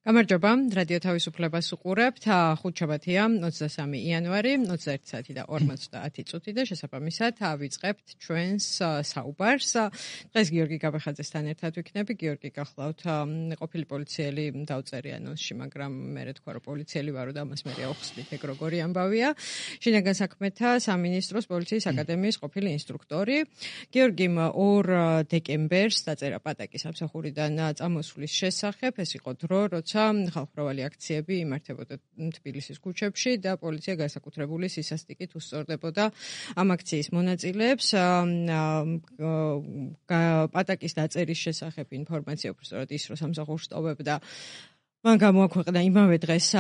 გამარჯობა, რადიო თავისუფლებას უყურებთ. ხუთშაბათია, 23 იანვარი, 21 საათი და 50 წუთი და შესაბამისად ვიწყებთ ჩვენს საუბარს. დღეს გიორგი გაბეხაძესთან ერთად ვიქნები. გიორგი, გახლავთ ყოფილი პოლიციელი დავწერე ანონსში, მაგრამ მე თქვა რომ პოლიციელი ვარო და ამას მე აუხსნით, ეგ როგორი ამბავია. შინაგან საქმეთა სამინისტროს პოლიციის აკადემიის ყოფილი ინსტრუქტორი. გიორგიმ 2 დეკემბერს დაწერა პატაკის სამსახურიდან წამოსვლის შესახებ. ეს იყო დრო, როცა ხალხმრავალი აქციები იმართებოდა თბილისის ქუჩებში და პოლიცია განსაკუთრებული სისასტიკით უსწორდებოდა ამ აქციის მონაწილეებს. პატაკის დაწერის შესახებ ინფორმაცია უბრალოდ ის, რომ სამსახურს ტოვებდა, მან გამოაქვეყნა იმავე დღეს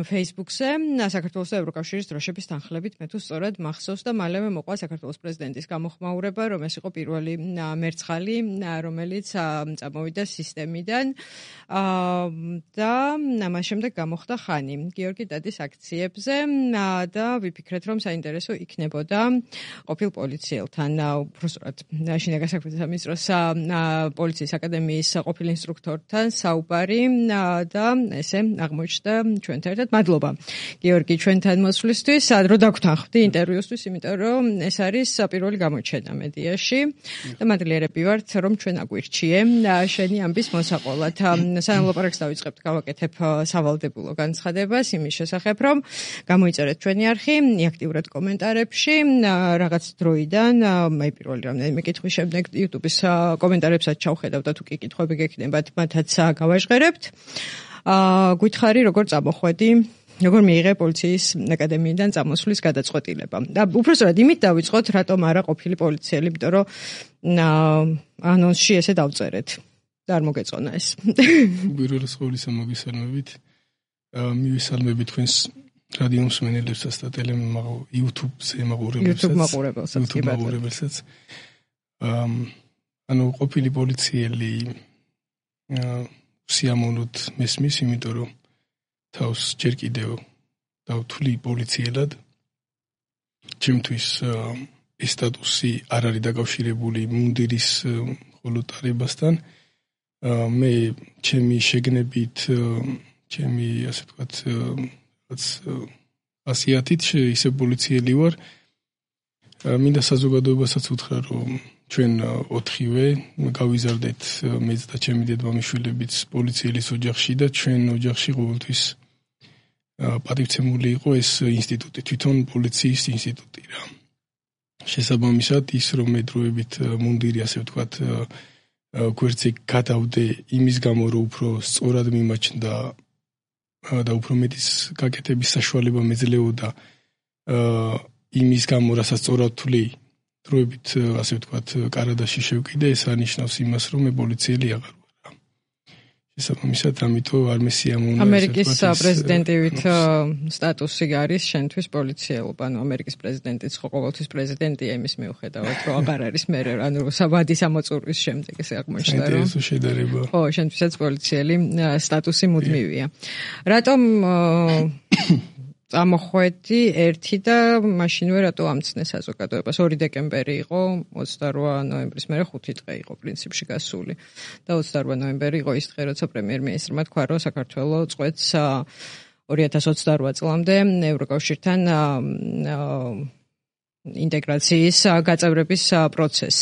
Facebook-ზე საქართველოს და ევროკავშირის დროშების თანხლებით, მე თუ სწორად მახსოვს და მალევე მოყვა საქართველოს პრეზიდენტის გამოხმაურება, რომ ეს იყო პირველი მერცხალი, რომელიც წამოვიდა სისტემიდან და ამას შემდეგ გამოხდა ხანი. გიორგი დადის აქციებზე და ვიფიქრეთ, რომ საინტერესო იქნებოდა ყოფილ პოლიციელთან, უბრალოდ შინაგან საქმეთა სამინისტროს პოლიციის აკადემიის ყოფილ ინსტრუქტორთან საუბარი და ესე აღმოჩნდა ჩვენთან ერთად. მადლობა გიორგი ჩვენთან მოსვლისთვის. რო დაგვთანხმდი ინტერვიუსთვის, იმიტომ რომ ეს არის პირველი გამოჩენა მედიაში და მადლიერები ვართ, რომ ჩვენ აგვირჩიე შენი ამბის მოსაყოლად. სანამ ლაპარაკს დავიწყებთ, გავაკეთებ სავალდებულო განცხადებას იმის შესახებ, რომ გამოიწერეთ ჩვენი არხი აქტიურად კომენტარებში. რაღაც დროიდან მე პირველი რამდენიმე კითხვის შემდეგ YouTube-ის კომენტარებსაც ჩავხედავ და თუ კი კითხვები გექნებათ, მათაც გავაჟღერებთ. გითხარი როგორ წამოხვედი, როგორ მიიღე პოლიციის აკადემიიდან წამოსვლის გადაწყვეტილება. და უბრალოდ იმით დავიწყოთ, რატომ არა ყოფილი პოლიციელი, იმიტომ რომ ანონსში ესე დავწერეთ. და არ მოგეწონა ეს. უპირველეს ყოვლისა მოგესალმებით. მივესალმები თქვენს რადიო მსმენელებსაც და YouTube-ზე მაყურებელსაც. ყოფილი პოლიციელი სიამოვნოთ მესმის, იმიტომ რომ თავს ჯერ კიდევ დავთვლი პოლიციელად. ჩემთვის ეს სტატუსი არ არის დაკავშირებული მუნდირის ხოლოტარებასთან. მე ჩემი შეგნებით, ჩემი ასე ვთქვათ, ასიათით ისე პოლიციელი ვარ. მინდა საზოგადოებასაც უთხრა, რომ ჩვენ 4-ვე გავიზარდეთ მეც და ჩემი დედმამიშვილებიც პოლიცielis ოჯახში და ჩვენ ოჯახში ყოველთვის პატივცემული იყო ეს ინსტიტუტი, თვითონ პოლიციის ინსტიტუტი რა. შესაბამისად ის რომ მე დროებით მუნდირი ასე ვთქვათ გვერდზე გადავდე იმის გამო რომ უფრო სწორად მიმაჩნდა და უფრო მეტის გაკეთების საშუალება მეძლეოდა იმის გამო რასაც სწორად თვლი დროებით ასე ვთქვათ კარადაში შევკიდე, ეს ანიშნავს იმას, რომ მე პოლიციელი აღარ ვარ. შესაბამისად, ამიტომ არ მესიამოვნა ამერიკის პრეზიდენტივით სტატუსი არის შენთვის პოლიციელობა, ანუ ამერიკის პრეზიდენტიც ხო ყოველთვის პრეზიდენტია, იმის მიუხედავად, რომ აღარ არის მე, ანუ საბადის ამოწურვის შემდეგ ესე აღმოჩნდა, რომ საინტერესო შედარება. ხო, შენთვისაც პოლიციელი სტატუსი მუდმივია. რატომ წამოხვედი ერთი და მაშინვე რატო ამცნე საზოგადოებას. 2 დეკემბერი იყო, 28 ნოემბრის მერე 5 დღე იყო პრინციპში გასული. და 28 ნოემბერი იყო ის დღე, როცა პრემიერ-მინისტრმა თქვა, რომ საქართველოს წყვეტს 2028 წლამდე ევროკავშირთან ინტეგრაციის გაწევრების პროცესს.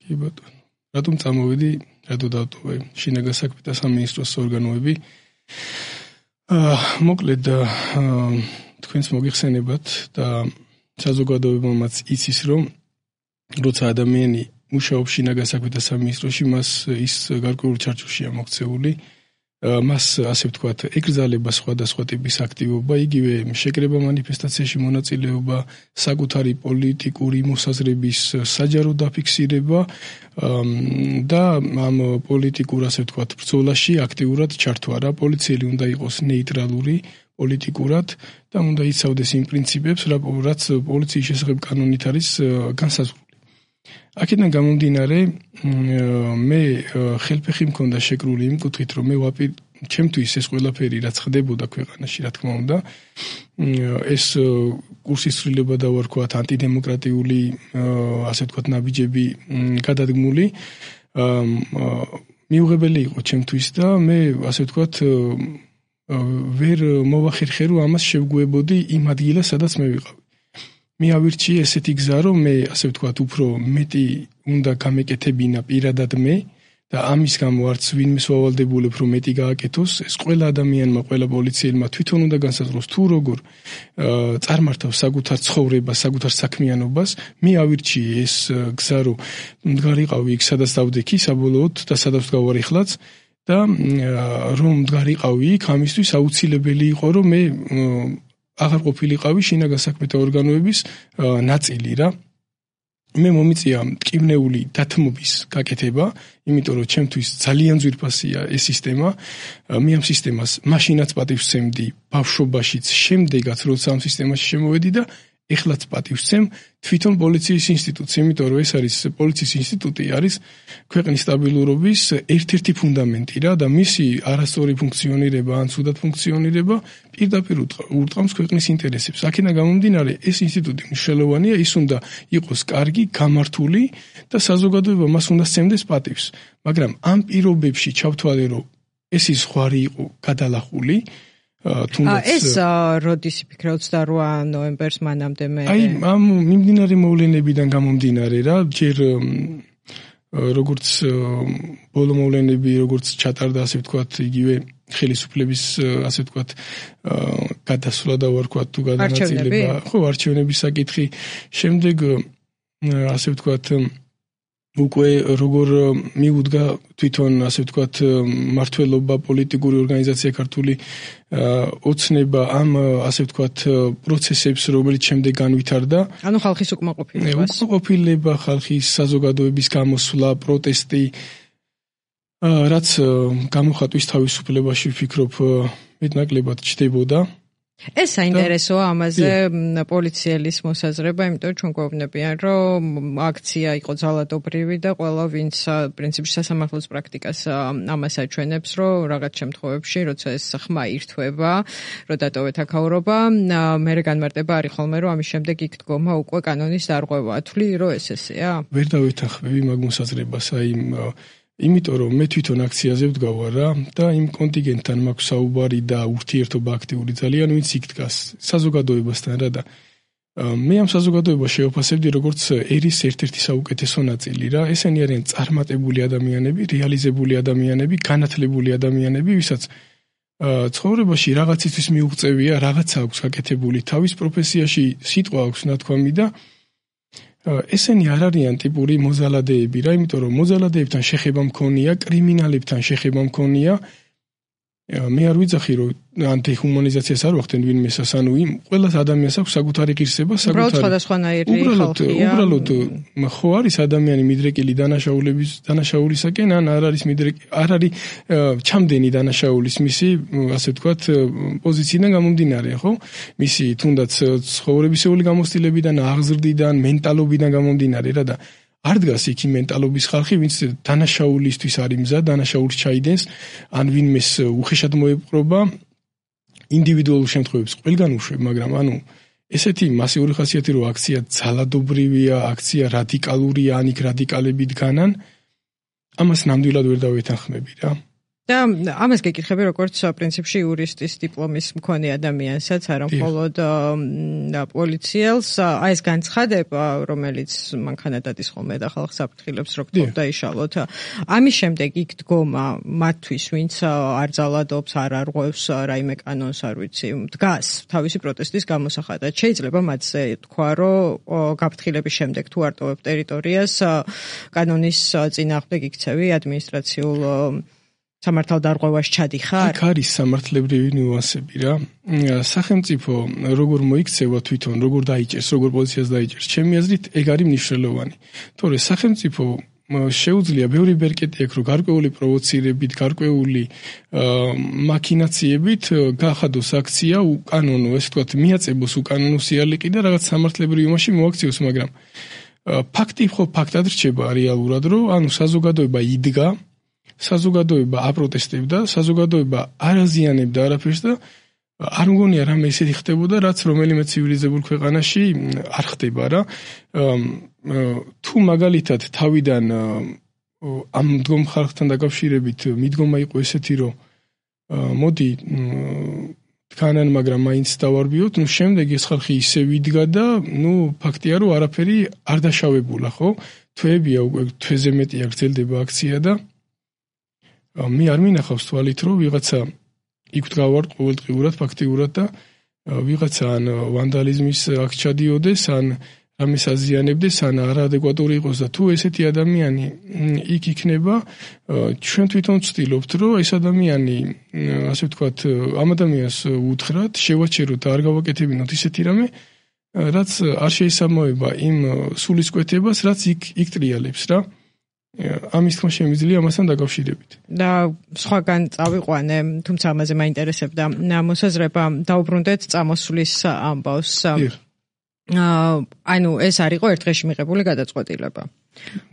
კი ბატონო. რატომ წამოვედი, რატო დავტოვე შინაგან საქმეთა სამინისტროს ორგანოები? მოკლედ თქვენს მოგიხსენებათ და საზოგადოებამაც იცის, რომ როცა ადამიანი მუშაობს შინაგან საქმეთა სამინისტროში, მას ის გარკვეულ ჩარჩოშია მოქცეული, მას ასე ვთქვათ, ეკრძალება სხვადასხვა ტიპის აქტივობა, იგივე შეკრება მანიფესტაციაში მონაწილეობა, საკუთარი პოლიტიკური მოსაზრების საჯარო დაფიქსირება და ამ პოლიტიკურ ასე ვთქვათ ბრძოლაში აქტიურად ჩართვა რა. პოლიციელი უნდა იყოს ნეიტრალური პოლიტიკურად და უნდა იცავდეს იმ პრინციპებს, რაც პოლიციის შესახებ კანონით არის განსაზღვრული. აქედან გამომდინარე, მე ხელფეხი მქონდა შეკრული იმ კუთხით, რომ მე ჩემთვის ეს ყველაფერი რაც ხდებოდა ქვეყანაში, რა თქმა უნდა, ეს კურსის ცვლილება და ვარქვათ antidemokratიული ასე ვთქვათ ნაბიჯები გადადგმული. მიუღებელი იყო ჩემთვის და მე ასე ვთქვათ ვერ მოვახერხე რომ ამას შევგუებოდი იმ ადგილას სადაც მე ვიყავი. მე ავირჩიე ესეთი გზა რომ მე ასე ვთქვათ უფრო მეტი უნდა გამეკეთებინა პირადად მე და ამის გამო არც ვინმეს ვავალდებულებ რომ მეტი გააკეთოს ეს ყველა ადამიანმა ყველა პოლიციელმა თვითონ უნდა განსაზღვროს თუ როგორ წარმართავს საკუთარ ცხოვრებას საკუთარ საქმიანობას მე ავირჩიე ეს გზა რომ მდგარიყავი იქ სადაც დავდექი საბოლოოდ და სადაც გავარ ეხლაც და რომ მდგარიყავი იქ ამისთვის აუცილებელი იყო რომ მე აღარ ყოფილიყავი შინაგან საქმეთა ორგანოების ნაწილი რა მე მომიწია მტკივნეული დათმობის გაკეთება, იმიტომ რომ ჩემთვის ძალიან ძვირფასია ეს სისტემა. მე ამ სისტემას მაშინაც პატივს ვცემდი ბავშვობაშიც, შემდეგაც როცა ამ სისტემაში შემოვედი და ეხლაც პატივს ვცემ თვითონ პოლიციის ინსტიტუტს, იმიტომ რომ ეს არის პოლიციის ინსტიტუტი არის ქვეყნის სტაბილურობის ერთ-ერთი ფუნდამენტი რა და მისი არასწორი ფუნქციონირება ან ცუდად ფუნქციონირება პირდაპირ ურტყამს ქვეყნის ინტერესებს. აქედან გამომდინარე ეს ინსტიტუტი მნიშვნელოვანია, ის უნდა იყოს კარგი, გამართული და საზოგადოება მას უნდა სცემდეს პატივს. მაგრამ ამ პირობებში ჩავთვალე რომ ეს ზღვარი იყო გადალახული ეს როდის იფიქრე 28 ნოემბერს მანამდე მე აი ამ მიმდინარე მოვლენებიდან გამომდინარე რა ჯერ როგორც ბოლო მოვლენები როგორც ჩატარდა ასე ვთქვათ იგივე ხელისუფლების ასე ვთქვათ გადასვლა და ვარქვათ თუ გადანაწილება ხო არჩევნების საკითხი შემდეგ ასე ვთქვათ უკვე როგორ მიუდგა თვითონ ასე ვთქვათ მართლობა პოლიტიკური ორგანიზაცია ქართული ოცნება ამ ასე ვთქვათ პროცესებს რომელიც შემდეგ განვითარდა ანუ ხალხის უკმაყოფილება ხალხის საზოგადოების გამოსვლა პროტესტი რაც გამოხატვის თავისუფლებაში ვფიქრობ მეტნაკლებად ჩდებოდა ეს საინტერესოა ამაზე პოლიციელის მოსაზრება, იმიტომ რომ ჩვენ გვეუბნებიან, რომ აქცია იყო ძალადობრივი და ყველა ვინც პრინციპში სასამართლოს პრაქტიკას ამას აჩვენებს, რომ რაღაც შემთხვევებში, როცა ეს ხმა ირთვება, რომ დატოვეთ აქაურობა, მერე განმარტება არის ხოლმე, რომ ამის შემდეგ იქ დგომა უკვე კანონის დარღვევა. თვლი რომ ეს ესეა? ვერ დავეთანხმები მაგ მოსაზრებას, აი იმიტომ რომ მე თვითონ აქციაზე ვდგავარ რა და იმ კონტინგენტთან მაქვს საუბარი და ურთიერთობა აქტიური ძალიან ვინც იქ დგას საზოგადოებასთან რა და მე ამ საზოგადოებას შევაფასებდი როგორც ერის ერთ-ერთი საუკეთესო ნაწილი რა ესენი არიან წარმატებული ადამიანები, რეალიზებული ადამიანები, განათლებული ადამიანები, ვისაც ცხოვრებაში რაღაცისთვის მიუღწევია, რაღაცა აქვს გაკეთებული თავის პროფესიაში, სიტყვა აქვს ნათქვამი და ესენი არ არიან ტიპური მოზალადეები რა, იმიტომ რომ მოზალადეებთან შეხება მქონია, კრიმინალებთან შეხება მქონია. მე არ ვიძახი რომ ანტიჰუმანიზაციას არ ვახდენ ვინმესას, ანუ იმ ყველას ადამიანს აქვს საკუთარი ღირსება, საკუთარი სხვადასხვანაირი ხალხია. უბრალოდ ხო არის ადამიანი მიდრეკილი დანაშაულისაკენ, ან არ არის ჩამდენი დანაშაულის მისი, ასე ვთქვათ, პოზიციიდან გამომდინარე, ხო? მისი თუნდაც ცხოვრებისეული გამოცდილებიდან, აღზრდიდან, მენტალობიდან გამომდინარე რა და არ დგას იქ მენტალობის ხალხი, ვინც დანაშაულისთვის არის მზად, დანაშაულს ჩაიდენს, ან ვინმეს უხეშად მოეპყრობა ინდივიდუალურ შემთხვევებს ყველგან უშვებ, მაგრამ ანუ ესეთი მასიური ხასიათი რომ აქცია ძალადობრივია, აქცია რადიკალურია, ან იქ რადიკალები დგანან, ამას ნამდვილად ვერ დავეთანხმები რა. და ამას გეკითხები როგორც პრინციპში იურისტის დიპლომის მქონე ადამიანსაც, არა მხოლოდ პოლიციელს, აი ეს განცხადება, რომელიც მანქანა დადის ხოლმე და ხალხს აფრთხილებს, რომ გთხოვ დაიშალოთ. ამის შემდეგ იქ დგომა მათთვის, ვინც არ ძალადობს, არ არღვევს რაიმე კანონს, არ ვიცი, დგას თავისი პროტესტის გამოსახატად. შეიძლება მათზე თქვა, რომ გაფრთხილების შემდეგ თუ არტოვებ ტერიტორიას, კანონის წინააღმდეგ იქცევი ადმინისტრაციულ სამართალდარღვევას ჩადიხარ? აქ არის სამართლებრივი ნიუანსები რა. სახელმწიფო როგორ მოიქცევა თვითონ, როგორ დაიჭერს, როგორ პოლიციას დაიჭერს, ჩემი აზრით ეგ არის მნიშვნელოვანი. თორე სახელმწიფო შეუძლია ბევრი ბერკეტი აქვს, რომ გარკვეული პროვოცირებით, გარკვეული მაქინაციებით გაახადოს აქცია უკანონო, ესე ვთქვათ, მიაწებოს უკანონო სიალიყი და რაღაც სამართლებრივ იმაში მოაქციოს, მაგრამ ფაქტი ხო ფაქტად რჩება რეალურად, რომ ანუ საზოგადოება იდგა საზოგადოება აპროტესტებდა, საზოგადოება არ აზიანებდა არაფერს და არ მგონია რამე ისეთი ხდებოდა, რაც რომელიმე ცივილიზებულ ქვეყანაში არ ხდება რა. თუ მაგალითად თავიდან ამ მდგომ ხალხთან დაკავშირებით მიდგომა იყო ესეთი, რომ მოდი tkაnan, მაგრამ მაინც დავარბიოთ, შემდეგ ეს ხალხი ისე ვიდგა და ფაქტია, რომ არაფერი არ დაშავებულა, ხო? თვეებია უკვე თვეზე მეტია გრძელდება აქცია და მე არ მინახავს თვალით, რომ ვიღაცა იქ დგავართ ყოველდღიურად ფაქტიურად და ვიღაცა ან ვანდალიზმის აქ ჩადიოდეს, ან რამეს აზიანებდეს, ან არაადეკვატური იყოს და თუ ესეთი ადამიანი იქ იქნება, ჩვენ თვითონ ვცდილობთ, რომ ეს ადამიანი, ასე ვთქვათ, ამ ადამიანს უთხრათ, შევაჩეროთ და არ გავაკეთებინოთ ისეთი რამე, რაც არ შეესაბამება იმ სულისკვეთებას, რაც იქ ტრიალებს რა. ამის თქმა შემიძლია ამასთან დაკავშირებით. და სხვაგან წავიყვანე, თუმცა ამაზე მაინტერესებდა მოსაზრება, დაუბრუნდეთ წამოსვლის ამბავს. ანუ ეს არ იყო ერთ დღეში მიღებული გადაწყვეტილება.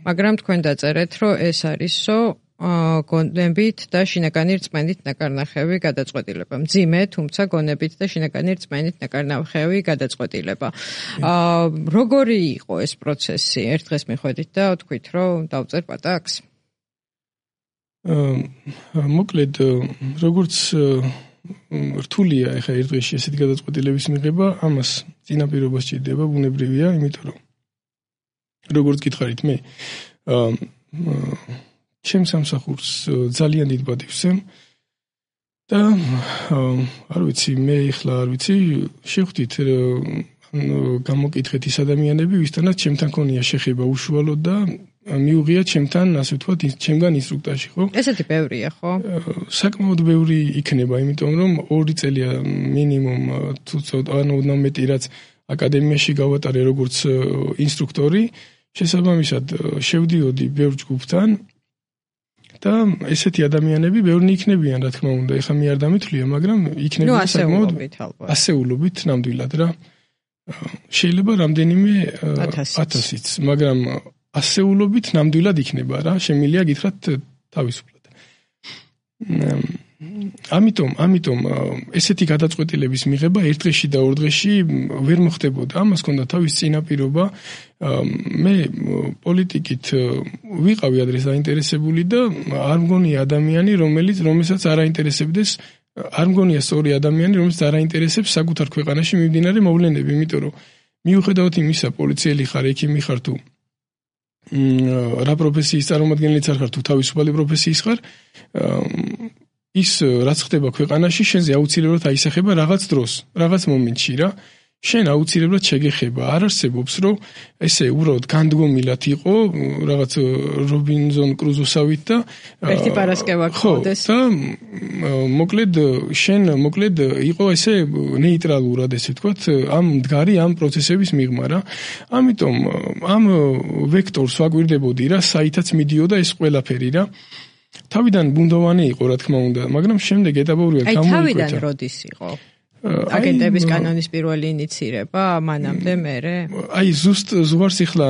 მაგრამ თქვენ დაწერეთ, რომ ეს არისო გონებით და შინაგანი რწმენით ნაკარნახევი გადაწყვეტილება. მძიმე, თუმცა გონებით და შინაგანი რწმენით ნაკარნახევი გადაწყვეტილება. როგორი იყო ეს პროცესი? ერთ დღეს მიხვედით და თქვით, რომ დავწერ პატაკს? მოკლედ, როგორც რთულია ეხა ერთ დღეში ესეთი გადაწყვეტილების მიღება, ამას წინაპირობა სჭირდება, ბუნებრივია, იმიტომ რომ როგორც გითხარით მე, ჩემს სამსახურს ძალიან დიდ პატივს და არ ვიცი, მე ახლა არ ვიცი, შევხვდით გამოკითხეთ ის ადამიანები, ვისთანაც ჩემთან ქონია შეხება უშუალოდ და მიუღია ჩემთან, ასე ვთქვათ, ჩემგან ინსტრუქტორში, ხო? ესეთი ბევრია, ხო? საკმაოდ ბევრი იქნება, იმიტომ რომ 2 წელია მინიმუმ თუ ანუ მეტი რაც აკადემიაში გავატარე როგორც ინსტრუქტორი, შესაბამისად შევდიოდი ბევრ ჯგუფთან და ესეთი ადამიანები ბევრნი იქნებიან, რა თქმა უნდა, ეხლა მე არ დამითვლია, მაგრამ იქნებიან საკმაოდ ასეულობით ნამდვილად რა. შეიძლება რამდენიმე 1000-იც, მაგრამ ასეულობით ნამდვილად იქნება რა, შემიძლია გითხრათ თავისუფლად. ამიტომ ესეთი გადაწყვეტილების მიღება ერთ დღეში და ორ დღეში ვერ მოხდებოდა. ამას ჰქონდა თავის წინაპირობა. მე პოლიტიკით ვიყავი ადრე დაინტერესებული და არ მგონია ადამიანი, რომელსაც არ აინტერესებდეს, არ მგონია სწორი ადამიანი, რომელსაც არ აინტერესებს საკუთარ ქვეყანაში მიმდინარე მოვლენები, იმიტომ რომ მიუხედავად იმისა, პოლიციელი ხარ, ექიმი ხარ თუ რა პროფესიის წარმომადგენელიც არ ხარ თუ თავისუფალი პროფესიის ხარ, ის რაც ხდება ქვეყანაში, შენზე აუცილებლად აისახება რაღაც დროს, რაღაც მომენტში რა. შენ აუცილებლად შეგეხება. არ არსებობს, რომ ესე უბრალოდ განდგომილად იყო რაღაც რობინზონ კრუზოსავით და ერთი პარასკევა გქონდეს. და მოკლედ იყო ესე ნეიტრალურად, ესე ვთქვათ, ამ მდგარი ამ პროცესების მიღმა რა. ამიტომ ამ ვექტორს ვაკვირდებოდი რა, საითაც მიდიოდა ეს ყველაფერი რა. თავიდან ბუნდოვანი იყო, რა თქმა უნდა, მაგრამ შემდეგ ეტაპობრივად გამოიკვეთა. თავიდან როდის იყო? აგენტების კანონის პირველი ინიცირება მანამდე მერე? ზუსტ ეხლა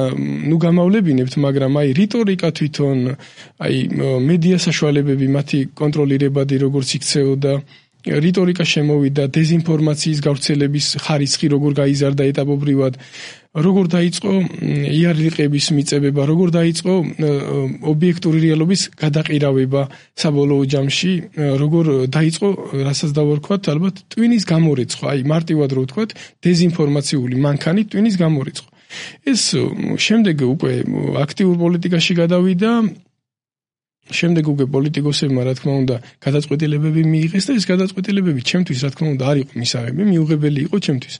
გამავლებინებთ, მაგრამ რიტორიკა თვითონ, მედია საშუალებები, მათი კონტროლირებადი როგორც იქცეოდა, რიტორიკა შემოვიდა, დეზინფორმაციის გავრცელების ხარისხი როგორ გაიზარდა ეტაპობრივად, როგორ დაიწყო იარაღების მიწებება, როგორ დაიწყო ობიექტური რეალობის გადაყირავება საბოლოო ჯამში, როგორ დაიწყო, რასაც დავარქვათ, ალბათ ტვინის გამორიცხვა, მარტივად რო ვთქვათ, დეზინფორმაციული მანქანით ტვინის გამორიცხვა. ეს შემდეგ უკვე აქტიურ პოლიტიკაში გადავიდა. შემდეგ უკვე პოლიტიკოსებმა, რა თქმა უნდა, გადაწყვეტილებები მიიღეს და ეს გადაწყვეტილებები ჩემთვის, რა თქმა უნდა, არ იყო მისაღები, მიუღებელი იყო ჩემთვის.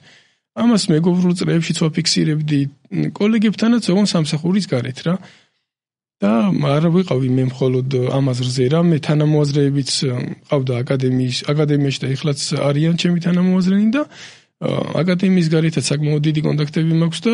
ამას მეგობრულ წრეებშიც ვაფიქსირებდი კოლეგებთანაც, ოღონდ სამსახურის გარეთ რა. და არ ვიყავი მე მხოლოდ ამ აზრზე რა, მე თანამოაზრეებიც ყავდა აკადემიაში და ეხლაც არიან ჩემი თანამოაზრენი და აკადემიის გარეთაც საკმაოდ დიდი კონტაქტები მაქვს და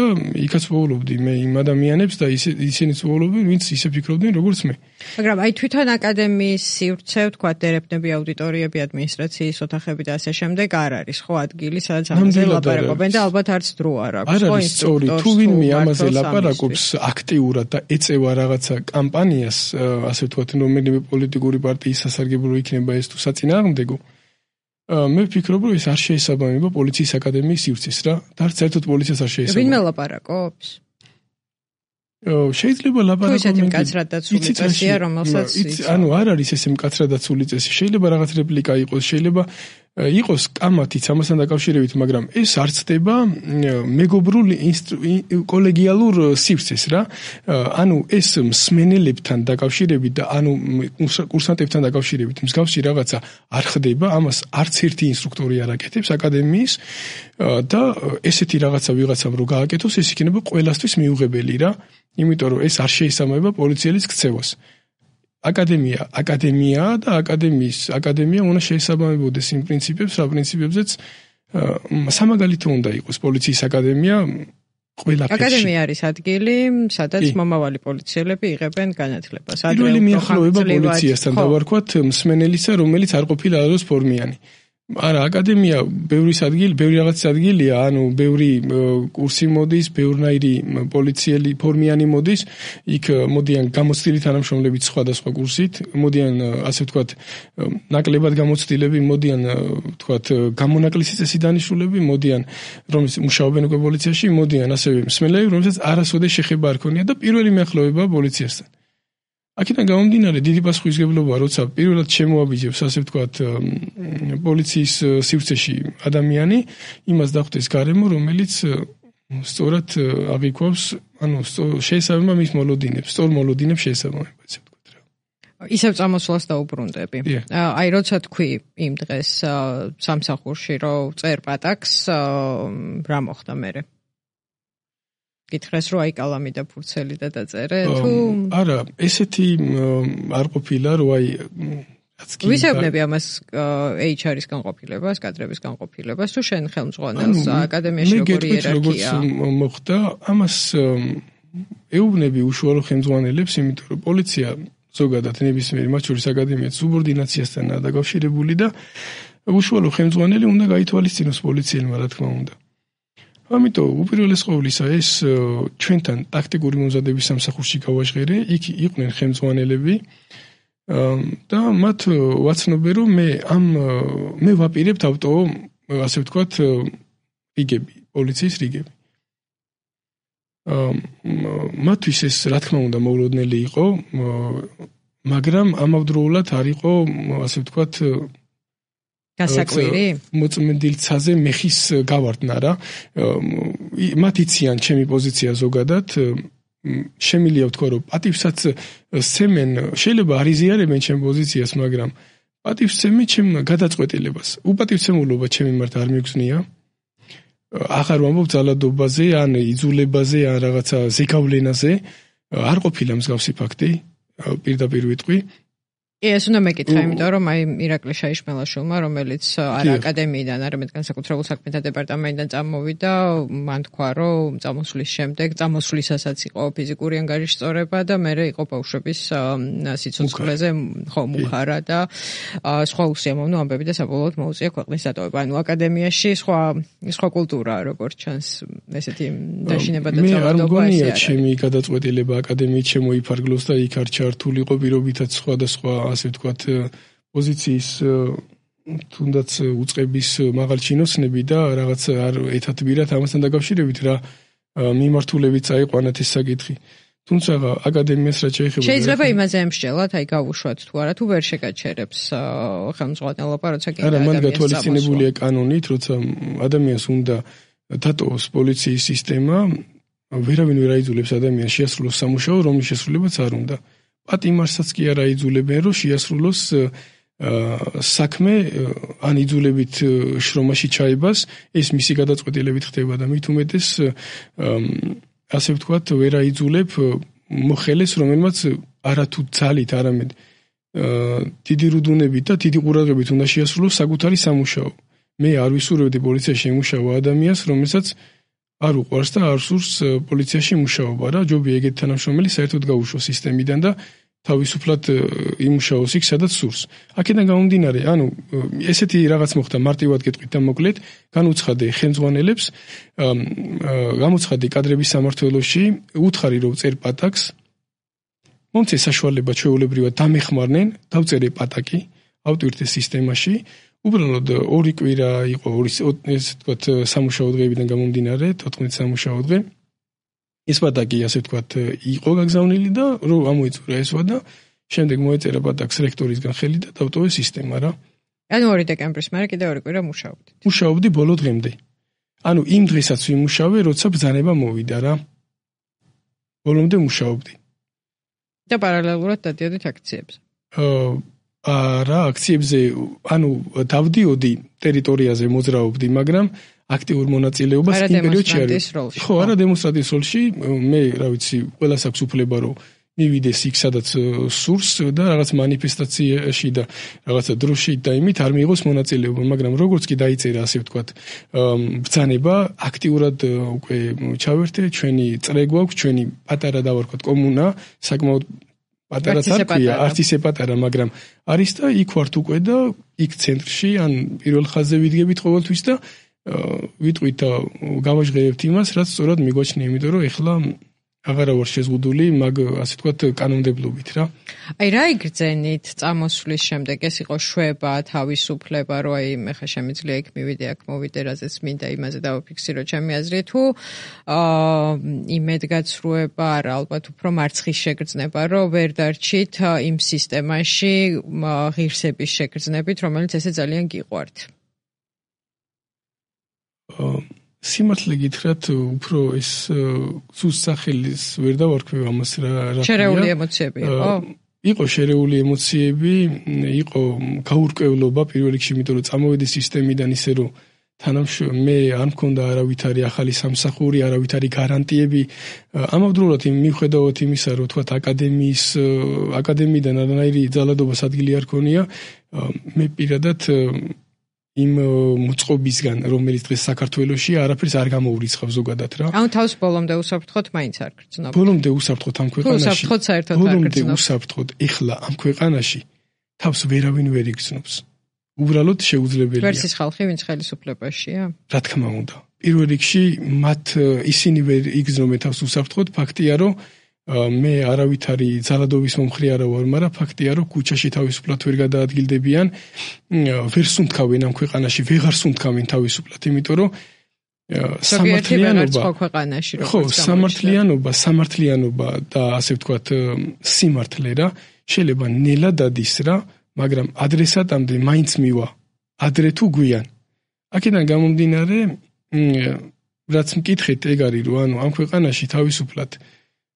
იქაც ვუყოლობდი მე იმ ადამიანებს და ისინიც ვუყოლობდნენ, ვინც ისე ფიქრობდნენ როგორც მე. მაგრამ თვითონ აკადემიის სივრცე, თქვა დერეფნები, აუდიტორიები, ადმინისტრაციის ოთახები და ასე შემდეგ არ არის ხო ადგილი, სადაც ამაზე ლაპარაკობენ და ალბათ არც დრო არ აქვს. არ არის სწორი, თუ ვინმე ამაზე ლაპარაკობს აქტიურად და ეწევა რაღაცა კამპანიას, ასე ვთქვათ, რომელიმე პოლიტიკური პარტიის სასარგებლო იქნება ეს თუ საწინააღმდეგო, მე ვფიქრობ, რომ ეს არ შეესაბამება პოლიციის აკადემიის სივრცეს რა. და არც ერთად პოლიციას არ შეესაბამება. ვინმე ლაპარაკობს? შეიძლება ლაპარაკობენ მკაცრად დაცული წესია, რომელსაც ანუ არ არის ესე მკაცრად დაცული წესი. შეიძლება რაღაც რეპლიკა იყოს, შეიძლება იყოს კამათიც ამასთან დაკავშირებით, მაგრამ ეს არ ცდება მეგობრულ კოლეგიალურ სივრცეს რა. ანუ ეს მსმენელებთან დაკავშირებით და ანუ კურსანტებთან დაკავშირებით მსგავსი რაღაცა არ ხდება, ამას არც ერთი ინსტრუქტორი არ აკეთებს აკადემიის და ესეთი რაღაცა ვიღაცამ რო გააკეთოს, ეს იქნება ყველასთვის მიუღებელი რა. იმიტომ რომ ეს არ შეისამება პოლიციელის ქცევას. აკადემია და აკადემია უნდა შეესაბამებოდეს იმ პრინციპებს, რა პრინციპებზეც სამაგალითო უნდა იყოს პოლიციის აკადემია ყველაფერში. აკადემია არის ადგილი, სადაც მომავალი პოლიციელები იღებენ განათლებას. პირველი მიახლოვება პოლიციასთან დავარქვათ მსმენელისა, რომელიც არ ყოფილა არასდროს ფორმიანი. არა, აკადემია ბევრი რაღაცის ადგილია, ანუ ბევრი კურსი მოდის, ბევრნაირი პოლიციელი ფორმიანი მოდის, იქ მოდიან გამოცდილი თანამშრომლებით სხვადასხვა კურსით, მოდიან ასე ვთქვათ, ნაკლებად გამოცდილები, მოდიან ვთქვათ, გამონაკლისი წესი დანიშნულები, მოდიან რომლის მუშაობენ უკვე პოლიციაში, მოდიან ასევე მსმენელები, რომელსაც არასოდეს შეხება არ ქონია და პირველი მიახლოვება პოლიციასთან. აქედან გამომდინარე დიდი პასუხისმგებლობა, როცა პირველად შემოაბიჯებს, ასე ვთქვათ, პოლიციის სივრცეში ადამიანი, იმას დახვდეს გარემო, რომელიც სწორად აღიქვავს, ანუ შეესაბამება მის მოლოდინებს, სწორ მოლოდინებს შეესაბამება, ასე ვთქვათ რა. ისევ წამოსვლას დაუბრუნდები. აი, როცა თქვი იმ დღეს სამსახურში, რომ წერ პატაკს, რა მოხდა მერე? გითხრეს რომ აი კალამი და ფურცელი და დაწერე თუ არა ესეთი არ ყოფილა რომ აი რაც კი ვისეუბნები ამას HR-ის განყოფილებას, კადრების განყოფილებას თუ შენ ხელმძღვანელს აკადემიაში როგორი იერარქია მოხდა ამას ეუბნები უშუალო ხელმძღვანელებს, იმიტომ რომ პოლიცია ზოგადად ნებისმიერი მათ შორის აკადემიაც სუბორდინაციასთანაა დაკავშირებული და უშუალო ხელმძღვანელი უნდა გაითვალისწინოს პოლიციელმა, რა თქმა უნდა. ამიტომ უპირველეს ყოვლისა ეს ჩვენთან ტაქტიკური მომზადების სამსახურში გავაჟღერე, იქ იყვნენ ხელმძღვანელები და მათ ვაცნობე რომ მე ვაპირებთ ავტო, ასე ვთქვათ, რიგები, პოლიციის რიგები. მათთვის ეს რა თქმა უნდა მოულოდნელი იყო, მაგრამ ამავდროულად არ იყო, ასე ვთქვათ, გასაკვირი? მოწმენდილცაზე მეხის გავარდნა რა. მათ იციან ჩემი პოზიცია ზოგადად. შემიძლია ვთქვა, რომ პატივსაც სცემენ, შეიძლება არ იზიარებენ ჩემ პოზიციას, მაგრამ პატივს სცემენ ჩემ გადაწყვეტილებას. უპატივცემულობა ჩემი მიმართ არ მიგზნია. აღარ ვამბობ ძალადობაზე, ან იძულებაზე, ან რაღაცა ზეგავლენაზე. არ ყოფილა მსგავსი ფაქტი, პირდაპირ ვიტყვი. ეს უნდა მეკითხა, იმიტომ რომ აი ირაკლი შაიშმელაშვილმა, რომელიც არა აკადემიიდან, არამედ განსაკუთრებულ საქმეთა დეპარტამენტიდან წამოვიდა, მან თქვა, რომ წამოსვლის შემდეგ, წამოსვლისასაც იყო ფიზიკური ანგარიშის სწორება და მერე იყო ბავშვების სიცოცხლეზე მუხარა და სხვა უსიამოვნო ამბები და საბოლოოდ მოუწია ქვეყნის დატოვება. ანუ აკადემიაში სხვა კულტურაა, როგორც ჩანს, ესეთი დაშინება და ძალადობა. მე არ მგონია ჩემი გადაწყვეტილება აკადემიით შემოიფარგლოს და იქ არ ჩართულიყო პირობითაც სხვადასხვა ასე ვთქვათ პოზიციის თუნდაც უწყების მაღალჩინოსნები და რაღაც არ ეთათბირათ ამასთან დაკავშირებით რა მიმართულებით წაიყვანათ ეს საკითხი. თუმცა აკადემიას რაც შეეხება შეიძლება იმაზე ემსჯელოთ, აი გავუშვათ თუ არა, თუ ვერ შეგაჩერებს ხელმძღვანელობა, როცა კიდე არა, მან გათვალისწინებულია კანონით, როცა ადამიანს უნდა დატოვოს პოლიციის სისტემა, ვერავინ ვერ აიძულებს ადამიანს შეასრულოს სამუშაო, რომლის შესრულებაც არ უნდა. პატიმარსაც კი არ აიძულებენ, რომ შეასრულოს საქმე ან იძულებით შრომაში ჩაებას, ეს მისი გადაწყვეტილებით ხდება და მით უმეტეს ასე ვთქვათ, ვერ აიძულებ მოხელეს, რომელმაც არათუ ძალით, არამედ დიდი რუდუნებით და დიდი ყურადღებით უნდა შეასრულოს საკუთარი სამუშაო. მე არ ვისურვებდი პოლიციაში იმუშავა ადამიანს, რომელსაც არ უყვარს და არ სურს პოლიციაში მუშაობა რა, ჯობია ეგეთი თანამშრომელი საერთოდ გაუშვოს სისტემიდან და თავისუფლად იმუშაოს იქ, სადაც სურს. აქედან გამომდინარე, ანუ ესეთი რაღაც მოხდა, მარტივად გეტყვით და მოკლედ, განუცხადე ხელმძღვანელებს, გამოცხადე კადრების სამმართველოში, უთხარი რომ წერ პატაკს, მომცე საშუალება ჩვეულებრივად დამეხმარნენ, დავწერე პატაკი, ავტვირთე სისტემაში. უბრალოდ ორი კვირა იყო, ესე ვთქვათ, სამუშაო დღეებიდან გამომდინარე, 14 სამუშაო დღე. ეს პატაკი ასე ვთქვათ იყო გაგზავნილი და რომ ამოიწურა ეს ვადა, შემდეგ მოეწერა პატაკს რექტორისგან ხელი და დავტოვე სისტემა რა. ანუ 2 დეკემბრის მერე კიდევ 2 კვირა მუშაობდით. მუშაობდი ბოლო დღემდე. ანუ იმ დღესაც ვიმუშავე, როცა ბრძანება მოვიდა რა. ბოლომდე მუშაობდი. და პარალელურად დადიოდით აქციებზე. რა აქციებზე, ანუ დავდიოდი ტერიტორიაზე მოძრაობდი, მაგრამ აქტიურ მონაწილეობას იმ პერიოდში არ ვიყავი. ხო, არა დემონსტრანტის როლში, მე რა ვიცი, ყველას აქვს უფლება რომ მივიდეს იქ სადაც სურს და რაღაც მანიფესტაციაში და რაღაცა დროში და იმით არ მიიღოს მონაწილეობა, მაგრამ როგორც კი დაიწერა ასე ვთქვათ ბრძანება, აქტიურად უკვე ჩავერთე, ჩვენი წრე გვაქვს, ჩვენი პატარა დავარქვათ კომუნა, საკმაოდ პატარა თარქვია, არც ისე პატარა, მაგრამ არის და იქ ვართ უკვე და იქ ცენტრში, ან პირველ ხაზზე ვიდგებით ყოველთვის და ვიტყვით და გავაჟღერებთ იმას, რაც სწორად მიგვაჩნია, იმიტომ რომ ეხლა აღარა ვარ შეზღუდული, მაგ ასე ვთქვათ კანონმდებლობით რა. აი რა იგრძენით წამოსვლის შემდეგ, ეს იყო შვება, თავისუფლება, რომ აი მე ხა შემიძლია იქ მივიდე, აქ მოვიდე, რაზეც მინდა იმაზე დავაფიქსირო ჩემი აზრი თუ იმედგაცრუება, არა, ალბათ უფრო მარცხის შეგრძნება, რომ ვერ დარჩით იმ სისტემაში ღირსების შეგრძნებით, რომელიც ესე ძალიან გიყვართ. სიმართლე გითხრათ, უფრო ეს სუსტ სახელის ვერ დავარქვევ ამას რა. შერეული ემოციები იყო? იყო შერეული ემოციები, იყო გაურკვევლობა პირველ რიგში, იმიტომ რომ წამოვედი სისტემიდან ისე რომ მე არ მქონდა არავითარი ახალი სამსახური, არავითარი გარანტიები. ამავდროულად მიუხედავად იმისა, რომ თქვათ აკადემიიდან არანაირი ძალადობას ადგილი არ ქონია, მე პირადად იმ მოწყობისგან, რომელიც დღეს საქართველოში არაფერს არ გამოურიცხავ ზოგადად რა. ანუ თავს ბოლომდე უსაფრთხოდ მაინც არ გრძნობ. ბოლომდე უსაფრთხოდ ამ ქვეყანაში. უსაფრთხოდ საერთოდ არ ბოლომდე გრძნობ. უსაფრთხოდ ეხლა ამ ქვეყანაში თავს ვერავინ ვერ იგრძნობს. უბრალოდ შეუძლებელია. ვერსის ხალხი, ვინც ხელისუფლებაშია? რა თქმა უნდა. პირველ რიგში ისინი ვერ იგრძნობენ თავს უსაფრთხოდ, ფაქტია რომ მე არავითარი ძალადობის მომხრე არა ვარ, მაგრამ ფაქტია რომ ქუჩაში თავისუფლად ვერ გადაადგილდებიან, ვერ სუნთქავენ ამ ქვეყანაში, ვეღარ სუნთქავენ თავისუფლად, იმიტომ რომ სამართლიანობა და ასე ვთქვათ სიმართლე რა შეიძლება ნელა დადის რა, მაგრამ ადრესატამდე მაინც მივა, ადრე თუ გვიან. აქედან გამომდინარე, რაც მკითხეთ ეგ არის რომ ანუ ამ ქვეყანაში თავისუფლად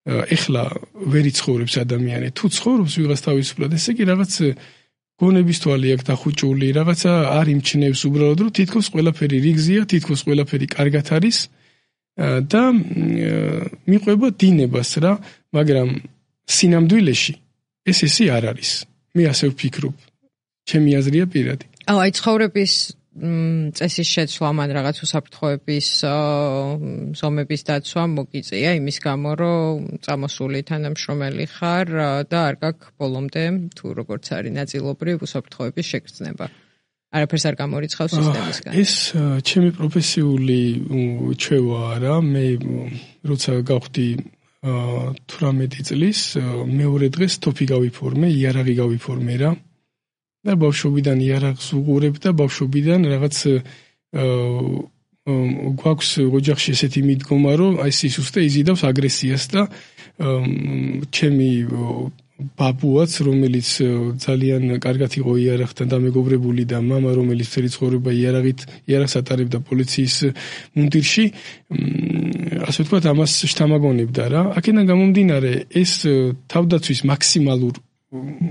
ეხლა ვერ იცხოვრებს ადამიანი, თუ ცხოვრობს ვიღაც თავისუფლად, ესე იგი რაღაც გონების თვალი აქვს დახუჭული, რაღაცა არ იმჩნევს უბრალოდ რომ თითქოს ყველაფერი რიგზია, თითქოს ყველაფერი კარგად არის და მიყვება დინებას რა, მაგრამ სინამდვილეში ესე არ არის. მე ასე ვფიქრობ. ჩემი აზრია პირადი. აი ცხოვრების წესის შეცვლა, მან რაღაც უსაფრთხოების ზომების დაცვა მოგიწია იმის გამო, რომ წამოსული თანამშრომელი ხარ და არ გაქვს ბოლომდე თუ როგორც არის ნაწილობრივ უსაფრთხოების შეგრძნება. არაფერს არ გამორიცხავს სისტემისგან. ეს ჩემი პროფესიული ჩვევაა რა. მე როცა გავხდი 18 წლის, მეორე დღეს თოფი გავიფორმე, იარაღი გავიფორმე რა. და ბავშვობიდან იარაღს უყურებ და ბავშვობიდან რაღაც გვაქვს ოჯახში ესეთი მიდგომა, რომ აი სისუსტე იზიდავს აგრესიას და ჩემი ბაბუაც, რომელიც ძალიან კარგად იყო იარაღთან დამეგობრებული და მამა, რომელიც მთელი ცხოვრება იარაღს ატარებდა პოლიციის მუნდირში, ასე ვთქვათ, ამას შთამაგონებდა რა. აქედან გამომდინარე, ეს თავდაცვის მაქსიმალურ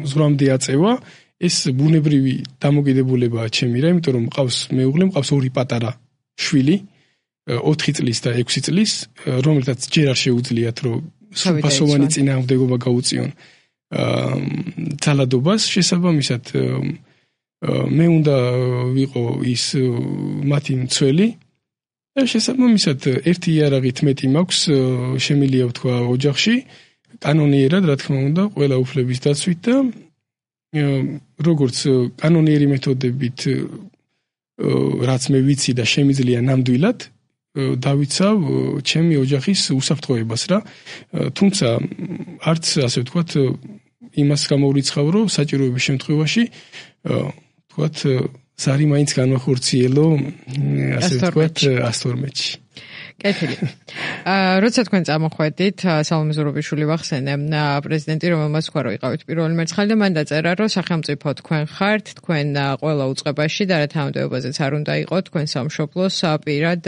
ზღვრამდე აწევა, ეს ბუნებრივი დამოკიდებულებაა ჩემი რა, იმიტომ რომ მყავს მეუღლე, მყავს 2 პატარა შვილი, 4 წლის და 6 წლის, რომელთაც ჯერ არ შეუძლიათ რომ სრულფასოვანი წინააღმდეგობა გაუწიონ ძალადობას, შესაბამისად მე უნდა ვიყო ის მათი მცველი და შესაბამისად ერთი იარაღით მეტი მაქვს, შემიძლია ვთქვა ოჯახში, კანონიერად რა თქმა უნდა, ყველა უფლების დაცვით და როგორც კანონიერი მეთოდებით რაც მე ვიცი და შემიძლია ნამდვილად დავიცავ ჩემი ოჯახის უსაფრთხოებას რა. თუმცა არც ასე ვთქვათ იმას გამოვრიცხავ, რომ საჭიროების შემთხვევაში ვთქვათ ზარი მაინც განვახორციელო ასე ვთქვათ 112-ში. კეთილი. როცა თქვენ წამოხვედით, სალომე ზურაბიშვილი ვახსენე, პრეზიდენტი, რომელმაც თქვა, რომ იყავით პირველი მერცხალი და მან დაწერა, რომ სახელმწიფო თქვენ ხართ, თქვენ ყველა უწყებაში და რა თანამდებობაზეც არ უნდა იყოთ, თქვენ სამშობლოს პირად,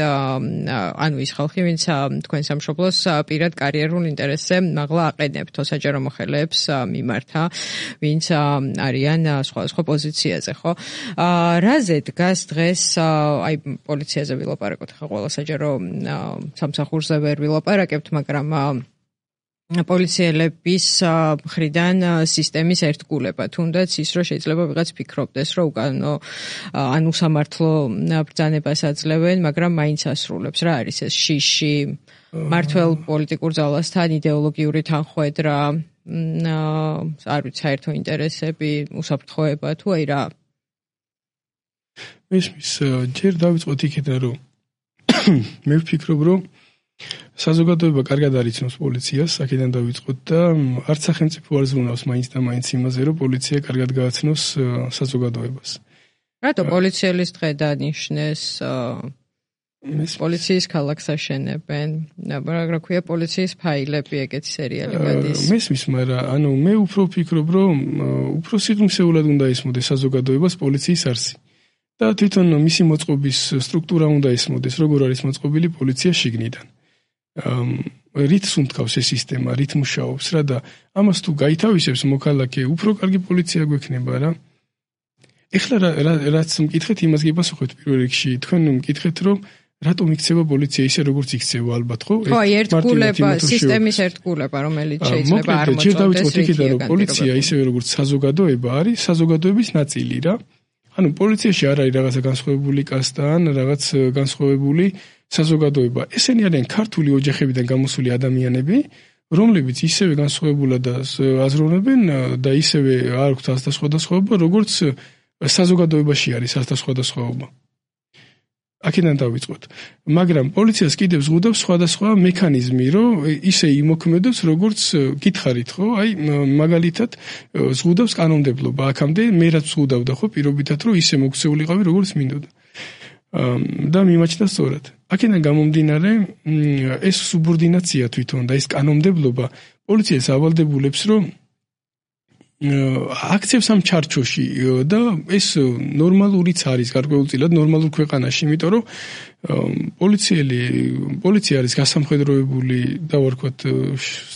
ანუ ის ხალხი, ვინც თქვენ სამშობლოს პირად კარიერულ ინტერესზე მაღლა აყენებთ, საჯარო მოხელეებს მიმართა, ვინც არიან სხვადასხვა პოზიციაზე, ხო? რაზე დგას დღეს, აი პოლიციაზე ვილაპარაკოთ ხა ყველა საჯარო სამსახურზე ვერ ვილაპარაკებთ, მაგრამ პოლიციელების მხრიდან სისტემის ერთგულება, თუნდაც ის, რომ შეიძლება ვიღაც ფიქრობდეს, რომ უკანონო ან უსამართლო ბრძანებას აძლევენ, მაგრამ მაინც ასრულებს. რა არის ეს შიში? მართლ პოლიტიკურ ძალასთან იდეოლოგიური თანხვედრა, არ ვიცი, საერთო ინტერესები, უსაფრთხოება თუ აი რა? მის ჯერ დავიწყოთ იქიდან, რომ მე ვფიქრობ, რომ საზოგადოება კარგად არიცნობს პოლიციას, აქედან დავიწყოთ და არც სახელმწიფო არ ზრუნავს მაინც და მაინც იმაზე, რომ პოლიცია კარგად გააცნოს საზოგადოებას. რატო პოლიციელის დღე დანიშნეს? პოლიციის ქალაქს აშენებენ, რა ქვია, პოლიციის ფაილები, ეგეთი სერიალი გადის. მესმის, მაგრამ მე უფრო ვფიქრობ, რომ უფრო სიღრმისეულად უნდა ისმოდეს საზოგადოებას პოლიციის არსი. და თვითონ მისი მოწყობის სტრუქტურა უნდა ისმოდეს, როგორ არის მოწყობილი პოლიცია შიგნიდან. რით სუნთქავს ეს სისტემა, რით მუშაობს რა და ამას თუ გაითავისებს მოქალაქე, უფრო კარგი პოლიცია გვექნება რა. ეხლა რაც მკითხეთ, იმას გიპასუხებთ პირველ რიგში. თქვენ მკითხეთ, რომ რატომ იქცევა პოლიცია ისე, როგორც იქცევა, ალბათ, ხო? ხო, ერთგულება, სისტემის ერთგულება, რომელიც შეიძლება არ მოწონდეს. ჯერ დავიწყოთ იქიდან, რომ პოლიცია ისევე როგორც საზოგადოება არის, საზოგადოების ნაწილი რა. ანუ პოლიციაში არ არის რაღაცა განსხვავებული კასტა ან რაღაც განსხვავებული საზოგადოება. ესენი არიან ქართული ოჯახებიდან გამოსული ადამიანები, რომლებიც ისევე განსხვავებულად აზროვნებენ და ისევე არ აქვთ ასდასხვადასხვაობა, როგორც საზოგადოებაში არის ასდასხვადასხვაობა. აქედან დავიწყოთ. მაგრამ პოლიციას კიდევ ზღუდავს სხვადასხვა მექანიზმი, რომ ისე იმოქმედოს, როგორც გითხარით, ხო? აი, მაგალითად, ზღუდავს კანონმდებლობა. აქამდე მე რაც ზღუდავდა, ხო, პირობითად, რომ ისე მოქცეულიყავი, როგორც მინდოდა. და მიმაჩნდა სწორად. აქედან გამომდინარე, ეს სუბორდინაცია თვითონ და ეს კანონმდებლობა პოლიციას ავალდებულებს, რომ აქცევს ამ ჩარჩოში და ეს ნორმალურიც არის გარკვეულწილად ნორმალურ ქვეყანაში, იმიტომ რომ პოლიცია არის გასამხედროებული და ვარქვათ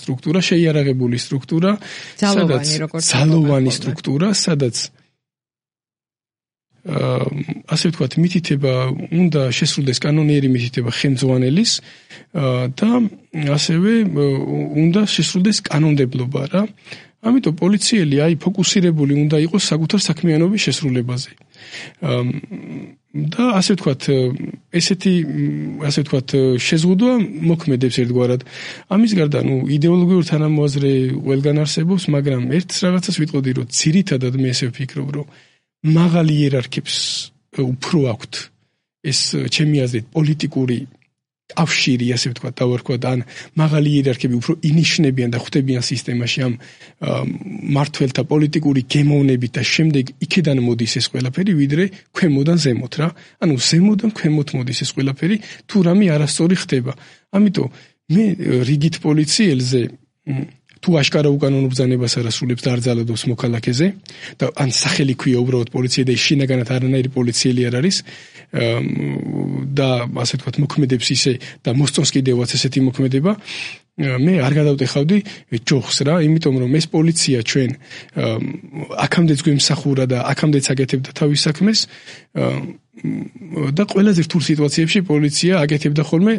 სტრუქტურა, შეიარაღებული სტრუქტურა, ძალოვანი სტრუქტურა, სადაც ასე ვთქვათ, მითითება უნდა შესრულდეს კანონიერი მითითება ხელმძღვანელის და ასევე უნდა შესრულდეს კანონმდებლობა რა. ამიტომ პოლიციელი აი ფოკუსირებული უნდა იყოს საკუთარ საქმიანობის შესრულებაზე. და ასე ვთქვათ, ესეთი ასე ვთქვათ, შეზღუდვა მოქმედებს ერთგვარად. ამის გარდა, იდეოლოგიური თანამოაზრე ყველგან არსებობს, მაგრამ ერთ რაღაცას ვიტყოდი, რომ ძირითადად მე ესე ვფიქრობ, რომ მაღალი იერარქებს უფრო აქვთ ეს ჩემი აზრით პოლიტიკური კავშირი, ასე ვთქვათ, დავარქვათ, ან მაღალი იერარქები უფრო ინიშნებიან და ხვდებიან სისტემაში ამ მართველთა პოლიტიკური გემოვნებით და შემდეგ იქიდან მოდის ეს ყველაფერი, ვიდრე ქვემოდან ზემოთ რა. ანუ ზემოდან ქვემოთ მოდის ეს ყველაფერი, თუ რამე არასწორი ხდება. ამიტომ მე რიგით პოლიციელზე თუ აშკარა უკანონო ბრძანებას არასრულებს და არ ძალადობს მოქალაქეზე და ან სახელი ქვია უბრალოდ პოლიცია და შინაგანად არანაირი პოლიციელი არ არის და ასე ვთქვათ მოქმედებს ისე და მოსწონს კიდევაც ესეთი მოქმედება, მე არ გადავტეხავდი ჯოხს რა, იმიტომ რომ ეს პოლიცია ჩვენ აქამდეც გვემსახურა და აქამდეც აკეთებდა თავის საქმეს და ყველაზე რთულ სიტუაციებში პოლიცია აკეთებდა ხოლმე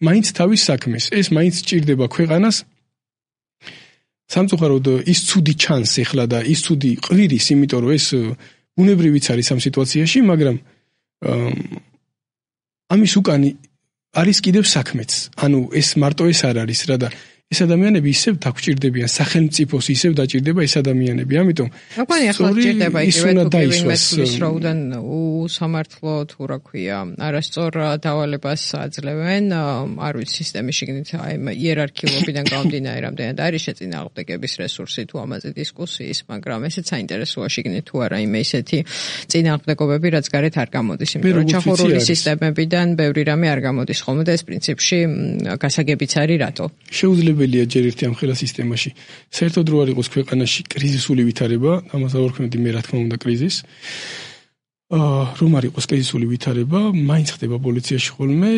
მაინც თავის საქმეს. ეს მაინც სჭირდება ქვეყანას სამწუხაროდ ის ცუდი ჩანს ეხლა და ის ცუდი ყვირის, იმიტომ რომ ეს ბუნებრივიც არის ამ სიტუაციაში, მაგრამ ამის უკანი არის კიდევ საქმეც. ანუ ეს მარტო ეს არ არის რა და ეს ადამიანები ისევ დაგჭირდებიან, სახელმწიფოს ისევ დაჭირდება ეს ადამიანები. ამიტომ მოგონი ახლა ჭირდება იგივე თუ რაუდან უსამართლო თუ რა ქვია, არასწორ დავალებას აძლევენ, არ ვიცი სისტემის შიგნით აი იერარქიულობიდან გამომდინარე რამდენად არის შეწინააღმდეგების რესურსი თუ ამაზე დისკუსიის, მაგრამ ესეც საინტერესოა შიგნით თუ არა იმე ისეთი წინააღმდეგობები, რაც გარეთ არ გამოდის, იმიტომ რომ ჩახურული სისტემებიდან ბევრი რამე არ გამოდის ხოლმე და ეს პრინციპში გასაგებიც არის რატო. შეუძლებელია ჯერ ერთი ამ ხელა სისტემაში. საერთოდ რო არ იყოს ქვეყანაში კრიზისული ვითარება, ამას ავარქმევდი მე რა თქმა უნდა კრიზისს. რომ არ იყოს კრიზისული ვითარება, მაინც ხდება პოლიციაში ხოლმე,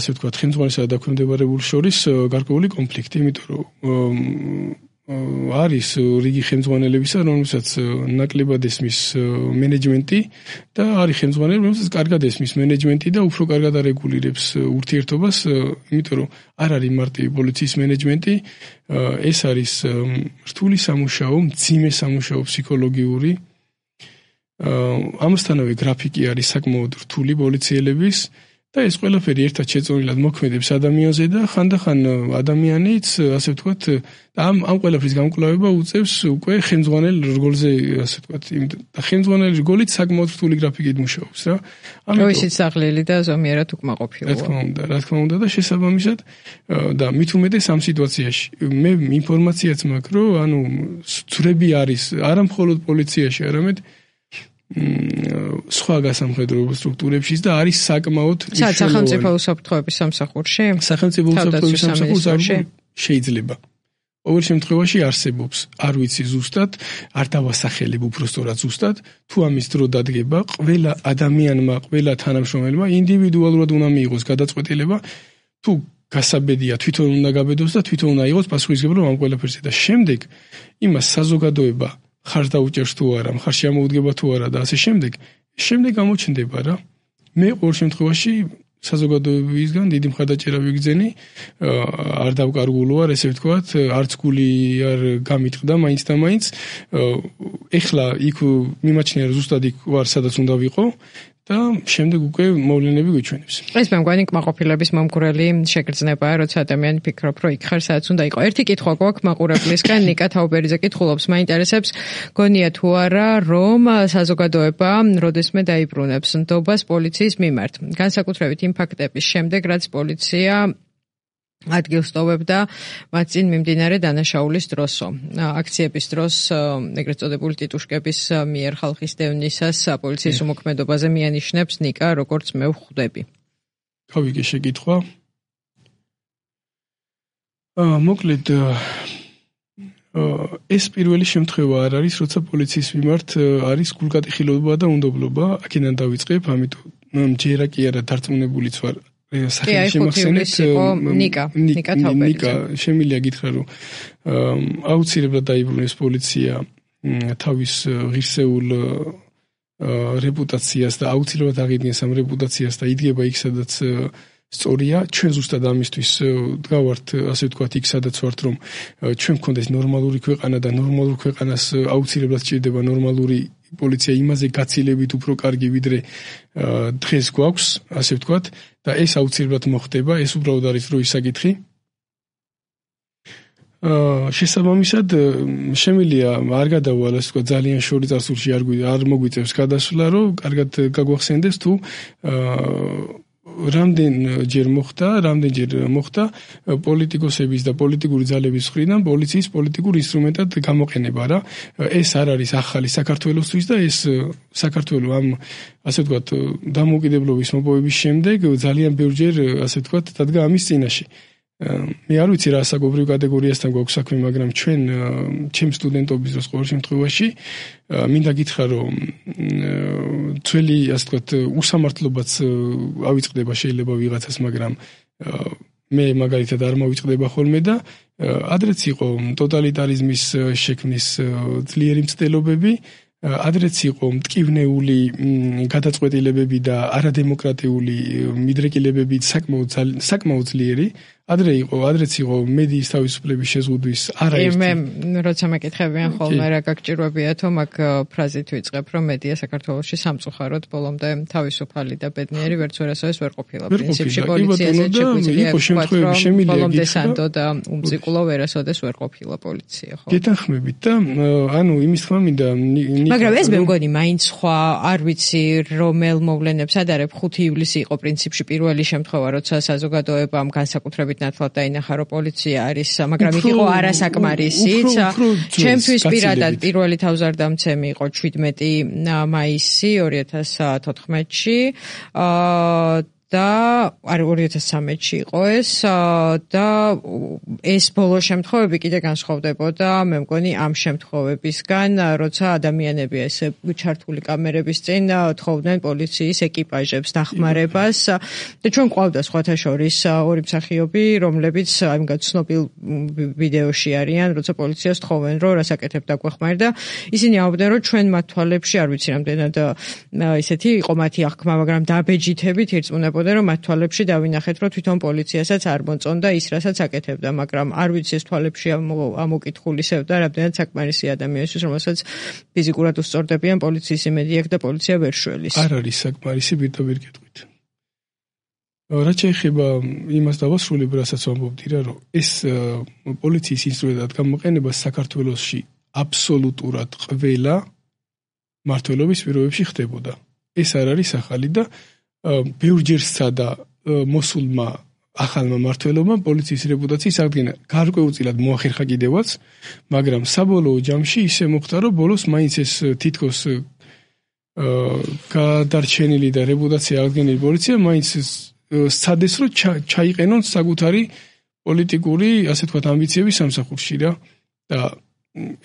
ასე ვთქვათ, ხელმძღვანელსა და დაქვემდებარებულს შორის გარკვეული კონფლიქტი, იმიტომ რომ არის რიგი ხელმძღვანელებისა, რომელსაც ნაკლებად ესმის მენეჯმენტი და არის ხელმძღვანელი, რომელსაც კარგად ესმის მენეჯმენტი და უფრო კარგად არეგულირებს ურთიერთობას, იმიტომ რომ არ არის მარტივი პოლიციის მენეჯმენტი, ეს არის რთული სამუშაო, მძიმე სამუშაო ფსიქოლოგიური. ამასთანავე გრაფიკი არის საკმაოდ რთული პოლიციელების და ეს ყველაფერი ერთად შეწონილად მოქმედებს ადამიანზე და ხანდახან ადამიანიც, ასე ვთქვათ, ამ ყველაფრის გამკლავება უწევს უკვე ხელმძღვანელ რგოლზე, ასე ვთქვათ, და ხელმძღვანელი რგოლით საკმაოდ რთული გრაფიკით მუშაობს რა. ამიტომ ისიც საღლელი და ზომიერად უკმაყოფილოა. რა თქმა უნდა და შესაბამისად და მით უმეტეს ამ სიტუაციაში მე ინფორმაციაც მაქვს, რომ ანუ ძვრები არის არა მხოლოდ პოლიციაში, არამედ სხვა გასამხედრო სტრუქტურებშიც და არის საკმაოდ სახელმწიფო უსაფრთხოების სამსახურში? სახელმწიფო უსაფრთხოების სამსახურში შეიძლება. ყოველ შემთხვევაში არსებობს, არ ვიცი ზუსტად, არ დავასახელებ უბრალოდ ზუსტად, თუ ამის დრო დადგება, ყველა ადამიანმა, ყველა თანამშრომელმა ინდივიდუალურად უნდა მიიღოს გადაწყვეტილება, თუ გასაბედია თვითონ უნდა გაბედოს და თვითონ უნდა იყოს პასუხისმგებლობა ამ ყველაფერზე და შემდეგ იმას საზოგადოება ხარ დაუჭერს თუ არა, ხარ შემოუდგება თუ არა და ასე შემდეგ გამოჩნდება რა. მე ყოველ შემთხვევაში საზოგადოებისგან დიდი მხარდაჭერა ვიგრძენი, არ დავკარგულო არ ესე ვთქვათ, არც გული არ გამიტყდა მაინც და მაინც. ეხლა იქ მიმაჩნია რომ ზუსტად იქ ვარ სადაც უნდა ვიყო და შემდეგ უკვე მოვლენები გვიჩვენებს. ეს მე მგონი კმაყოფილების მომგვრელი შეგრძნებაა, როცა ადამიანი ფიქრობ, რომ იქ ხარ სადაც უნდა იყო. ერთი კითხვა გვაქვს მაყურებლისგან, ნიკა თაუბერიძე კითხულობს, მაინტერესებს, გონია თუ არა, რომ საზოგადოება როდესმე დაიბრუნებს ნდობას პოლიციის მიმართ. განსაკუთრებით იმ ფაქტების შემდეგ, რაც პოლიცია ადგილს ტოვებდა მათ წინ მიმდინარე დანაშაულის დროსო. აქციების დროს ეგრეთ წოდებული ტიტუშკების მიერ ხალხის დევნისას პოლიციის უმოქმედობაზე მიანიშნებს ნიკა, როგორც მე ვხვდები. გავიგე შეკითხვა. მოკლედ ეს პირველი შემთხვევა არ არის, როცა პოლიციის მიმართ არის გულკატეხილობა და უნდობლობა, აქედან დავიწყებ, ამიტომ ჯერა კი არა დარწმუნებულიც ვარ. სახელი შემახსენეთ ნიკა თაუბერიძე. ნიკა შემიძლია გითხრა რომ აუცილებლად დაიბრუნეს პოლიცია თავის ღირსეულ რეპუტაციას და აუცილებლად აღიდგენს ამ რეპუტაციას და იდგება იქ სადაც სწორია. ჩვენ ზუსტად ამისთვის დგავართ, ასე ვთქვათ, იქ სადაც ვართ, რომ ჩვენ გქონდეს ნორმალური ქვეყანა და ნორმალურ ქვეყანას აუცილებლად სჭირდება ნორმალური პოლიცია იმაზე გაცილებით უფრო კარგი ვიდრე დღეს გვაქვს, ასე ვთქვათ, და ეს აუცილებლად მოხდება, ეს უბრალოდ არის დროის საკითხი. შესაბამისად, შემიძლია არ გადავალ, ასე ვთქვათ, ძალიან შორი წარსულში არ მოგვიწევს გადასვლა, რომ კარგად გაგვახსენდეს თუ რამდენჯერ მოხდა პოლიტიკოსების და პოლიტიკური ძალების მხრიდან პოლიციის პოლიტიკურ ინსტრუმენტად გამოყენება რა. ეს არ არის ახალი საქართველოსთვის და ეს საქართველო ამ ასე ვთქვათ დამოუკიდებლობის მოპოვების შემდეგ ძალიან ბევრჯერ ასე ვთქვათ დადგა ამის წინაშე. მე არ ვიცი რა საკუთრივ კატეგორიასთან გვაქვს საქმე, მაგრამ ჩვენ ჩემ სტუდენტობის დროს ყოველ შემთხვევაში მინდა გითხრა, რომ ძველი ასე ვთქვათ უსამართლობაც ავიწყდება შეიძლება ვიღაცას, მაგრამ მე მაგალითად არ მოვიწყდება ხოლმე და ადრეც იყო ტოტალიტარიზმის შექმნის ძლიერი მცდელობები, ადრეც იყო მტკივნეული გადაწყვეტილებები და არადემოკრატიული მიდრეკილებები საკმაოდ ძლიერი. ადრეც იყო მედიის თავისუფლების შეზღუდვის არაერთი. მე როცა მეკითხებიან ხოლმე რა გაგჭირვებიათო, მაგ ფრაზით ვიწყებ, რომ მედია საქართველოში სამწუხაროდ ბოლომდე თავისუფალი და ბედნიერი ვერც ვერასოდეს ვერ ყოფილა. პრინციპში პოლიციაზე შეგვიძლია ბოლომდე სანდო და უმწიკულო ვერასოდეს ვერ ყოფილა პოლიცია, ხო? გეთანხმებით და ანუ იმის თქმა მინდა მაგრამ ეს მე მგონი მაინც სხვა არ ვიცი რომელ მოვლენებს ადარებ 5 ივლისი იყო პრინციპში პირველი შემთხვევა როცა საზოგადოებამ განსაკუთრებით ნათლად დაინახა რომ პოლიცია არის მაგრამ იქ იყო არასაკმარისიც ჩემთვის პირადად პირველი თავზარდამცემი იყო 17 მაისი 2014-ში და 2013-ში იყო ეს და ეს ბოლო შემთხვევები კიდე განსხვავდებოდა მე მგონი ამ შემთხვევებისგან როცა ადამიანები ესე ჩართული კამერების წინ თხოვდნენ პოლიციის ეკიპაჟებს დახმარებას და ჩვენ ყავდა სხვათა შორის ორი მსახიობი რომლებიც აი ცნობილ ვიდეოში არიან როცა პოლიციას თხოვენ რომ რასაკეთებ დაგვეხმარ და ისინი ამბობდნენ რომ ჩვენ მათ თვალებში არ ვიცი რამდენად ისეთი იყო მათი აღქმა მაგრამ დაბეჯითებით ირწმუნებოდნენ რომ მათ თვალებში დავინახეთ რომ თვითონ პოლიციასაც არ მოწონდა ის რასაც აკეთებდა მაგრამ არ ვიცი ეს თვალებში ამოკითხულისებდა რამდენად საკმარისი ადამიანისთვის რომელსაც ფიზიკურად უსწორდებიან პოლიციის იმედი აქვს და პოლიცია ვერ შველის არ არის საკმარისი პირდაპირ კითხვით რაც შეეხება იმას დავასრულებ რასაც ვამბობდი რა რომ ეს პოლიციის ინსტრუმენტად გამოყენება საქართველოში აბსოლუტურად ყველა მმართველობის პირობებში ხდებოდა ეს არ არის ახალი და ბევრჯერ სცადა მოსულმა ახალმა მმართველობამ პოლიციის რეპუტაციის აღდგენა. გარკვეულწილად მოახერხა კიდევაც, მაგრამ საბოლოო ჯამში ისე მოხდა, რომ ბოლოს მაინც ეს თითქოს გადარჩენილი და რეპუტაცია აღდგენილი პოლიცია მაინც სცადეს, რომ ჩაიყენონ საკუთარი პოლიტიკური, ასე თქვათ, ამბიციების სამსახურში რა. და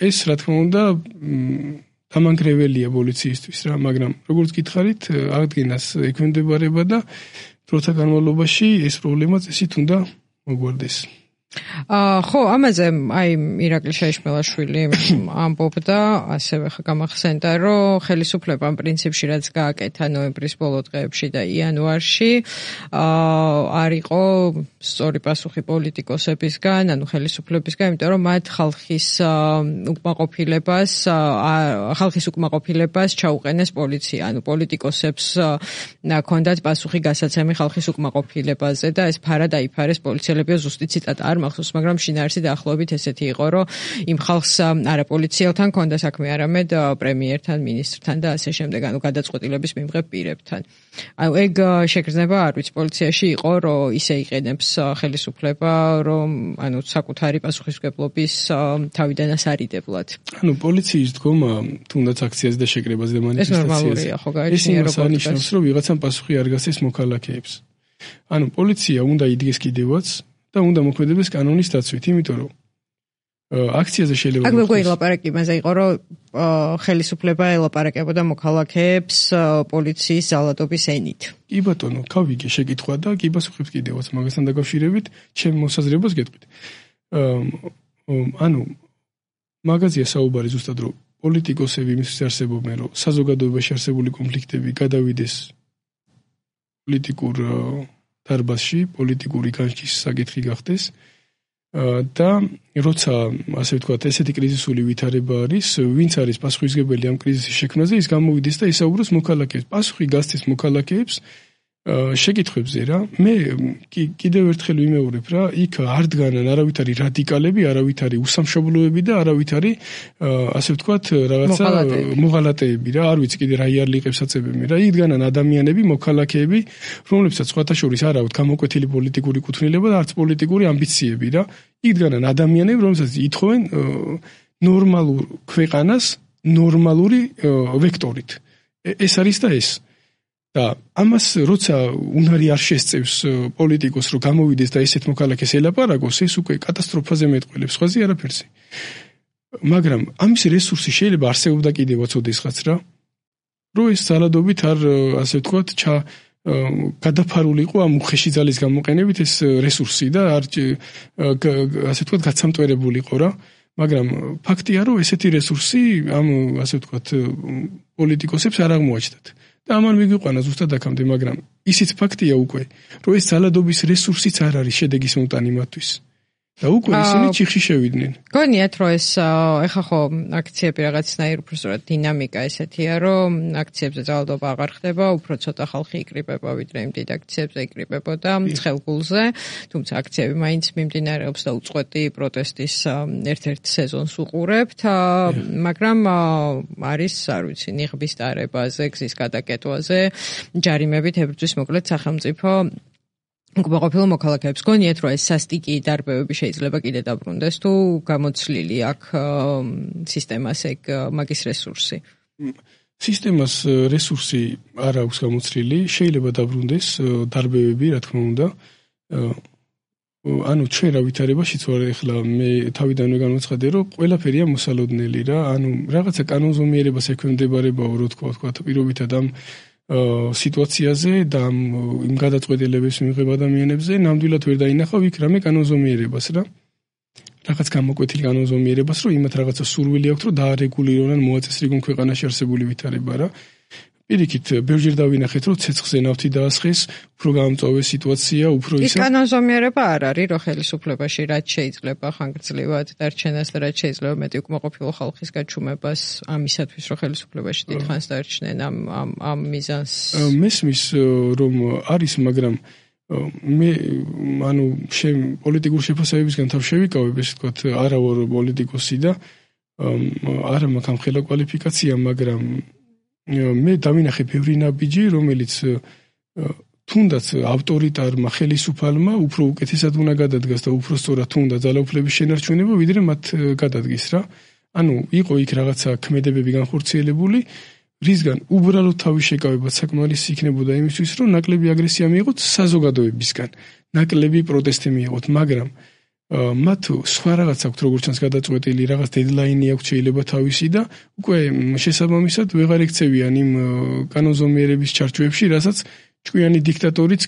ეს რა თქმა უნდა დამანგრეველია პოლიციისთვის რა, მაგრამ როგორც გითხარით, აღდგენას ექვემდებარება და დროთა განმავლობაში ეს პრობლემა წესით უნდა მოგვარდეს. ხო, ამაზე აი ირაკლი შეიშმელაშვილი ამბობდა, ასევე გამახსენდა, რომ ხელისუფლებამ პრინციპში რაც გააკეთა ნოემბრის ბოლო დღეებში და იანვარში არ იყო სწორი პასუხი პოლიტიკოსებისგან, ანუ ხელისუფლებისგან, იმიტომ რომ მათ ხალხის უკმაყოფილებას ჩაუყენეს პოლიცია, ანუ პოლიტიკოსებს ჰქონდათ პასუხი გასაცემი ხალხის უკმაყოფილებაზე და ეს ფარა დაიფარეს პოლიციელებია ზუსტი ციტატა არ მახსოვს, მაგრამ შინაარსი დაახლოებით ესეთი იყო, რომ იმ ხალხს არა პოლიციელთან ჰქონდა საქმე, არამედ პრემიერთან, ministrთან და ასე შემდეგ, ანუ გადაწყვეტილების მიმღებ პირებთან. ანუ ეგ შეგრძნება არ ვიცი, პოლიციაში იყო, რომ ისე იყენებს ხელისუფლება, რომ ანუ საკუთარი პასუხისმგებლობის თავიდან ასარიდებლად. ანუ პოლიციის დგომა, თუნდაც აქციაზე და შეკრებაზე და მანიფესტაციაზე. ეს ნორმალურია, ხო, გაიჩნია როგორ ანიშნავს, რომ ვიღაცამ პასუხი არ გასცეს მოქალაქეებს. ანუ პოლიცია უნდა იდგეს კიდევაც და უნდა მოქმედებს კანონის დაცვით, იმიტომ რომ აქციაზე შეიძლება აქ მეგონი ლაპარაკი იმაზე იყო, რომ ხელისუფლება ელაპარაკებოდა მოქალაქეებს პოლიციის ზალადობის ენით. კი ბატონო, გავიგე შეკითხვა და კი პასუხებს კიდევაც მაგასთან დაკავშირებით ჩემ მოსაზრებას გეტყვით. ანუ მაგაზია საუბარი ზუსტად რომ პოლიტიკოსები იმისთვის არსებობენ, რომ საზოგადოებაში არსებული კონფლიქტები გადავიდეს პოლიტიკურ დარბაზში, პოლიტიკური განშტის საკითხი გახდეს და როცა ასე ვთქვათ, ესეთი კრიზისული ვითარება არის, ვინც არის პასუხისმგებელი ამ კრიზისის შექმნაზე, ის გამოვიდეს და ისაუბროს მოქალაქეებს. პასუხი გასცეს მოქალაქეებს შეკითხვებზე რა. მე კიდევ ერთხელ ვიმეორებ რა, იქ არ დგანან არავითარი რადიკალები, არავითარი უსამშობლოები და არავითარი ასე ვთქვათ, რაღაცა მოღალატეები რა. არ ვიცი კიდე რა იარლიყებს აწებები რა. იქ დგანან ადამიანები, მოქალაქეები, რომლებსაც სხვათა შორის არ აქვს გამოკვეთილი პოლიტიკური კუთვნილება და არც პოლიტიკური ამბიციები რა. იქ დგანან ადამიანები, რომლებსაც ითხოვენ ნორმალურ ქვეყანას ნორმალური ვექტორით. ეს არის და ეს და ამას როცა უნარი არ შესწევს პოლიტიკოს რომ გამოვიდეს და ესეთ მოქალაქეს ელაპარაკოს, ეს უკვე კატასტროფაზე მეტყველებს, სხვაზე არაფერზე. მაგრამ ამის რესურსი შეიძლება არსებობდა კიდევაც ოდესღაც რა. რომ ეს ზალადობით არ ასე ვთქვათ, გადაფარულიყო ამ უხეში ძალის გამოყენებით ეს რესურსი და არ ასე ვთქვათ, გაცამტვერებულიყო რა. მაგრამ ფაქტია, რომ ესეთი რესურსი ამ ასე ვთქვათ პოლიტიკოსებს არ აღმოაჩნდათ. და ამან მიგვიყვანა ზუსტად აქამდე, მაგრამ ისიც ფაქტია უკვე, რომ ეს ძალადობის რესურსიც არ არის შედეგის მომტანი მათთვის. და უკვე ისინი ჩიხში შევიდნენ. გონიათ რომ ეს ეხა ხო აქციები რაღაცნაირ უფრო სწორად დინამიკა ესეთია, რომ აქციებზე ძალადობა აღარ ხდება, უფრო ცოტა ხალხი იკრიბება, ვიდრე იმ დიდ აქციებზე იკრიბებოდა ცხელგულზე, თუმცა აქციები მაინც მიმდინარეობს და უწყვეტი პროტესტის ერთ-ერთ სეზონს უყურებთ, მაგრამ არის, არ ვიცი, ნიღბის დარებაზე, გზის გადაკეტვაზე, ჯარიმებით ებრძვის მოკლედ სახელმწიფო უკმაყოფილო მოქალაქეებს. გონიათ რომ ეს სასტიკი დარბევები შეიძლება კიდე დაბრუნდეს თუ გამოცლილი აქ სისტემას ეგ მაგის რესურსი? სისტემას რესურსი არ აქვს გამოცლილი, შეიძლება დაბრუნდეს დარბევები, რა თქმა უნდა. ანუ ჩვენ რა ვითარებაშიც ვარ ახლა მე თავიდანვე განვაცხადე რომ ყველაფერია მოსალოდნელი რა, ანუ რაღაცა კანონზომიერებას ექვემდებარებაო რო თქვა პირობითად ამ სიტუაციაზე და იმ გადაწყვეტილებებს მიიღება ადამიანებზე ნამდვილად ვერ დაინახავ იქ რამე კანონზომიერებას რა. რაღაც გამოკვეთილი კანონზომიერებას, რომ იმათ რაღაცა სურვილი აქვს, რომ დაარეგულირონ მოაწესრიგონ ქვეყანაში არსებული ვითარება რა. პირიქით, ბევრჯერ დავინახეთ, რომ ცეცხლზე ნავთი დაასხეს, უფრო გაამწვავეს სიტუაცია, უფრო ისა. ის კანონზომიერება არ არის, რომ ხელისუფლებაში რაც შეიძლება ხანგრძლივად დარჩენას და რაც შეიძლება მეტი უკმაყოფილო ხალხის გაჩუმებას ამისათვის, რომ ხელისუფლებაში დიდხანს დარჩნენ ამ მიზანს. მესმის რომ არის, მაგრამ მე ანუ პოლიტიკურ შეფასებებისგან თავ შევიკავებ, ესე ვთქვათ, არა ვარ პოლიტიკოსი და არა მაქვს ამ ხელა კვალიფიკაცია, მაგრამ მე დავინახე ბევრი ნაბიჯი, რომელიც თუნდაც ავტორიტარმა ხელისუფალმა უფრო უკეთესად უნდა გადადგას და უფრო სწორად თუნდა ძალაუფლების შენარჩუნება, ვიდრე მათ გადადგეს რა. ანუ იყო იქ რაღაცა ქმედებები განხორციელებული, რისგან უბრალოდ თავის შეკავებაც საკმარისი იქნებოდა იმისთვის, რომ ნაკლები აგრესია მიიღოთ საზოგადოებისგან, ნაკლები პროტესტი მიიღოთ, მაგრამ მათ სხვა რაღაც აქვს როგორც ჩანს გადაწყვეტილი, რაღაც დედლაინი აქვს შეიძლება თავისი და უკვე შესაბამისად ვეღარ ექცევიან იმ კანონზომიერების ჩარჩოებში, რასაც ჭკვიანი დიქტატორიც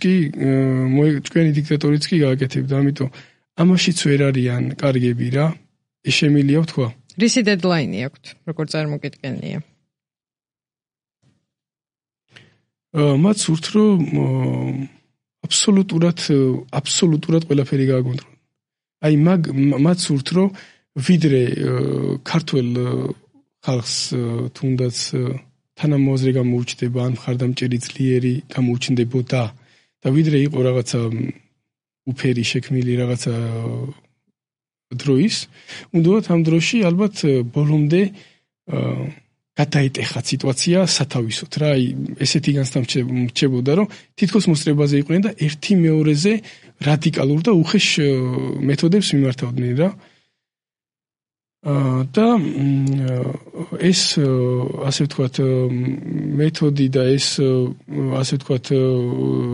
კი გააკეთებდა, ამიტომ ამაშიც ვერ არიან კარგები რა, შეშემილია ვთქვა. რისი დედლაინი აქვთ, როგორ წარმოგიდგენია? მათ სურთ რომ აბსოლუტურად ყველაფერი გააკონტროლონ. აი მათ სურთ რომ ვიდრე ქართულ ხალხს თუნდაც თანამოაზრე გამოუჩნდება ან მხარდამჭერი ძლიერი გამოუჩნდებოდა და ვიდრე იყო რაღაცა უფერი შექმნილი რაღაცა დროის, უნდათ ამ დროში ალბათ ბოლომდე გადაეტეხა სიტუაცია სათავისოთ რა, აი ესეთი განსამრჩებოდა რომ თითქოს მოსწრებაზე იყვნენ და ერთი მეორეზე რადიკალურ და უხეშ მეთოდებს მიმართავდნენ რა. და ეს ასე ვთქვათ მეთოდი და ეს ასე ვთქვათ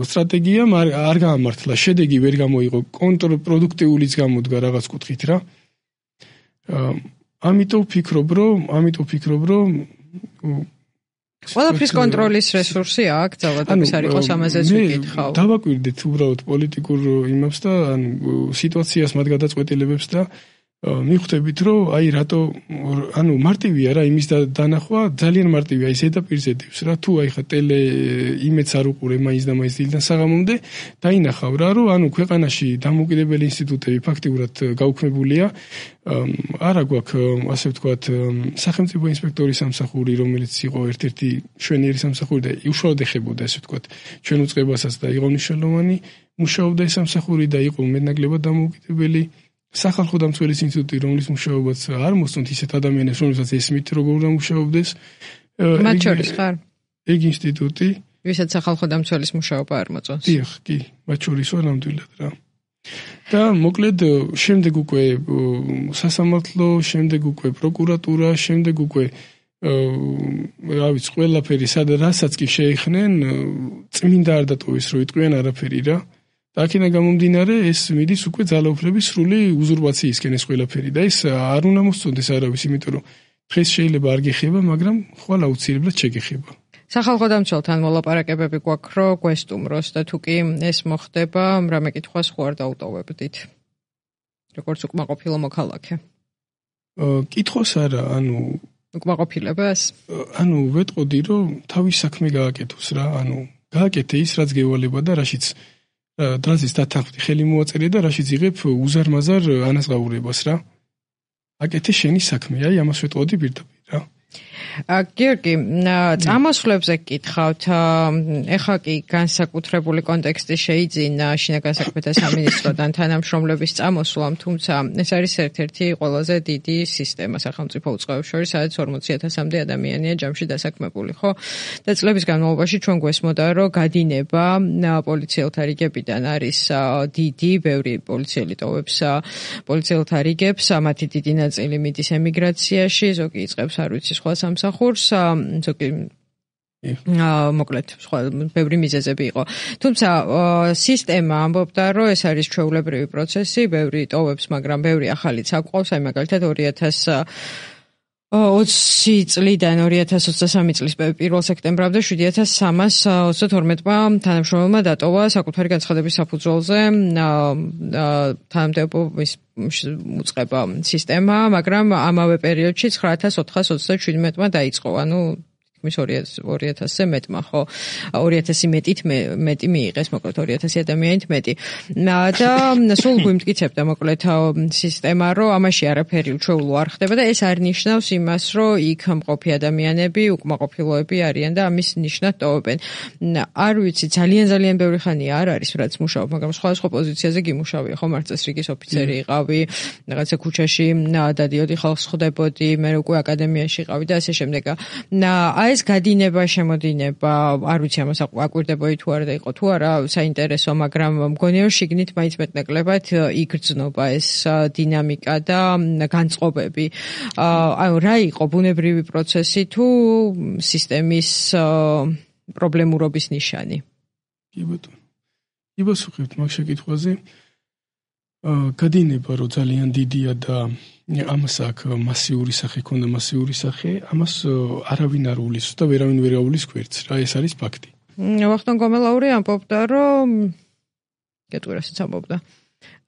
სტრატეგია არ გაამართლა, შედეგი ვერ გამოიღო, კონტრპროდუქტიულიც გამოდგა რაღაც კუთხით რა. ამიტომ ვფიქრობ, რომ ყველაფრის კონტროლის რესურსი აქვს, ძალადობის არ იყოს ამაზეც ვიკითხავ. დავაკვირდით უბრალოდ პოლიტიკურ იმებს და ანუ სიტუაციას მათ გადაწყვეტილებებს და მიხვდებით რომ აი რატო ანუ მარტივია რა იმის დანახვა ძალიან მარტივია ის ზედაპირზე დევს რა თუ აი ხა ტელე იმედს არ უყურე მაინც და მაინც დილიდან საღამომდე დაინახავ რა რომ ანუ ქვეყანაში დამოუკიდებელი ინსტიტუტები ფაქტიურად გაუქმებულია არა გვაქვს ასე ვთქვათ სახელმწიფო ინსპექტორის სამსახური რომელიც იყო ერთ-ერთი შვენიერი სამსახური და უშუალოდ ეხებოდა ასე ვთქვათ ჩვენ უწყებასაც და იყო მნიშვნელოვანი მუშაობდა ეს სამსახური და იყო მეტნაკლებად დამოუკიდებელი სახალხო დამცველის ინსტიტუტი, რომლის მუშაობაც არ მოსწონთ ისეთ ადამიანებს, რომელსაც ესმით როგორ უნდა მუშაობდეს. მათ შორის ხარ? ეგ ინსტიტუტი, ვისაც სახალხო დამცველის მუშაობა არ მოწონს. დიახ, კი, მათ შორის ვარ ნამდვილად რა. და მოკლედ შემდეგ უკვე სასამართლო, შემდეგ უკვე პროკურატურა, შემდეგ უკვე რა ვიცი, ყველაფერი რასაც კი შეეხნენ, წმინდა არ დატოვეს, რომ იტყვიან არაფერი რა. აქედან გამომდინარე ეს მიდის უკვე ძალაუფლების სრული უზურპაციისკენ ეს ყველაფერი და ეს არ უნდა მოსწონდეს არავის, იმიტომ რომ დღეს შეიძლება არ გეხება, მაგრამ ხვალ აუცილებლად შეგეხება. სახალხო დამცველთან მოლაპარაკებები გვაქვს, რომ გვესტუმროს და თუ კი ეს მოხდება, რამე კითხვას ხო არ დაუტოვებდით? როგორც უკმაყოფილო მოქალაქე. კითხვას არა, ანუ უკმაყოფილებას? ანუ ვეტყოდი, რომ თავის საქმე გააკეთოს რა, ანუ გააკეთე ის, რაც გევალება და რაშიც დათანხმდი ხელი მოაწერე და რაშიც იღებ უზარმაზარ ანაზღაურებას რა. აკეთე შენი საქმე, აი ამას ვეტყოდი პირდაპირ რა. გიორგი, წამოსვლებზე გკითხავთ, ეხლა კი განსაკუთრებული კონტექსტი შეიძინა შინაგან საქმეთა სამინისტროდან თანამშრომლების წამოსვლამ, თუმცა ეს არის ერთ-ერთი ყველაზე დიდი სისტემა სახელმწიფო უწყებებს შორის, სადაც 40,000-მდე ადამიანია ჯამში დასაქმებული, ხო? და წლების განმავლობაში ჩვენ გვესმოდა, რომ გადინება პოლიციელთა რიგებიდან არის დიდი, ბევრი პოლიციელი ტოვებს პოლიციელთა რიგებს, მათი დიდი ნაწილი მიდის ემიგრაციაში, ზოგი იწყებს არ ვიცი სხვა სამსახურს, ზოგი მოკლედ სხვა ბევრი მიზეზები იყო. თუმცა სისტემა ამბობდა, რომ ეს არის ჩვეულებრივი პროცესი, ბევრი ტოვებს, მაგრამ ბევრი ახალიც აყვავს, აი მაგალითად 2020 წლიდან 2023 წლის 1 სექტემბრამდე 7,322-მა თანამშრომელმა დატოვა საკუთარი განცხადების საფუძველზე თანამდებობის უწყება სისტემა, მაგრამ ამავე პერიოდში 9,437-მა დაიწყო, ანუ თითქმის 2,000-ზე მეტმა, ხო, 2,000 მეტი მიიღეს, მოკლედ 2,000 ადამიანით მეტი. და სულ გვიმტკიცებდა მოკლედ სისტემა, რომ ამაში არაფერი უჩვეულო არ ხდება და ეს არ ნიშნავს იმას, რომ იქ მყოფი ადამიანები უკმაყოფილოები არიან და ამის ნიშნად ტოვებენ. არ ვიცი, ძალიან ბევრი ხანია არ არის, რაც მუშაობ, მაგრამ სხვადასხვა პოზიციაზე გიმუშავია, ხო, მარწესრიგის ოფიცერი იყავი, რაღაცა ქუჩაში დადიოდი, ხალხს ხვდებოდი, მე უკვე აკადემიაში იყავი და ასე შემდეგ. ეს გადინება, შემოდინება, არ ვიცი ამას აკვირდებოდი თუ არა და იყო თუ არა საინტერესო, მაგრამ მგონია რომ შიგნით მაინც მეტნაკლებად იგრძნობა ეს დინამიკა და განწყობები. აი რა იყო ბუნებრივი პროცესი თუ სისტემის პრობლემურობის ნიშანი? კი ბატონო. იბასუხებთ მაგ შეკითხვაზე. გადინება რომ ძალიან დიდია და ამას აქ მასიური სახე ქონდა, მასიური სახე, ამას არავინ არ უვლის და ვერავინ ვერ აუვლის გვერდს რა, ეს არის ფაქტი. ვახტანგ გომელაური ამბობდა, რომ გეტყვირასაც ამბობდა.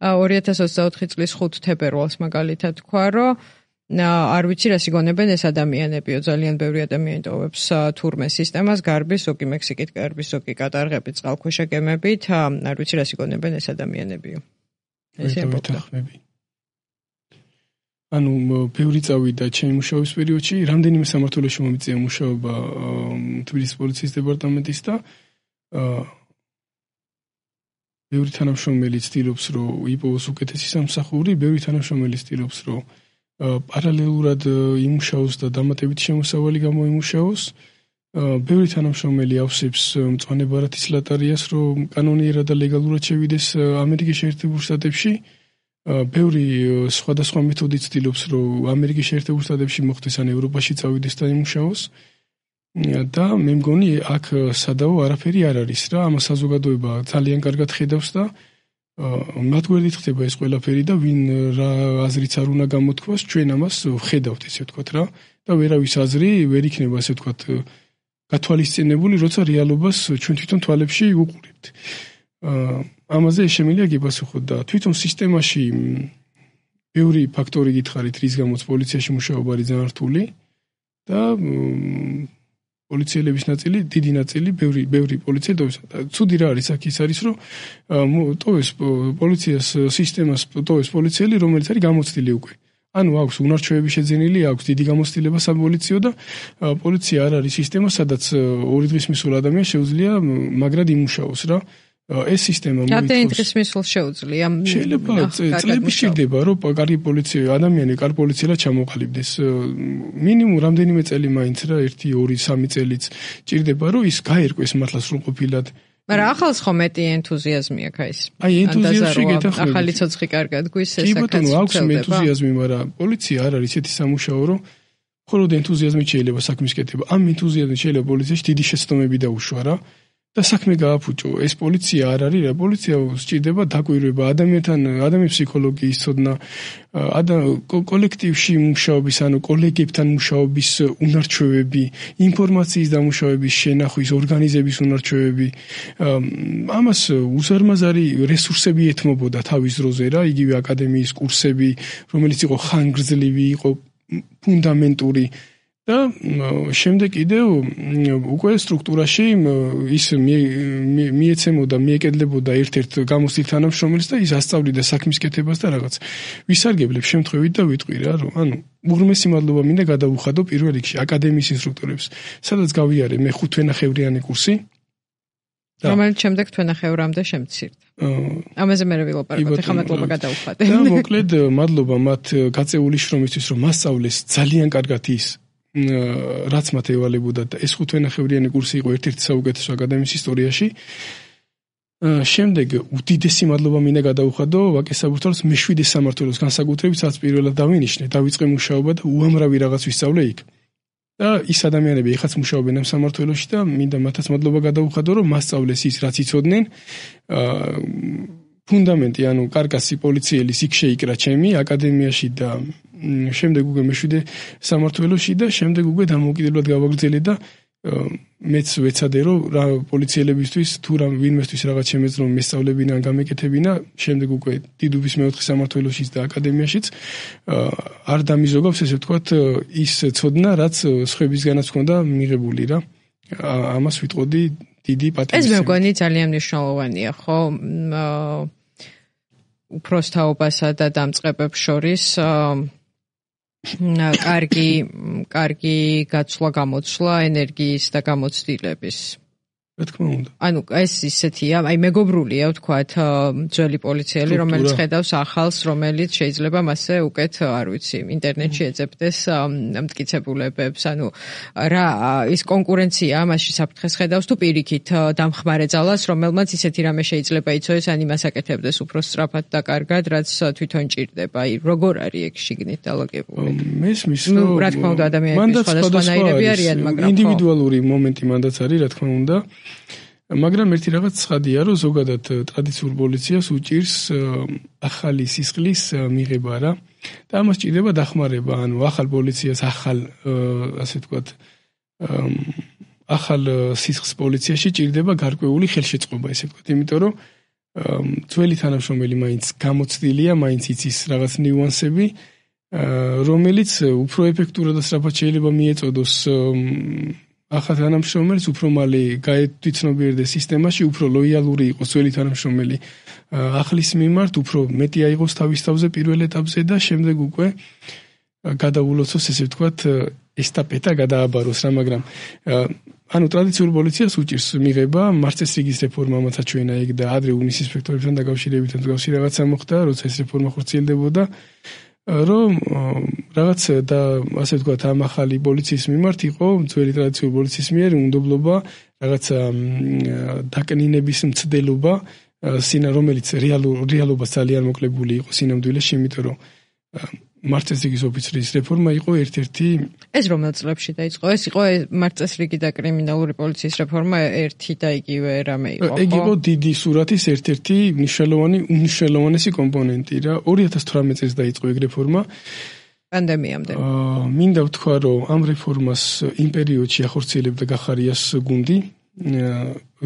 2024 წლის 5 თებერვალს მაგალითად თქვა, რომ არ ვიცი რას იგონებენ ეს ადამიანებიო, ძალიან ბევრი ადამიანი ტოვებს თურმე სისტემას, გარბის, ზოგი მექსიკით გარბის, ზოგი კატარღებით, წყალქვეშა გემებით, არ ვიცი რას იგონებენ ეს ადამიანებიო. ესე ამბობდა. ანუ ბევრი წავიდა ჩემი მუშაობის პერიოდში, რამდენიმე სამმართველოში მომიწია მუშაობა თბილისის პოლიციის დეპარტამენტის და ბევრი თანამშრომელი ცდილობს, რომ იპოვოს უკეთესი სამსახური, ბევრი თანამშრომელი ცდილობს, რომ პარალელურად იმუშაოს და დამატებით შემოსავალი გამოიმუშაოს. ბევრი თანამშრომელი ავსებს მწვანე ბარათის ლატარიას, რომ კანონიერად და ლეგალურად შევიდეს ამერიკის შეერთებულ შტატებში. ბევრი სხვადასხვა მეთოდით ცდილობს, რომ ამერიკის შეერთებულ შტატებში მოხდეს ან ევროპაში წავიდეს და იმუშაოს. და მე მგონი აქ სადავო არაფერი არ არის რა, ამას საზოგადოება ძალიან კარგად ხედავს და მათ გვერდით ხდება ეს ყველაფერი და ვინ რა აზრიც არ უნდა გამოთქვას, ჩვენ ამას ხედავთ ესე ვთქვათ რა და ვერავის აზრი ვერ იქნება ესე ვთქვათ გათვალისწინებული, როცა რეალობას ჩვენ თვითონ თვალებში უყურებთ. ამაზე შემიძლია გიპასუხოთ და თვითონ სისტემაში ბევრი ფაქტორი გითხარით, რის გამოც პოლიციაში მუშაობა არის ძალიან რთული და პოლიციელების ნაწილი, დიდი ნაწილი, ბევრი პოლიციელი ტოვებს. ცუდი რა არის აქ ის არის, რომ ტოვებს პოლიციას სისტემას ტოვებს პოლიციელი, რომელიც არის გამოცდილი უკვე. ანუ აქვს უნარჩვევები შეძენილი, აქვს დიდი გამოცდილება საპოლიციო და პოლიცია არ არის სისტემა, სადაც 2 დღის მისულ ადამიანს შეუძლია მაგრად იმუშაოს რა. ეს სისტემა მოიწონს. დღის მისულ შეუძლია. შეიძლება წლები სჭირდება, რომ კარგი ადამიანი კარგი პოლიციელად ჩამოყალიბდეს. მინიმუმ რამდენიმე წელი მაინც რა, 1, 2, 3 წელიც სჭირდება, რომ ის გაერკვეს მართლა სრულყოფილად. მაგრამ ახალს ხო მეტი ენთუზიაზმი აქვს ეს. აი ენთუზიაზმი გეთახმებით. ახალი ცოცხი კარგად გვისეს საკაც. კი ბატონო, აქვს ენთუზიაზმი, მაგრამ პოლიცია არ არის ისეთი სამუშაო, რომ მხოლოდ ენთუზიაზმით შეიძლება საქმის კეთება. ამ ენთუზიაზმით შეიძლება პოლიციაში დიდი შეცდომები დაუშვა რა. და საქმე გააფუჭო. ეს პოლიცია არ არის რა, პოლიცია სჭირდება დაკვირვება, ადამიანის ფსიქოლოგიის ცოდნა, კოლექტივში მუშაობის, ანუ კოლეგებთან მუშაობის უნარჩვევები, ინფორმაციის დამუშავების შენახვის, ორგანიზების უნარჩვევები. ამას უზარმაზარი რესურსები ეთმობოდა თავის დროზე რა, იგივე აკადემიის კურსები, რომელიც იყო ხანგრძლივი, იყო ფუნდამენტური. და შემდეგ კიდევ უკვე სტრუქტურაში ის მიეცემოდა, მიეკედლებოდა ერთ-ერთ გამოცდილ თანამშრომელს და ის ასწავლიდა საქმის კეთებას და რაღაც. ვისარგებლებ შემთხვევით და ვიტყვი რა, რომ უღრმესი მადლობა მინდა გადავუხადო პირველ რიგში აკადემიის ინსტრუქტორებს, სადაც გავიარე მე 5 თვენახევრიანი კურსი. რომელიც შემდეგ თვენახევრამდე შემცირდა. ამაზე მე ვილაპარაკობ, ახლა მადლობა გადავუხადე. და მოკლედ მადლობა მათ გაწეული შრომისთვის, რომ მასწავლეს ძალიან კარგად ის რაც მათ ევალებოდა და ეს 5 თვენახევრიანი კურსი იყო ერთ-ერთი საუკეთესო აკადემიის ისტორიაში. შემდეგ უდიდესი მადლობა მინდა გადავუხადო ვაკე საბურთალოს მე-7 სამმართველოს განსაკუთრებით, სადაც პირველად დავინიშნე, დავიწყე მუშაობა და უამრავი რაღაც ვისწავლე იქ. და ის ადამიანები ეხაც მუშაობენ ამ სამმართველოში და მინდა მათაც მადლობა გადავუხადო, რომ მასწავლეს ის, რაც იცოდნენ. ფუნდამენტი, ანუ კარკასი პოლიციელის იქ შეიკრა ჩემი აკადემიაში და შემდეგ უკვე მე-7 სამმართველოში და შემდეგ უკვე დამოუკიდებლად გავაგრძელე და მეც ვეცადე რომ რა პოლიციელებისთვის თუ რა ვინმესთვის რაღაც შემეძლო მესწავლებინა ან გამეკეთებინა, შემდეგ უკვე დიდუბის მე-4 სამმართველოშიც და აკადემიაშიც არ დამიზოგავს ესე ვთქვათ ის ცოდნა, რაც სხვებისგანაც ჰქონდა მიღებული რა. ამას ვიტყოდი დიდი პატივისცემა. ეს მე მგონი ძალიან მნიშვნელოვანია, ხო? უფროსთაობასა და დამწყებებს შორის კარგი გაცვლა გამოცვლა ენერგიის და გამოცდილების. რა თქმა უნდა. ანუ ეს ისეთია, აი მეგობრულია ვთქვათ ძველი პოლიციელი, რომელიც ხედავს ახალს, რომელიც შეიძლება მასე უკეთ, არ ვიცი, ინტერნეტში ეძებდეს მტკიცებულებებს, ანუ რა ის კონკურენცია მასში საფრთხეს ხედავს თუ პირიქით დამხმარე ძალას, რომელმაც ისეთი რამე შეიძლება იცოდეს, ან იმას აკეთებდეს უფრო სწრაფად და კარგად, რაც თვითონ ჭირდება. აი როგორ არის ეგ შიგნით დალაგებული? მესმის, რომ რა თქმა უნდა ადამიანები სხვადასხვანაირები არიან, მაგრამ ინდივიდუალური მომენტი მანდაც არის, რა თქმა უნდა. მაგრამ ერთი რაღაც ცხადია, რომ ზოგადად ტრადიციულ პოლიციას უჭირს ახალი სისხლის მიღება რა. და ამას ჭირდება დახმარება, ანუ ახალ პოლიციას ასე ვთქვათ, ახალ სისხლის პოლიციაში ჭირდება გარკვეული ხელშეწყობა, ესე ვთქვათ, იმიტომ რომ ძველი თანამშრომელი მაინც გამოცდილია, მაინც იცის რაღაც ნიუანსები, რომელიც უფრო ეფექტურად და სწრაფად შეიძლება მიეწოდოს ახალ თანამშრომელს, უფრო მალე გაეცნობიერდეს სისტემაში, უფრო ლოიალური იყოს ძველი თანამშრომელი ახლის მიმართ, უფრო მეტი აიღოს თავის თავზე პირველ ეტაპზე და შემდეგ უკვე გადაულოცოს, ესე ვთქვათ, ესტაფეტა გადააბაროს რა, მაგრამ ანუ ტრადიციულ პოლიციას უჭირს მიღება, მარწესრიგის რეფორმა მოწაჩვენა იქ და ადრე უნის ინსპექტორებთან დაკავშირებით მსგავსი რაღაცა მოხდა, როცა ეს რეფორმა ხორციელდებოდა. რომ რაღაც და ასე ვთქვათ ამ ახალი პოლიციის მიმართ იყო ძველი ტრადიციული პოლიციის მიერ უნდობლობა რაღაცა დაკნინების მცდელობა, რომელიც რეალობას ძალიან მოკლებული იყო სინამდვილეში, იმიტომ რომ მარწესრიგის ოფიცრის რეფორმა იყო ერთ-ერთი. ეს რომელ წლებში დაიწყო? ეს იყო მარწესრიგი და კრიმინალური პოლიციის რეფორმა ერთი და იგივე რამე იყო, ხო? ეგ იყო დიდი სურათის ერთ-ერთი უნიშნელოვანესი კომპონენტი რა. 2018 წელს დაიწყო ეგ რეფორმა. პანდემიამდე. მინდა ვთქვა, რომ ამ რეფორმას იმ პერიოდში ახორციელებდა გახარიას გუნდი,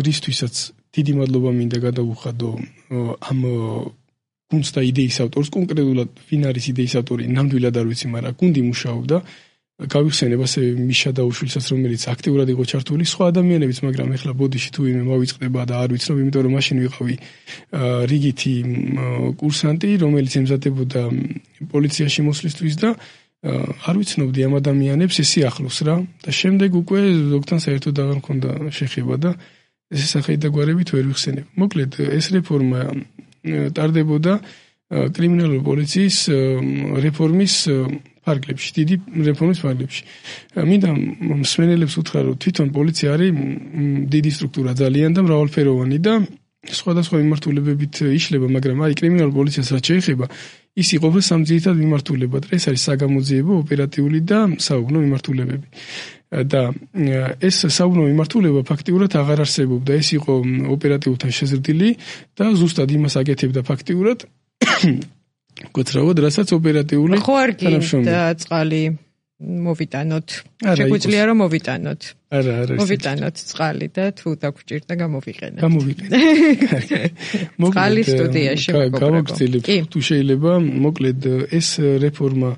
რისთვისაც დიდი მადლობა მინდა გადავუხადო ამ გუნდს და იდეის ავტორს, კონკრეტულად ვინ არის იდეის ავტორი, ნამდვილად არ ვიცი, მაგრამ გუნდი მუშაობდა. გავიხსენებ ასე მიშა დაუშვილსაც, რომელიც აქტიურად იყო ჩართული, სხვა ადამიანებიც, მაგრამ ეხლა ბოდიში თუ ვინმე მოვიწყდება და არ ვიცნობ, იმიტომ რომ მაშინ ვიყავი რიგითი კურსანტი, რომელიც ემზადებოდა პოლიციაში მოსვლისთვის და არ ვიცნობდი ამ ადამიანებს ეს ახლოს რა. და შემდეგ უკვე ზოგთან საერთოდ აღარ მქონდა შეხება და ეს სახით და გვარებით ვერ ვიხსენებ. მოკლედ ეს რეფორმა ტარდებოდა კრიმინალური პოლიციის რეფორმის ფარგლებში, დიდი რეფორმის ფარგლებში. მინდა მსმენელებს უთხრა, რომ თვითონ პოლიცია არის დიდი სტრუქტურა ძალიან და მრავალფეროვანი და სხვადასხვა მიმართულებებით იშლება, მაგრამ აი კრიმინალურ პოლიციას რაც შეეხება, ის იყოფა სამ ძირითად მიმართულებად. ეს არის საგამოძიებო, ოპერატიული და საუბნო მიმართულებები. და ეს საუბნო მიმართულება ფაქტიურად აღარ არსებობდა. ეს იყო ოპერატიულთან შეზრდილი და ზუსტად იმას აკეთებდა ფაქტიურად გოცრავად, რასაც ოპერატიული თანამშრომელი და წყალი მოვიტანოთ. შეგვიძლია რომ მოვიტანოთ. არა. მოვიტანოთ წყალი და თუ დაგვრჭირდა გამოვიყენოთ. მოკლედ წყალი სტუდიაში გავაგრძელებთ თუ შეიძლება. მოკლედ ეს რეფორმა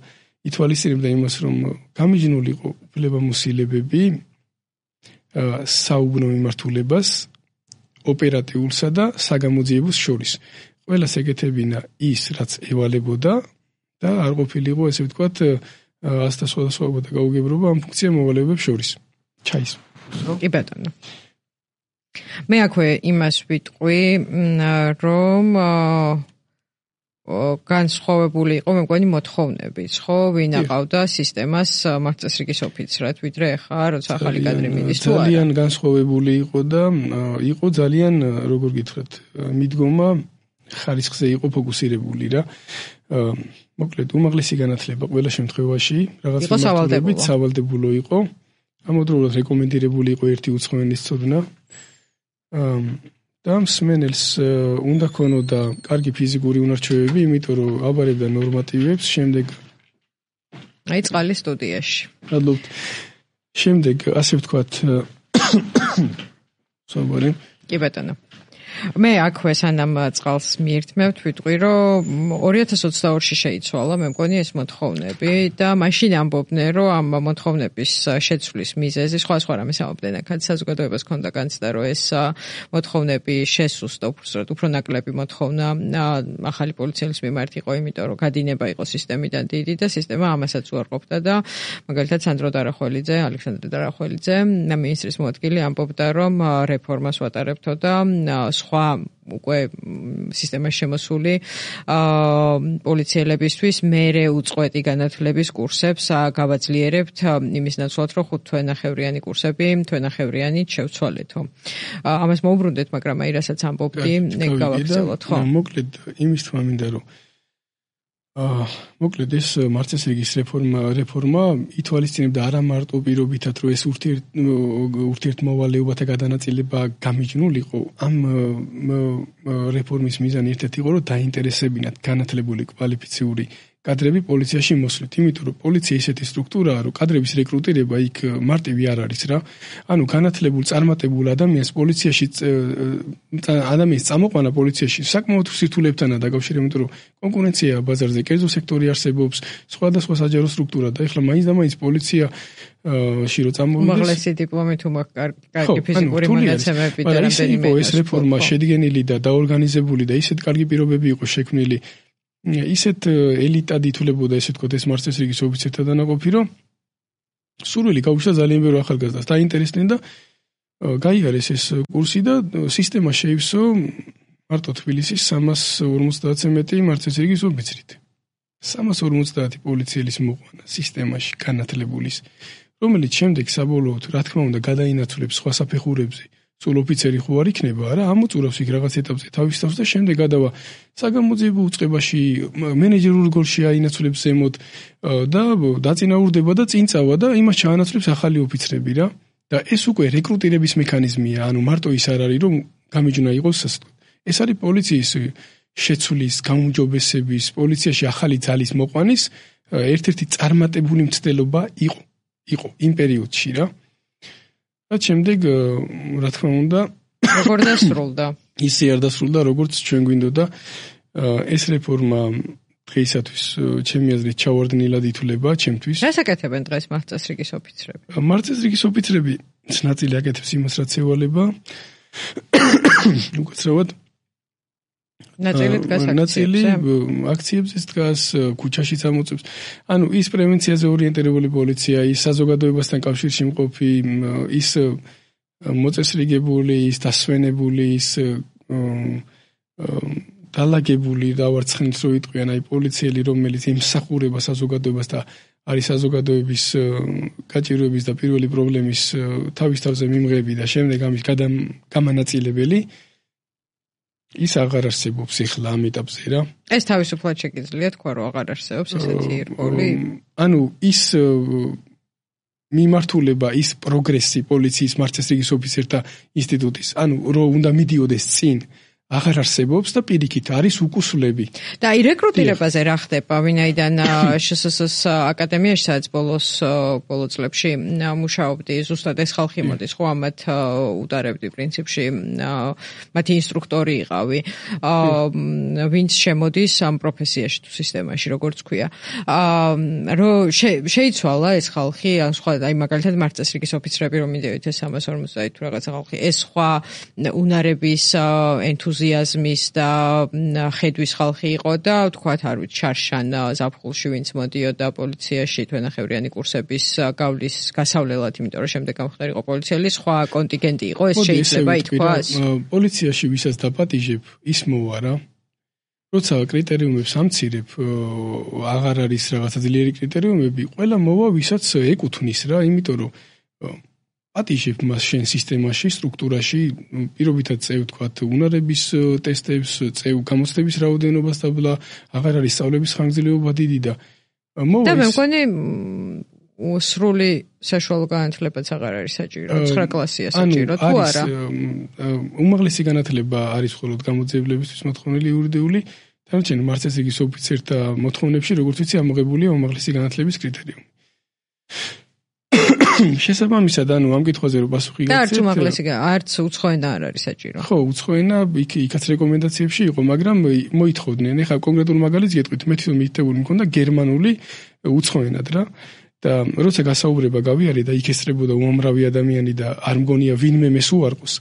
ითვალისწინებდა იმას, რომ გამიჯნულიყო უფლებამოსილებები საუბნო მიმართულებას ოპერატიულსა და საგამოძიებოს შორის. ყველას ეკეთებინა ის, რაც ევალებოდა და არ ყოფილიყო, ესე ვთქვათ, ასთა სხვადასხვაობა და გაუგებრობა ამ ფუნქცია მოვალეობებს შორის. ჩაის. კი ბატონო. მე აქვე იმას ვიტყვი, რომ განსხვავებული იყო მე მგონი მოთხოვნებიც, ხო, ვინ აყავდა სისტემას მარცხწრიგის ოფიცრად, ვიდრე ახლა როცა ახალი კადრი მიდის თუ არა. ძალიან განსხვავებული იყო და იყო ძალიან, როგორ გითხრათ, მიდგომა ხარისხზე იყო ფოკუსირებული რა. მოკლედ, უმაღლესი განათლება ყველა შემთხვევაში რაღაც მიმართულებით სავალდებულო იყო. ამავდროულად რეკომენდირებული იყო ერთი უცხოენის ცოდნა. და მსმენელს უნდა ქონოდა კარგი ფიზიკური უნარჩვევები, იმიტომ რომ აბარებდა ნორმატივებს, შემდეგ აი წყალის სტუდიაში. მადლობთ. შემდეგ ასე ვთქვათ სვაბარი. კი ბატონო. მე აქვე სანამ წყალს მიერთმევთ, ვიტყვი, რომ 2022-ში შეიცვალა, მე მგონი ეს მოთხოვნები და მაშინ ამბობდნენ, რომ ამ მოთხოვნების შეცვლის მიზეზი სხვა რამეს ამბობდნენ, აქაც საზოგადოებას ჰქონდა განცდა, რომ ეს მოთხოვნები შესუსტა უფრო ნაკლები მოთხოვნა ახალი პოლიციელის მიმართ იყო, იმიტომ რომ გადინება იყო სისტემიდან დიდი და სისტემა ამასაც უარყოფდა და მაგალითად სანდრო დარახველიძე, ალექსანდრე დარახველიძე, მინისტრის მოადგილე ამბობდა, რომ რეფორმას ვატარებთო და სხვა უკვე სისტემაში შემოსული პოლიციელებისთვის მერე უწყვეტი განათლების კურსებს გავაძლიერებთ იმის ნაცვლად, რომ 5 თვენახევრიანი კურსები თვენახევრიანით შევცვალეთო. ამას მოუბრუნდეთ, მაგრამ აი რასაც ამბობდი, ეგ გავაგრძელოთ, ხო? მოკლედ იმის თქმა მინდა, რომ მოკლედ ეს მარცხწრიგის რეფორმა ითვალისწინებდა არა მარტო პირობითად, რომ ეს ურთიერთმოვალეობათა გადანაწილება გამიჯნულიყო, ამ რეფორმის მიზანი ერთ-ერთი იყო, რომ დაინტერესებინათ განათლებული კვალიფიციური კადრები პოლიციაში მოსვლით, იმიტომ რომ პოლიცია ისეთი სტრუქტურაა, რომ კადრების რეკრუტირება იქ მარტივი არ არის რა. ანუ განათლებულ, წარმატებულ ადამიანს პოლიციაში ადამიანის წამოყვანა პოლიციაში საკმაოდ სირთულეებთანაა დაკავშირებული, იმიტომ რომ კონკურენციაა ბაზარზე, კერძო სექტორი არსებობს, სხვადასხვა საჯარო სტრუქტურა და ეხლა მაინც და მაინც პოლიციაში რო წამოვიდეს უმაღლესი დიპლომი თუ კარგი ფიზიკური მონაცემები და რამდენიმე ეს რეფორმა შედგენილი და დაორგანიზებული და ისეთ კარგი პირობები იყო შექმნილი, ისეთ ელიტად ითვლებოდა, ესე ვთქვათ, ეს მარცხწრიგის ოფიცერთა დანაყოფი, რომ სურვილი გაუჩნდა ძალიან ბევრ ახალგაზრდას, დაინტერესდნენ და გაიარეს ეს კურსი და სისტემა შეივსო მარტო თბილისის 350-ზე მეტი მარცხწრიგის ოფიცრით. 350 პოლიციელის მოყვანა სისტემაში განათლებულის, რომელიც შემდეგ საბოლოოდ, რა თქმა უნდა, გადაინაცვლებს სხვა საფეხურებზე. სულ ოფიცერი ხო არ იქნება, არა, ამოწურავს იქ რაღაც ეტაპზე თავის თავს და შემდეგ გადავა საგამოძიებო უწყებაში, მენეჯერულ როლში აინაცვლებს ზემოთ და დაწინაურდება და წინ წავა და იმას ჩაანაცვლებს ახალი ოფიცრები რა. და ეს უკვე რეკრუტირების მექანიზმია, ანუ მარტო ის არ არის, რომ გამიჯნა იყოს ასე. ეს არის პოლიციის შეცვლის, გაუმჯობესების, პოლიციაში ახალი ძალის მოყვანის ერთ-ერთი წარმატებული მცდელობა იყო იმ პერიოდში რა. და შემდეგ, რა თქმა უნდა, როგორ დასრულდა? ისე არ დასრულდა, როგორც ჩვენ გვინდოდა. ეს რეფორმა დღეისათვის ჩემი აზრით ჩავარდნილად ითვლება ჩემთვის. რას აკეთებენ დღეს მარცხწრიგის ოფიცრები? მარცხწრიგის ოფიცრები ნაწილი აკეთებს იმას, რაც ევალება. უკაცრავად ნაწილი დგას აქციებზე დგას, ქუჩაში წამოწევს. ანუ ის პრევენციაზე ორიენტირებული პოლიცია, ის საზოგადოებასთან კავშირში მყოფი, ის მოწესრიგებული, ის დასვენებული, ის დალაგებული დავარცხნით რო იტყვიან, აი პოლიციელი, რომელიც ემსახურება საზოგადოებას და არის საზოგადოების გაჭირვების და პირველი პრობლემის თავის თავზე მიმღები და შემდეგ ამის გამანაწილებელი, ის აღარ არსებობს ეხლა ამ ეტაპზე რა. ეს თავისუფლად შეგიძლია თქვა, რომ აღარ არსებობს ესეთი როლი? ანუ ის მიმართულება, ის პროგრესი პოლიციის მარცხწრიგის ოფიცერთა ინსტიტუტის, ანუ რო უნდა მიდიოდეს წინ აღარ არსებობს და პირიქით არის უკუსლები. და აი რეკრუტირებაზე რა ხდება? ვინაიდან შსს აკადემიაში სადაც ბოლო წლებში მუშაობდი, ზუსტად ეს ხალხი მოდის, ხო ამათ უტარებდი პრინციპში, მათი ინსტრუქტორი იყავი, ვინც შემოდის ამ პროფესიაში თუ სისტემაში, როგორც ქვია. რომ შეიცვალა ეს ხალხი, სხვა აი მაგალითად მართლმსაჯულების ოფიცრები რომ მიდევით ეს 350 თუ რაღაცა ხალხი, ეს სხვა უნარების ენთუზიაზმის და ხედვის ხალხი იყო და თქვათ არ ვიცი შარშან ზაფხულში ვინც მოდიოდა პოლიციაში თვენახევრიანი კურსების გავლის გასავლელად, იმიტომ რომ შემდეგ გამხდარიყო პოლიციელი, სხვა კონტინგენტი იყო, ეს შეიძლება ითქვას. პოლიციაში ვისაც დაპატიჟებ, ის მოვა რა. როცა კრიტერიუმებს ამცირებ, აღარ არის რაღაცა ძლიერი კრიტერიუმები, ყველა მოვა ვისაც ეკუთვნის რა, იმიტომ რომ პატიჟებ მას შენ სისტემაში, სტრუქტურაში, პირობითად წევ თქვათ უნარების ტესტებს, წევ გამოცდების რაოდენობას და ბლა, აღარ არის სწავლების ხანგრძლივობა დიდი და და მე მგონი სრული საშუალო განათლებაც აღარ არის საჭირო, 9 კლასია საჭირო თუ არა? უმაღლესი განათლება არის მხოლოდ გამოძიებლებისთვის მოთხოვნილი იურიდიული, დანარჩენ მართლმსაჯულის ოფიცერთა მოთხოვნებში, როგორც ვიცი, ამოღებულია უმაღლესი განათლების კრიტერიუმი. შესაბამისად, ამ კითხვაზე რომ პასუხი გაგცეთ. და არც უმაღლესი, არც უცხოენა არ არის საჭირო. ხო, უცხოენა იქაც რეკომენდაციებში იყო, მაგრამ მოითხოვდნენ. ეხლა კონკრეტულ მაგალითს გეტყვით, მე თვითონ მითითებული მქონდა გერმანული უცხოენად რა. და როცა გასაუბრება გავიარე და იქ ესწრებოდა უამრავი ადამიანი და არ მგონია ვინმე მეს უარყოს,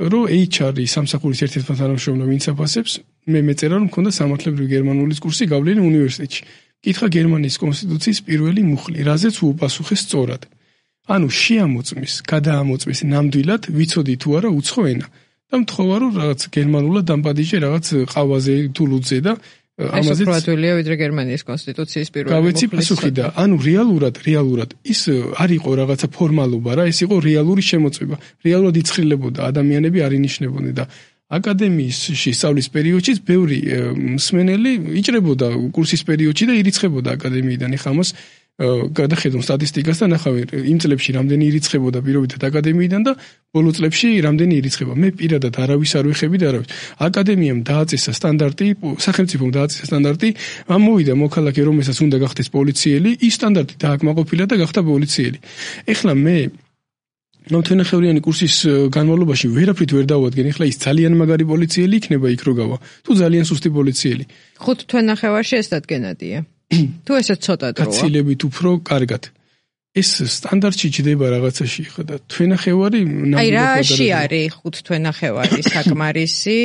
რომ HR-ი სამსახურის ერთ-ერთი თანამშრომელი ვინც აფასებს, მე მეწერა რომ მქონდა სამართლებრივი გერმანულის კურსი გავლილი უნივერსიტეტში. კითხა გერმანიის კონსტიტუციის პირველი მუხლი, რაზეც უპასუხე სწორად. ანუ შეამოწმის, გადაამოწმის ნამდვილად ვიცოდი თუ არა უცხო ენა და მთხოვა რომ რაღაც გერმანულად დამპატიჟე რაღაც ყავაზე თუ ლუდზე და ამაზეც პროდუქტია ვიდრე გერმანიის კონსტიტუციის პირველი მუხლის. გავეცი პასუხი და ანუ რეალურად ის არ იყო რაღაცა ფორმალობა რა, ეს იყო რეალური შემოწმება. რეალურად იცხრილებოდა ადამიანები არ ინიშნებოდნენ და აკადემიაში სწავლის პერიოდშიც ბევრი მსმენელი იჭრებოდა კურსის პერიოდში და ირიცხებოდა აკადემიიდან. ეხლა ამას გადახედავ სტატისტიკას და ნახავი იმ წლებში რამდენი ირიცხებოდა პირობითად აკადემიიდან და ბოლო წლებში რამდენი ირიცხება. მე პირადად არავის არ ვეხები და არავის. აკადემიამ დააწესა სტანდარტი, სახელმწიფომ დააწესა სტანდარტი, ამ მოვიდა მოქალაქე რომელსაც უნდა გახდეს პოლიციელი, ის სტანდარტი დააკმაყოფილა და გახდა პოლიციელი. ეხლა მე თვენახევრიანი კურსის განმავლობაში ვერაფრით ვერ დავადგენ. ეხლა ის ძალიან მაგარი პოლიციელი იქნება იქ რო გავა, თუ ძალიან სუსტი პოლიციელი. 5 თვენახევარში ეს დადგენადია. თუ ესე ცოტა დროა. გაცილებით უფრო კარგად. ეს სტანდარტში ჯდება რაღაცაში ხა და თვენახევარი აი რაში არის 5 თვენახევარი საკმარისი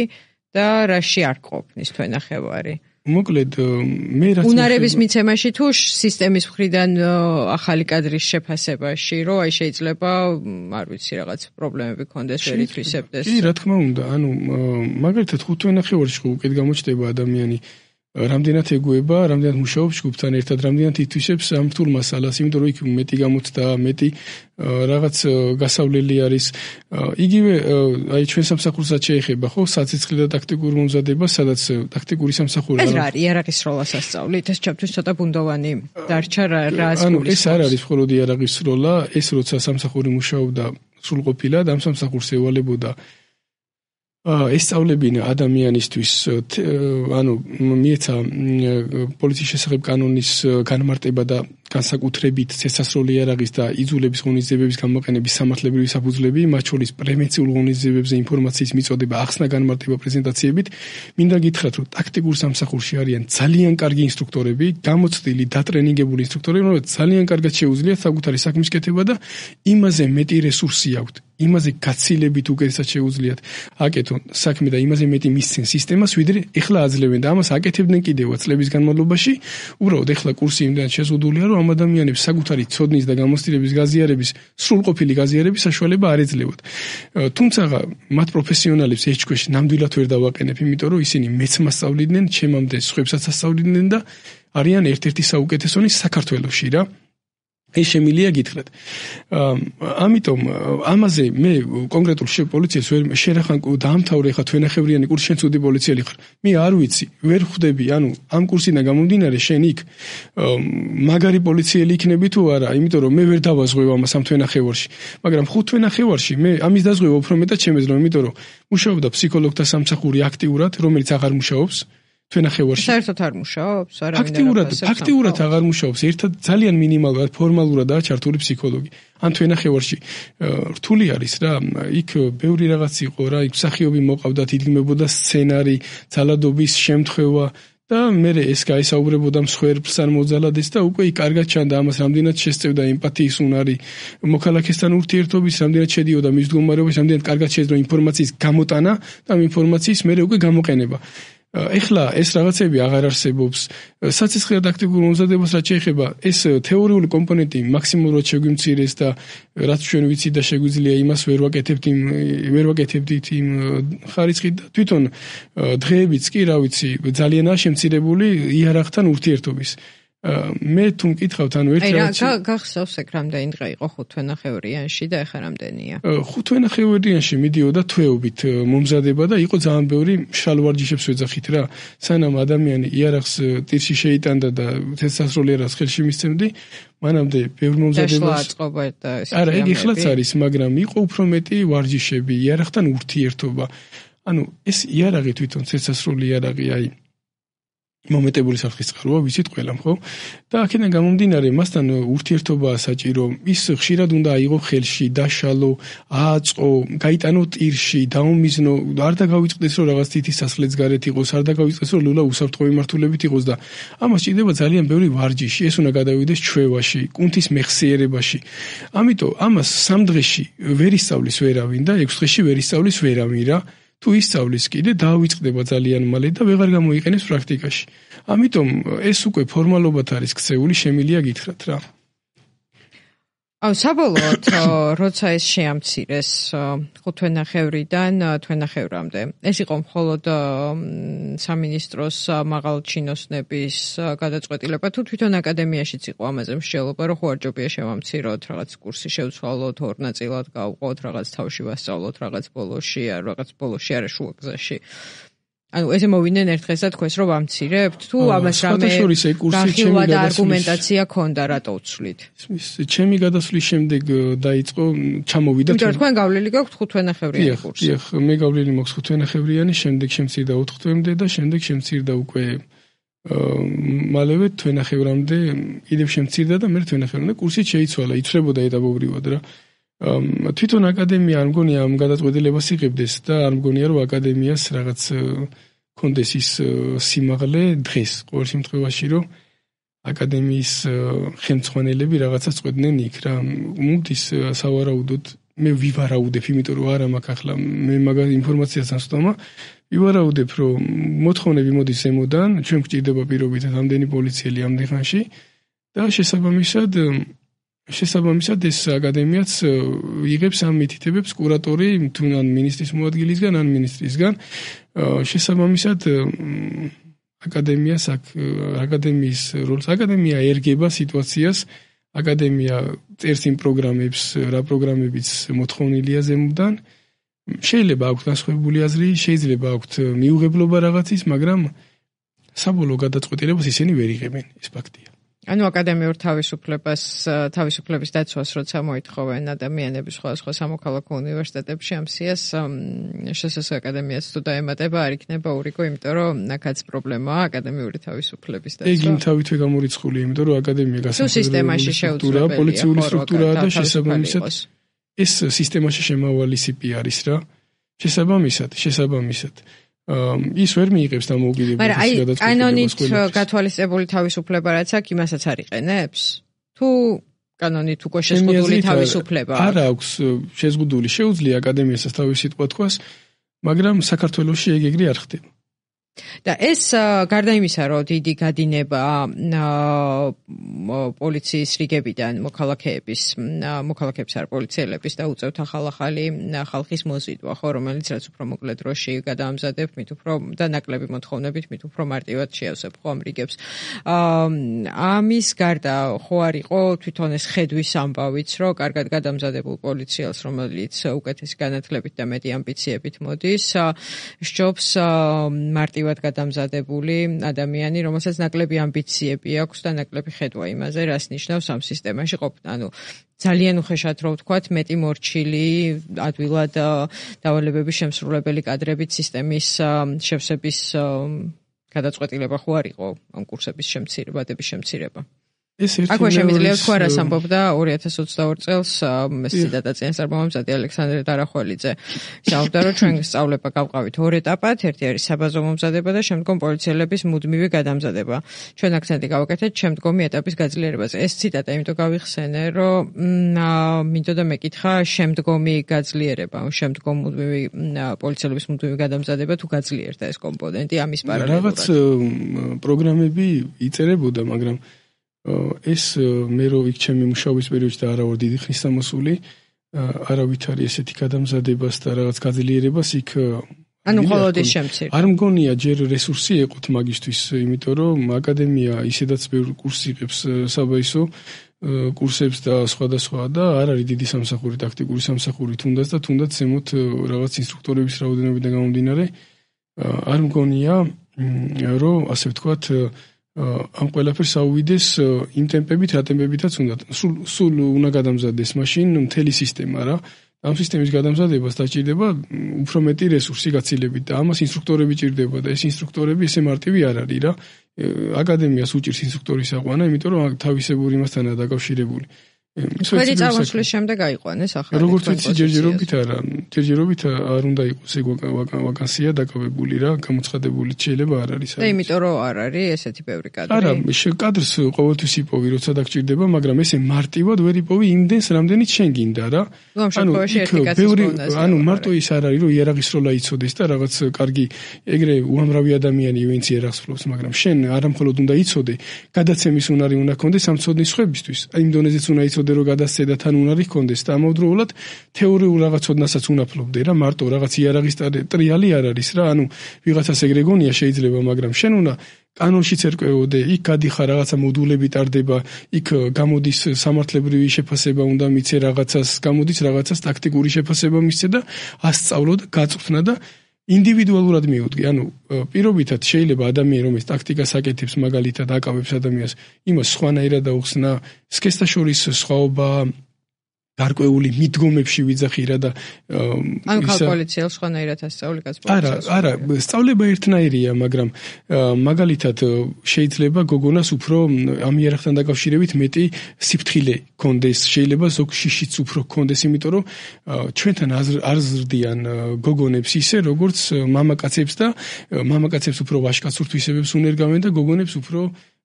და რაში არ ყოფნის თვენახევარი? მოკლედ მე რაც უნარების მიცემაში თუ სისტემის მხრიდან ახალი კადრის შეფასებაში, რომ აი შეიძლება არ ვიცი რაღაც პრობლემები ქონდეს ვერ ითვისებდეს. კი, რა თქმა უნდა, ანუ მაგალითად 5 თვენახევარში ხო უკეთ გამოჩნდება ადამიანი რამდენად ეგუება, რამდენად მუშაობს ჯგუფთან ერთად, რამდენად ითვისებს ამ რთულ მასალას, იმიტომ რომ იქ მეტი გამოცდა, მეტი რაღაც გასავლელი არის. იგივე აი ჩვენ სამსახურსაც შეეხება, ხო, საცეცხლე და ტაქტიკურ მომზადებას, სადაც ტაქტიკური სამსახური ეს რა არის, იარაღის სროლას ასწავლით, ეს ჩემთვის ცოტა ბუნდოვანი დარჩა რას გულისხმობს. ანუ ეს არ არის მხოლოდ იარაღის სროლა, ეს როცა სამსახური მუშაობდა სრულყოფილად, ამ სამსახურს ევალებოდა ესწავლებინა ადამიანისთვის, ანუ მიეცა პოლიციის შესახებ კანონის განმარტება და განსაკუთრებით ცეცხლსასროლი იარაღის და იძულების ღონისძიებების გამოყენების სამართლებრივი საფუძვლები, მათ შორის პრევენციულ ღონისძიებებზე ინფორმაციის მიწოდება, ახსნა განმარტება პრეზენტაციებით. მინდა გითხრათ, რომ ტაქტიკურ სამსახურში არიან ძალიან კარგი ინსტრუქტორები, გამოცდილი, დატრენინგებული ინსტრუქტორები, რომლებიც ძალიან კარგად შეუძლიათ საკუთარი საქმის კეთება და იმაზე მეტი რესურსი აქვთ. იმაზე გაცილებით უკეთესად შეუძლიათ აკეთონ საქმე და იმაზე მეტი მისცენ სისტემას, ვიდრე ეხლა აძლევენ და ამას აკეთებდნენ კიდევაც წლების განმავლობაში. უბრალოდ ეხლა კურსი იმდენად შეზღუდულია, რომ ამ ადამიანებს საკუთარი ცოდნის და გამოცდილების გაზიარების, სრულყოფილი გაზიარების საშუალება არ ეძლევათ. თუმცა მათ პროფესიონალებს ეს ჯგუფში ნამდვილად ვერ დავაყენებ, იმიტომ რომ ისინი მეც მასწავლიდნენ, ჩემამდე სხვებსაც ასწავლიდნენ და არიან ერთ-ერთი საუკეთესონი საქართველოში რა. ეს შემილია გითხრათ. ამიტომ ამაზე მე კონკრეტულ პოლიციას ვერ შერახან დაამთავრე ხა თვენახევრიანი კურსი შენ ცუდი პოლიციელი ხარ. მე არ ვიცი, ვერ ხვდები, ანუ ამ კურსიდან გამომდინარე შენ იქ მაგარი პოლიციელი იქნები თუ არა, იმიტომ რომ მე ვერ დავაზღვევ ამას ამ თვენახევარში. მაგრამ 5 თვენახევარში მე ამის დაზღვევა უფრო მეტად შემეძლო, იმიტომ რომ მუშაობდა ფსიქოლოგთა სამსახური აქტიურად, რომელიც აღარ მუშაობს. თვენახევარში. საერთოდ არ მუშაობს, არავინ ფაქტიურად აღარ მუშაობს. ერთად ძალიან მინიმალურად ფორმალურადაა ჩართული ფსიქოლოგი. ან თვენახევარში რთული არის რა, იქ ბევრი რაღაც იყო რა, იქ მსახიობი მოყავდათ, იდგმებოდა სცენარი, ძალადობის შემთხვევა და მე ეს გაისაუბრებოდა მსხვერპლს ან მოძალადეს და უკვე იქ კარგად ჩანდა ამას რამდენად შესწევდა ემპათიის უნარი, მოქალაქესთან ურთიერთობის, რამდენად შედიოდა მის მდგომარეობაში, რამდენად კარგად შეეძლო ინფორმაციის გამოტანა და ამ ინფორმაციის მერე უკვე გამოყენება. ეხლა ეს რაღაცები აღარ არსებობს. საცეცხლად აქტიურ მომზადებას რაც შეეხება, ეს თეორიული კომპონენტი მაქსიმალურად შეგვიმცირეს და რაც ჩვენ ვიცით და შეგვიძლია იმას ვერ ვაკეთებდით იმ ხარისხით და თვითონ დღეებიც კი, რა ვიცი, ძალიანაა შემცირებული იარაღთან ურთიერთობის. მე თუ მკითხავთ, ანუ ერთ რაღაცა გახსოვს ეგ რამდენი დღე იყო 5 თვენახევრიანში და ეხლა რამდენია? 5 თვენახევრიანში მიდიოდა თვეობით მომზადება და იყო ძალიან ბევრი მშრალ ვარჯიშებს ვეძახით რა. სანამ ადამიანი იარაღს ტირში შეიტანდა და თესასროლი იარაღს ხელში მისცემდი, მანამდე ბევრ მომზადებას არა, ეგ ეხლაც არის, მაგრამ იყო უფრო მეტი ვარჯიშები, იარაღთან ურთიერთობა. ანუ ეს იარაღი თვითონ თესასროლი იარაღი აი მომეტებული საფრთხის წყაროა, ვიცით ყველამ, ხო? და აქედან გამომდინარე, მასთან ურთიერთობაა საჭირო. ის ხშირად უნდა აიღო ხელში, დაშალო, ააწყო, გაიტანო ტირში, დაუმიზნო, არ დაგავიწყდეს რომ რაღაც თითის სასხლეც გარეთ იყოს, არ დაგავიწყდეს რომ ლულა უსაფრთხო მიმართულებით იყოს და ამას ჭირდება ძალიან ბევრი ვარჯიში. ეს უნდა გადავიდეს ჩვევაში, კუნთის მეხსიერებაში. ამიტომ ამას 3 დღეში ვერ ისწავლის ვერავინ და 6 დღეში ვერ ისწავლის ვერავინ რა. თუ ისწავლის კიდე დავიწყდება ძალიან მალე და ვეღარ გამოიყენებს პრაქტიკაში. ამიტომ ეს უკვე ფორმალობად არის ქცეული, შემილია გითხრათ რა. საბოლოოდ, როცა ეს შეამცირეს 5 თვენახევრიდან თვენახევრამდე, ეს იყო მხოლოდ სამინისტროს მაღალჩინოსნების გადაწყვეტილება, თუ თვითონ აკადემიაშიც იყო ამაზე მსჯელობა, რომ ხო არ ჯობია შევამციროთ, რაღაც კურსი შევცვალოთ, 2 ნაწილად გავყოთ, რაღაც თავში ვასწავლოთ, რაღაც ბოლოში, რაღაც ბოლოში არა შუა გზაში. ანუ ესე მოვიდნენ ერთ დღეს და თქვეს რომ ვამცირებთ თუ ამას რამე განხილვა და არგუმენტაცია ქონდა რატო უცვლით? ჩემი გადასვლის შემდეგ დაიწყო ჩამოვიდა თქვენ გავლილი გაქვთ 5 თვენახევრიანი კურსი. დიახ, მე გავლილი მაქვს 5 თვენახევრიანი, შემდეგ შემცირდა 4 თვემდე და შემდეგ შემცირდა უკვე მალევე თვენახევრამდე კიდევ შემცირდა და მე თვენახევრამდე კურსი შეიცვალა, იცვლებოდა ეტაპობრივად რა. თვითონ აკადემია არ მგონია ამ გადაწყვეტილებას იღებდეს და არ მგონია რომ აკადემიას რაღაც კონდეს ის სიმაღლე დღეს ყოველ შემთხვევაში რომ აკადემიის ხელმძღვანელები რაღაცას წყვეტდნენ იქ რა. მუდის სავარაუდოდ მე ვივარაუდებ, იმიტომ რომ არა მაქვს ახლა მე მაგას ინფორმაციას ასწავლა, ვივარაუდებ რომ მოთხოვნები მოდის ზემოდან, ჩვენ გვჭირდება პირობითად ამდენი პოლიციელი ამდენ ხანში და შესაბამისად ეს აკადემიაც იღებს ამ მითითებებს კურატორი თუ ან მინისტრის მოადგილისგან ან მინისტრისგან. შესაბამისად აკადემიის როლს აკადემია ერგება სიტუაციას, აკადემია წერს იმ პროგრამებს, რა პროგრამებიც მოთხოვნილია ზემოდან. შეიძლება აქვს განსხვავებული აზრი, შეიძლება აქვს მიუღებლობა რაღაცის, მაგრამ საბოლოო გადაწყვეტილებას ისინი ვერ იღებენ, ეს ფაქტია. ანუ აკადემიურ თავისუფლების დაცვას როცა მოითხოვენ ადამიანები სხვადასხვა სამოქალაქო უნივერსიტეტებში ამ სიას შესაძლოა აკადემიაც თუ დაემატება არ იქნება ურიგო, იმიტომ რომ აქაც პრობლემაა აკადემიური თავისუფლების დაცვა. ეგ იმ თავითვე გამორიცხულია, იმიტომ რომ აკადემია გასამართლებელი სტრუქტურაა, პოლიციური სტრუქტურაა და შესაბამისად ეს სისტემაში შემავალი სიპი არის რა. შესაბამისად ის ვერ მიიღებს დამოუკიდებლობის გადაწყვეტილებას. მაგრამ კანონით გათვალისწებული თავისუფლება რაც აქვს, იმასაც არ იყენებს? თუ კანონით უკვე შეზღუდული თავისუფლება აქვს? არ აქვს შეზღუდული, შეუძლია აკადემიასაც თავისი სიტყვა თქვას, მაგრამ საქართველოში ეგ ეგრე არ ხდება. და ეს გარდა იმისა, რომ დიდი გადინება პოლიციის რიგებიდან მოქალაქეების არ პოლიციელების და უწევთ ახალი ხალხის მოზიდვა, ხო, რომელიც რაც უფრო მოკლე დროში გადაამზადებთ, მით უფრო და ნაკლები მოთხოვნებით, მით უფრო მარტივად შეავსებ ხო ამ რიგებს. ამის გარდა ხო არ იყო თვითონ ეს ხედვის ამბავიც, რომ კარგად გადამზადებულ პოლიციელს, რომელიც უკეთესი განათლებით და მეტი ამბიციებით მოდის, სჯობს მარტივად გადამზადებული ადამიანი, რომელსაც ნაკლები ამბიციები აქვს და ნაკლები ხედვა იმაზე, რას ნიშნავს ამ სისტემაში ყოფნა. ანუ ძალიან უხეშად რო ვთქვათ, მეტი მორჩილი ადვილად დავალებების შემსრულებელი კადრებით სისტემის შევსების გადაწყვეტილება ხო არ იყო ამ კურსების შემცირებადების შემცირება. აქვე შემიძლია თქვა, რას ამბობდა 2022 წელს სიდატაციის წარმომამზადი ალექსანდრე დარახველიძე. საუბდა, რომ ჩვენ სწავლება გავყავით ორ ეტაპად, ერთი არის საბაზო მომზადება და შემდგომ პოლიციელების მუდმივი გადამზადება. ჩვენ აქცენტი გავაკეთეთ შემდგომი ეტაპის გაძლიერებაზე. ეს ციტატა იმიტომ გავიხსენე, რომ მინდოდა მეკითხა შემდგომი გაძლიერება, შემდგომ მუდმივი პოლიციელების მუდმივი გადამზადება თუ გაძლიერდა ეს კომპონენტი ამის პარალელურად. რაღაც პროგრამები იწერებოდა, მაგრამ ეს მე რო იქ ჩემი მუშაობის პერიოდში და არა ვარ დიდი ხნის დამოსული, არავით არის ესეთი გადამზადებას და რაღაც გაძლიერებას იქ ანუ მხოლოდ ის შემცირდა. არ მგონია ჯერ რესურსი ეყოთ მაგისთვის, იმიტომ რომ აკადემია ისედაც ბევრ კურსს იღებს საბაისო კურსებს და სხვადასხვა და არ არის დიდი სამსახური, ტაქტიკური სამსახური თუნდაც და თუნდაც ზემოთ რაღაც ინსტრუქტორების რაოდენობიდან გამომდინარე არ მგონია რომ ასე ვთქვათ ამ ყველაფერს აუვიდეს იმ ტემპებით, რა ტემპებითაც უნდა. სულ უნდა გადამზადდეს მაშინ მთელი სისტემა რა. ამ სისტემის გადამზადებას დაჭირდება უფრო მეტი რესურსი გაცილებით და ამას ინსტრუქტორები ჭირდება და ეს ინსტრუქტორები ესე მარტივი არ არის რა. აკადემიას უჭირს ინსტრუქტორის აყვანა, იმიტომ რომ თავისებური მასთანაა დაკავშირებული. ქვედი წარმოსვლის შემდეგ აიყვანეს ახალი. როგორც ვიცი, ჯერჯერობით არა. ჯერჯერობით არ უნდა იყოს ეგ ვაკანსია დაკავებული რა, გამოცხადებული შეიძლება არ არის. და იმიტომ რომ არ არის ესეთი ბევრი კადრი. არა, კადრს ყოველთვის იპოვი, როცა დაგჭირდება, მაგრამ ესე მარტივად ვერ იპოვი იმდენს, რამდენიც შენ გინდა რა. ანუ ანუ მარტო ის არ არის, რომ იარაღის როლა იცოდეს და რაღაც კარგი ეგრე უამრავი ადამიანი ვინც იარაღს ფლობს, მაგრამ შენ არამხოლოდ უნდა იცოდე, გადაცემის უნარი უნდა ქონდეს ამ ცოდნის ხვებისთვის. იმ დონეზეც უნდა იცოდე რომ გადასცედა თან უნარი ჰქონდეს და ამავდროულად თეორიულ რაღაც ცოდნასაც უნდა ფლობდე რა, მარტო რაღაც იარაღის ტრიალი არ არის რა, ანუ ვიღაცას ეგრე გონია შეიძლება, მაგრამ შენ უნდა კანონშიც ერკვეოდე, იქ გადიხარ რაღაცა მოდულები ტარდება, იქ გამოდის სამართლებრივი შეფასება უნდა მიცე რაღაცას, გამოდის რაღაცას ტაქტიკური შეფასება მისცე და ასწავლო და გაწვრთნა და ინდივიდუალურად მიუდგე. ანუ პირობითად შეიძლება ადამიანი რომელიც ტაქტიკას აკეთებს, მაგალითად აკავებს ადამიანს, იმას სხვანაირად დაუხსნა, სქესთა შორის სხვაობა გარკვეული მიდგომებში ვიძახირა და ანუ კალკულაციას სხვანაირად ასწავლი კაცს. არა, სწავლება ერთნაირია, მაგრამ მაგალითად შეიძლება გოგონას უფრო ამ იარაღთან დაკავშირებით მეტი სიფრთხილე კონდეს, შეიძლება ზოგ შიშიც უფრო კონდეს, იმიტომ რომ ჩვენთან არ ზრდიან გოგონებს ისე, როგორც მამაკაცებს და მამაკაცებს უფრო ვაჟკაცურთვისებებს უნერგავენ და გოგონებს უფრო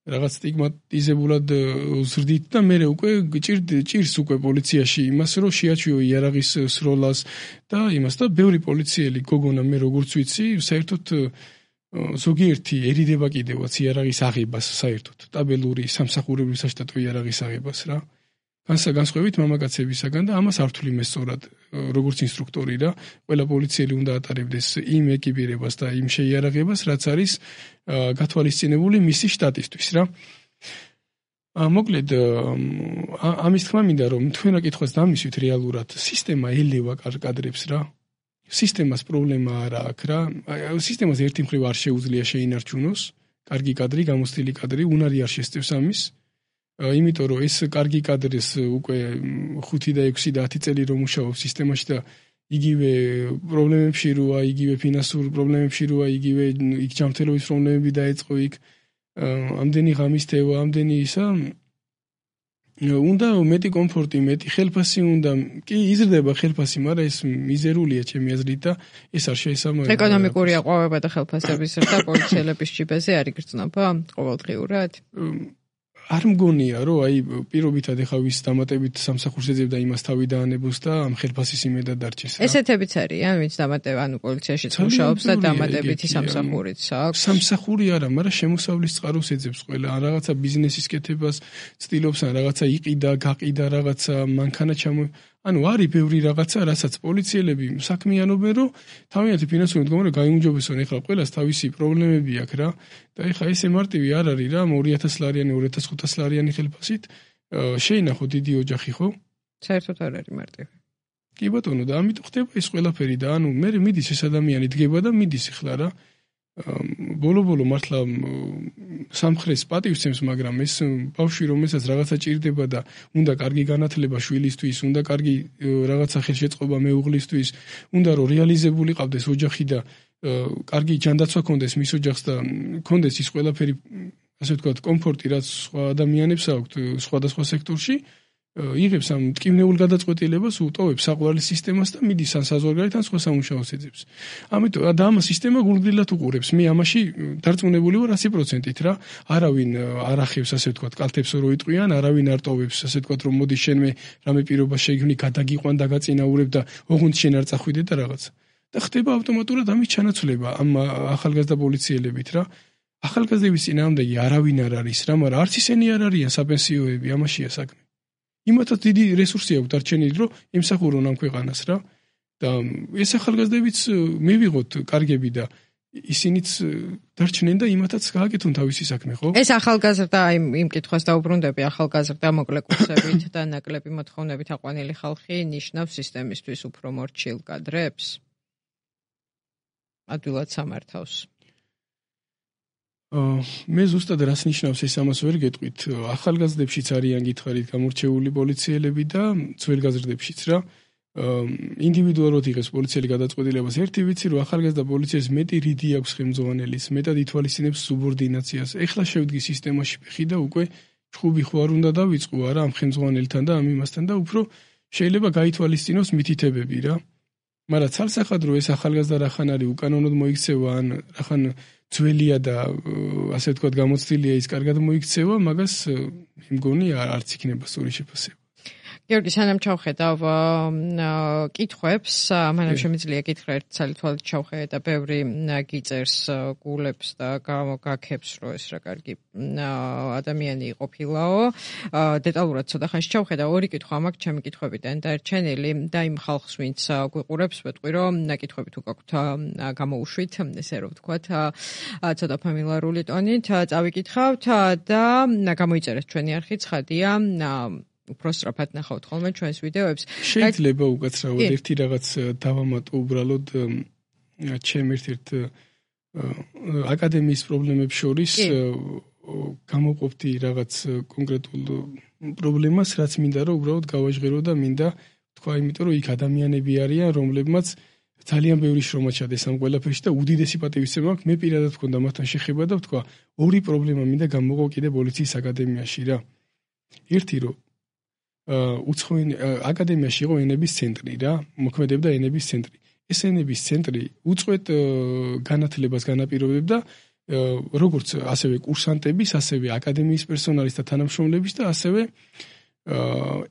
რაღაც სტიგმატიზებულად ზრდით და მე უკვე ჭირს უკვე პოლიციაში იმას რომ შეაჩვიო იარაღის სროლას და იმას და ბევრი პოლიციელი გოგონა მე როგორც ვიცი საერთოდ ზოგიერთი ერიდება კიდევაც იარაღის აღებას საერთოდ სტაბილური სამსახურებრივი საშტატო იარაღის აღებას რა განსხვავებით მამაკაცებისაგან და ამას არ თვლი მე სწორად როგორც ინსტრუქტორი რა ყველა პოლიციელი უნდა ატარებდეს იმ ეკიპირებას და იმ შეიარაღებას რაც არის გათვალისწინებული მისი შტატისთვის რა მოკლედ ამის თქმა მინდა რომ თქვენ აკითხვას დამისვით რეალურად სისტემა ელევა კადრებს რა სისტემას პრობლემა არ აქვს რა სისტემას ერთი მხრივ არ შეუძლია შეინარჩუნოს კარგი კადრი გამოცდილი კადრი უნარი არ შესწევს ამის იმიტომ რომ ეს კარგი კადრის უკვე 5 და 6 და 10 წელი რომ მუშაობს სისტემაში და იგივე პრობლემებში როა, იგივე ფინანსურ პრობლემებში როა, იგივე იქ ჯანმრთელობის პრობლემები დაეწყო იქ ამდენი ღამის თევა, ამდენი ისა უნდა მეტი კომფორტი, მეტი ხელფასი უნდა კი იზრდება ხელფასი, მაგრამ ეს მიზერულია ჩემი აზრით და ეს არ შეესაბამება ეკონომიკური აყვავება და ხელფასების ზრდა პოლიციელების ჯიბეზე არ იგრძნობა ყოველდღიურად არ მგონია, რომ აი პირობითად ეხა ვის დამატებით სამსახურს ეძებდა იმას თავი დაანებოს და ამ ხელფასის იმედად დარჩეს რა. ესეთებიც არიან, ვინც დამატება, პოლიციაში მუშაობს და დამატებითი სამსახურიც აქვს. სამსახური არა, მაგრამ შემოსავლის წყაროს ეძებს ყველა. ან რაღაცა ბიზნესის კეთებას ცდილობს, ან რაღაცა იყიდა, გაყიდა რაღაცა, მანქანა არის ბევრი რაღაცა, რასაც პოლიციელები საქმიანობენ, რომ თავიანთი ფინანსური მდგომარეობა გაიუმჯობესონ. ეხლა ყველას თავისი პრობლემები აქვს რა. და ეხლა ესე მარტივი არ არის რა, 2000 ლარიანი, 2500 ლარიანი ხელფასით შეინახო დიდი ოჯახი, ხო? საერთოდ არ არის მარტივი. კი ბატონო, და ამიტომ ხდება ეს ყველაფერი და ანუ მე მიდის ეს ადამიანი დგება და მიდის ეხლა რა. ბოლო-ბოლო მართლა სამხრეს პატივცემს, მაგრამ ეს ბავშვი რომელსაც რაღაცა ჭირდება და უნდა კარგი განათლება შვილისთვის, უნდა კარგი რაღაცა ხელშეწყობა მეუღლისთვის, უნდა რომ რეალიზებული ყავდეს ოჯახი და კარგი ჯანდაცვა ქონდეს მის ოჯახს და ქონდეს ის ყველაფერი, ასე ვთქვათ, კომფორტი, რაც სხვა ადამიანებს აქვთ სხვადასხვა სექტორში, იღებს ამ მტკივნეულ გადაწყვეტილებას, უტოვებს საყვარლის სისტემას და მიდის ან საზღვარგარეთ ან სხვა სამუშაოს ეძებს. ამიტომ და ამ სისტემა გულგრილად უყურებს. მე ამაში დარწმუნებული ვარ 100%-ით რა. არავინ არ ახევს, ასე ვთქვათ, კალთებს რო იტყვიან, არავინ არ ტოვებს, ასე ვთქვათ, რომ მოდი შენ მე რამე პირობა შეგვინი, გადაგიყვან, დაგაწინაურებ და ოღონდ შენ არ წახვიდე და რაღაც. და ხდება ავტომატურად ამის ჩანაცვლება ამ ახალგაზრდა პოლიციელებით რა. ახალგაზრდების წინააღმდეგი არავინ არ არის რა, მაგრამ არც ისინი არ არიან საპენსიოები, ამაშია საქმე. იმათაც დიდი რესურსი აქვს დარჩენილი, რომ ემსახურონ ამ ქვეყანას რა. და ეს ახალგაზრდებიც მივიღოთ კარგები და ისინიც დარჩნენ და იმათაც გააკეთონ თავისი საქმე, ხო? ეს ახალგაზრდა იმ კითხვას დაუბრუნდები, ახალგაზრდა მოკლე კურსებით და ნაკლები მოთხოვნებით აყვანილი ხალხი ნიშნავს სისტემისთვის უფრო მორჩილ კადრებს? ადვილად სამართავს. მე ზუსტად რას ნიშნავს ეს ამას ვერ გეტყვით. ახალგაზრდებშიც არიან გითხარით გამორჩეული პოლიციელები და ძველგაზრდებშიც რა. ინდივიდუალურად იღებს პოლიციელი გადაწყვეტილებას. ერთი ვიცი, რომ ახალგაზრდა პოლიციას მეტი რიდი აქვს ხელმძღვანელის, მეტად ითვალისწინებს სუბორდინაციას. ეხლა შევდგი სისტემაში ფეხი და უკვე ჩხუბი ხო არ უნდა დავიწყო არა ამ ხელმძღვანელთან და ამ იმასთან და უფრო შეიძლება გაითვალისწინოს მითითებები რა. მაგრამ ცალსახადრო ეს ახალგაზრდა რახან არის უკანონოდ მოიქცევა ან რახან ძველია და ასე ვთქვათ გამოცდილია ის კარგად მოიქცევა, მაგას მგონი არც იქნება სწორი შეფასება. გიორგი, სანამ ჩავხედავ კითხვებს, მანამ შემიძლია კითხრა ერთ ცალ-თვალით ჩავხედე და ბევრი გიწერს გულებს და გაგაქებს, რომ ეს რა კარგი ადამიანი იყოფილაო. დეტალურად ცოტა ხანში ჩავხედა, ორი კითხვა მაქვს ჩემი კითხვებიდან დარჩენილი და იმ ხალხს, ვინც გვიყურებს, ვეტყვი, რომ კითხვები თუ გაქვთ გამოუშვით, ესე რომ ვთქვათ, ცოტა ფამილარული ტონით წავიკითხავთ და გამოიწერეთ ჩვენი არხი, ცხადია, უფრო სწრაფად ნახავთ ხოლმე ჩვენს ვიდეოებს. შეიძლება უკაცრავად ერთი რაღაც დავამატო უბრალოდ ჩემ ერთ აკადემიის პრობლემებს შორის გამოყოფდი რაღაც კონკრეტულ პრობლემას, რაც მინდა რომ უბრალოდ გავაჟღერო და მინდა თქვა, იმიტომ რომ იქ ადამიანები არიან, რომლებმაც ძალიან ბევრი შრომა ჩადეს ამ ყველაფერში და უდიდესი პატივისცემა აქვს. მე პირადად მქონდა მათთან შეხება და ვთქვა, ორი პრობლემა მინდა გამოვყო კიდე პოლიციის აკადემიაში რა. ერთი რომ აკადემიაში იყო ენების ცენტრი რა, მოქმედებდა ენების ცენტრი. ეს ენების ცენტრი უწყვეტ განათლებას განაპირობებდა როგორც ასევე კურსანტების, ასევე აკადემიის პერსონალის და თანამშრომლების და ასევე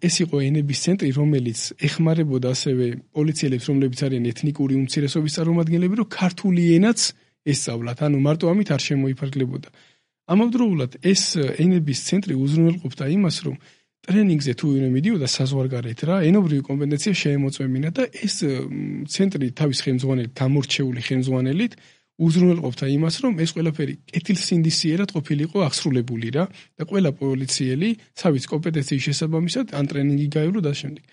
ეს იყო ენების ცენტრი, რომელიც ეხმარებოდა ასევე პოლიციელებს, რომლებიც არიან ეთნიკური უმცირესობის წარმომადგენლები, რომ ქართული ენაც ესწავლათ. ანუ მარტო ამით არ შემოიფარგლებოდა. ამავდროულად ეს ენების ცენტრი უზრუნველყოფდა იმას, რომ ტრენინგზე თუ ვინმე მიდიოდა საზღვარგარეთ რა, ენობრივი კომპეტენცია შეემოწმებინა და ეს ცენტრი თავის ხელმძღვანელით, გამორჩეული ხელმძღვანელით უზრუნველყოფდა იმას, რომ ეს ყველაფერი კეთილსინდისიერად ყოფილიყო აღსრულებული რა და ყველა პოლიციელი თავის კომპეტენციის შესაბამისად ან ტრენინგი გაევლო და შემდეგ.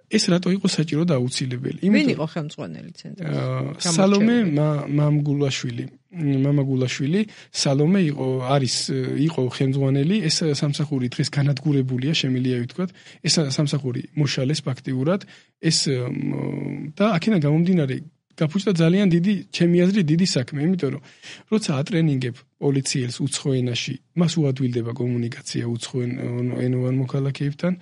ეს რატო იყო საჭირო და აუცილებელი? ვინ იყო ხელმძღვანელი ცენტრის? სალომე მამაგულაშვილი. მამაგულაშვილი სალომე იყო ხელმძღვანელი. ეს სამსახური დღეს განადგურებულია, შემიძლია ვთქვათ. ეს სამსახური მოშალეს ფაქტიურად. ეს და აქედან გამომდინარე გაფუჭდა ძალიან დიდი, ჩემი აზრით, დიდი საქმე, იმიტომ რომ როცა ატრენინგებ პოლიციელს უცხო ენაში, მას უადვილდება კომუნიკაცია უცხო ენოვან მოქალაქეებთან.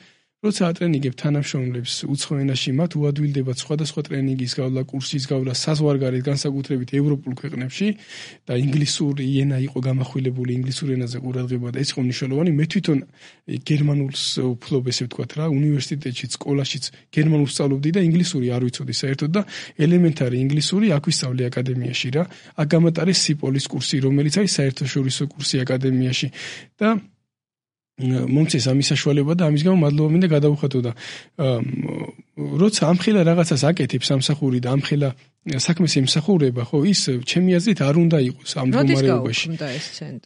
როცა ატრენინგებ თანამშრომლებს უცხო ენაში, მათ უადვილდებათ სხვადასხვა ტრენინგის გავლა, კურსის გავლა, საზღვარგარეთ განსაკუთრებით ევროპულ ქვეყნებში და ინგლისური ენა იყო გამახვილებული, ინგლისურ ენაზე ყურადღება და ეს იყო მნიშვნელოვანი. მე თვითონ გერმანულს ვფლობ, ესე ვთქვათ რა, უნივერსიტეტშიც, სკოლაშიც გერმანულს სწავლობდი და ინგლისური არ ვიცოდი საერთოდ და ელემენტარი ინგლისური აქ ვისწავლე აკადემიაში რა. აქ გამატარე სიპოლის კურსი, რომელიც არის საერთაშორისო კურსი აკადემიაში და მომწეს ამის საშუალება და ამის გამო მადლობა მინდა გადავუხატო და როცა ამხელა რაღაცას აკეთებ სამსახური და ამხელა საქმეს ემსახურება, ხო, ის ჩემი აზრით არ უნდა იყოს ამ მდგომარეობაში.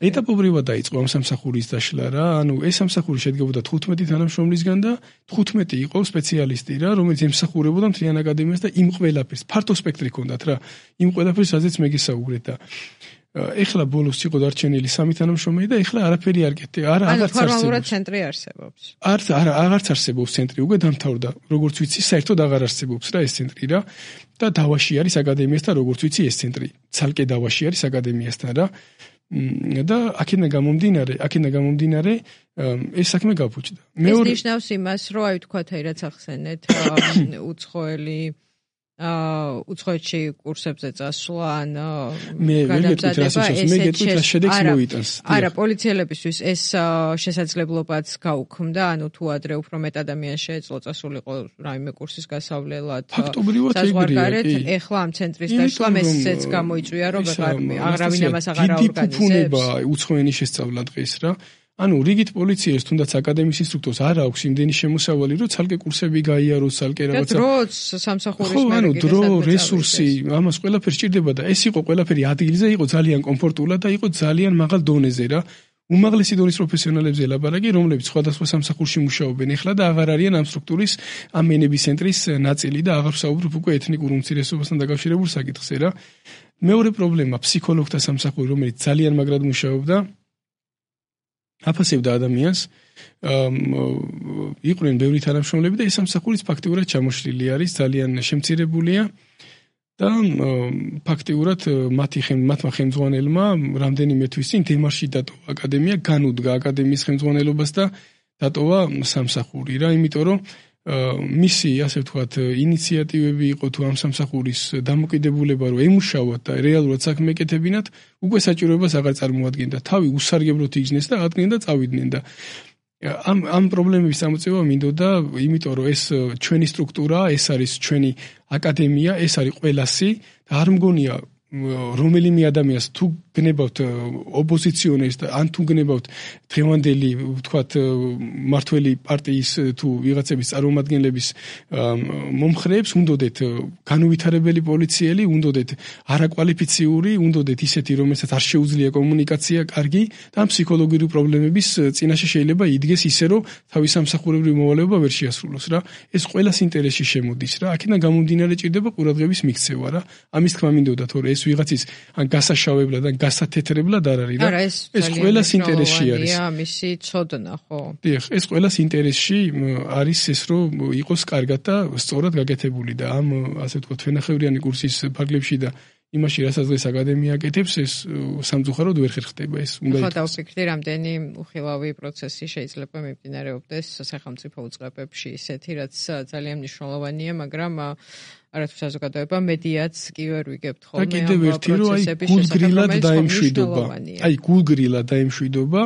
ეტაპობრივად დაიწყო ამ სამსახურის დაშლა რა, ანუ ეს სამსახური შედგებოდა 15 თანამშრომლისგან და 15 იყო სპეციალისტი რა, რომელიც ემსახურებოდა მთლიან აკადემიას და იმ ყველაფერს ფართო სპექტრი ჰქონდათ რა, იმ ყველაფერს სადაც მე გესაუბრეთ და ეხლა ბოლოს იყო დარჩენილი 3 თანამშრომელი და ეხლა არაფერი არ კეთდება. აღარც ფორმალურად ცენტრი არსებობს. აღარც არსებობს ცენტრი, უკვე დამთავრდა. როგორც ვიცი, საერთოდ აღარ არსებობს რა ეს ცენტრი რა. და დავაში არის აკადემიასთან, როგორც ვიცი, ეს ცენტრი. ცალკე დავაში არის აკადემიასთან რა. და აქედან გამომდინარე ეს საქმე გაფუჭდა. ეს ნიშნავს იმას, რომ აი თქვათ აი რაც ახსენეთ, უცხოელი უცხოეთში კურსებზე წასვლა ან გადამზადება ეს შედეგს მოიტანს. არა, პოლიციელებისთვის ეს შესაძლებლობაც გაუქმდა, ანუ თუ ადრე უფრო მეტ ადამიანს შეეძლო წასულიყო რაიმე კურსის გასავლელად საზღვარგარეთ, ეხლა ამ ცენტრის დაშლა მესეც გამოიწვია, რომ აღარავინ ამას აღარ აორგანიზებს. დიდი ფუფუნება უცხო ენის შესწავლა დღეს რა. ანუ რიგით პოლიციას თუნდაც აკადემიის ინსტრუქტორს არ აქვს იმდენი შემოსავალი, რომ ცალკე კურსები გაიაროს, ცალკე რაღაცა. დროც სამსახურის მერე ანუ დრო, რესურსი, ამას ყველაფერს სჭირდება და ეს იყო ყველაფერი ადგილზე, იყო ძალიან კომფორტულად და იყო ძალიან მაღალ დონეზე რა. უმაღლესი დონის პროფესიონალებზე ლაპარაკი, რომლებიც სხვადასხვა სამსახურში მუშაობენ ეხლა და აღარ არიან ამ სტრუქტურის, ამ ენების ცენტრის ნაწილი და აღარ ვსაუბრობ უკვე ეთნიკურ უმცირესობასთან დაკავშირებულ საკითხზე რა. მეორე პრობლემა ფსიქოლოგთა სამსახური, რომელიც ძალიან მაგრად მუშაობდა აფასებდა ადამიანს, იყვნენ ბევრი თანამშრომლები და ეს სამსახურიც ფაქტიურად ჩამოშლილი არის, ძალიან შემცირებულია და ფაქტიურად მათმა ხელმძღვანელმა რამდენიმე თვის წინ დემარში დატოვა აკადემია, განუდგა აკადემიის ხელმძღვანელობას და დატოვა სამსახური რა, იმიტომ რომ მისი, ასე ვთქვათ, ინიციატივები იყო თუ ამ სამსახურის დამოკიდებულება რომ ემუშავოთ და რეალურად საქმე ეკეთებინათ, უკვე საჭიროებას აღარ წარმოადგენდა. თავი უსარგებლოდ იგრძნეს და ადგენენ და წავიდნენ და ამ პრობლემების გამოწვევა მინდოდა, იმიტომ რომ ეს ჩვენი სტრუქტურაა, ეს არის ჩვენი აკადემია, ეს არის ყველასი და არ მგონია რომელიმე ადამიანს თუ გნებავთ ოპოზიციონერს და ან თუ გნებავთ დღევანდელი ვთქვათ მართველი პარტიის თუ ვიღაცების წარმომადგენლების მომხრეებს უნდოდეთ განუვითარებელი პოლიციელი, უნდოდეთ არაკვალიფიციური, უნდოდეთ ისეთი, რომელსაც არ შეუძლია კომუნიკაცია კარგი და ფსიქოლოგიური პრობლემების წინაშე შეიძლება იდგეს ისე, რომ თავის სამსახურებრივ მოვალეობა ვერ შეასრულოს რა. ეს ყველას ინტერესში შემოდის რა. აქედან გამომდინარე ჭირდება ყურადღების მიქცევა რა. ამის თქმა მინდოდა, თორე ეს ვიღაცის ან გასაშავებლად ან გასათეთრებლად არ არის რა. ეს ყველას ინტერესში არის. მისი ცოდნა ხო? დიახ, ეს ყველას ინტერესში არის ეს, რომ იყოს კარგად და სწორად გაკეთებული და ამ ასე ვთქვათ ვენახევრიანი კურსის ფარგლებში და იმაში, რასაც დღეს აკადემია აკეთებს, ეს სამწუხაროდ ვერ ხერხდება ეს. უნდა ხო, დავფიქრდი, რამდენი უხილავი პროცესი შეიძლება მიმდინარეობდეს სახელმწიფო უწყებებში, ისეთი, რაც ძალიან მნიშვნელოვანია, მაგრამ არათუ საზოგადოება მედიაც კი ვერ ვიგებთ ხოლმე ამ პროცესების შესახებ, დაემშვიდობა. აი, გულგრილად დაემშვიდობა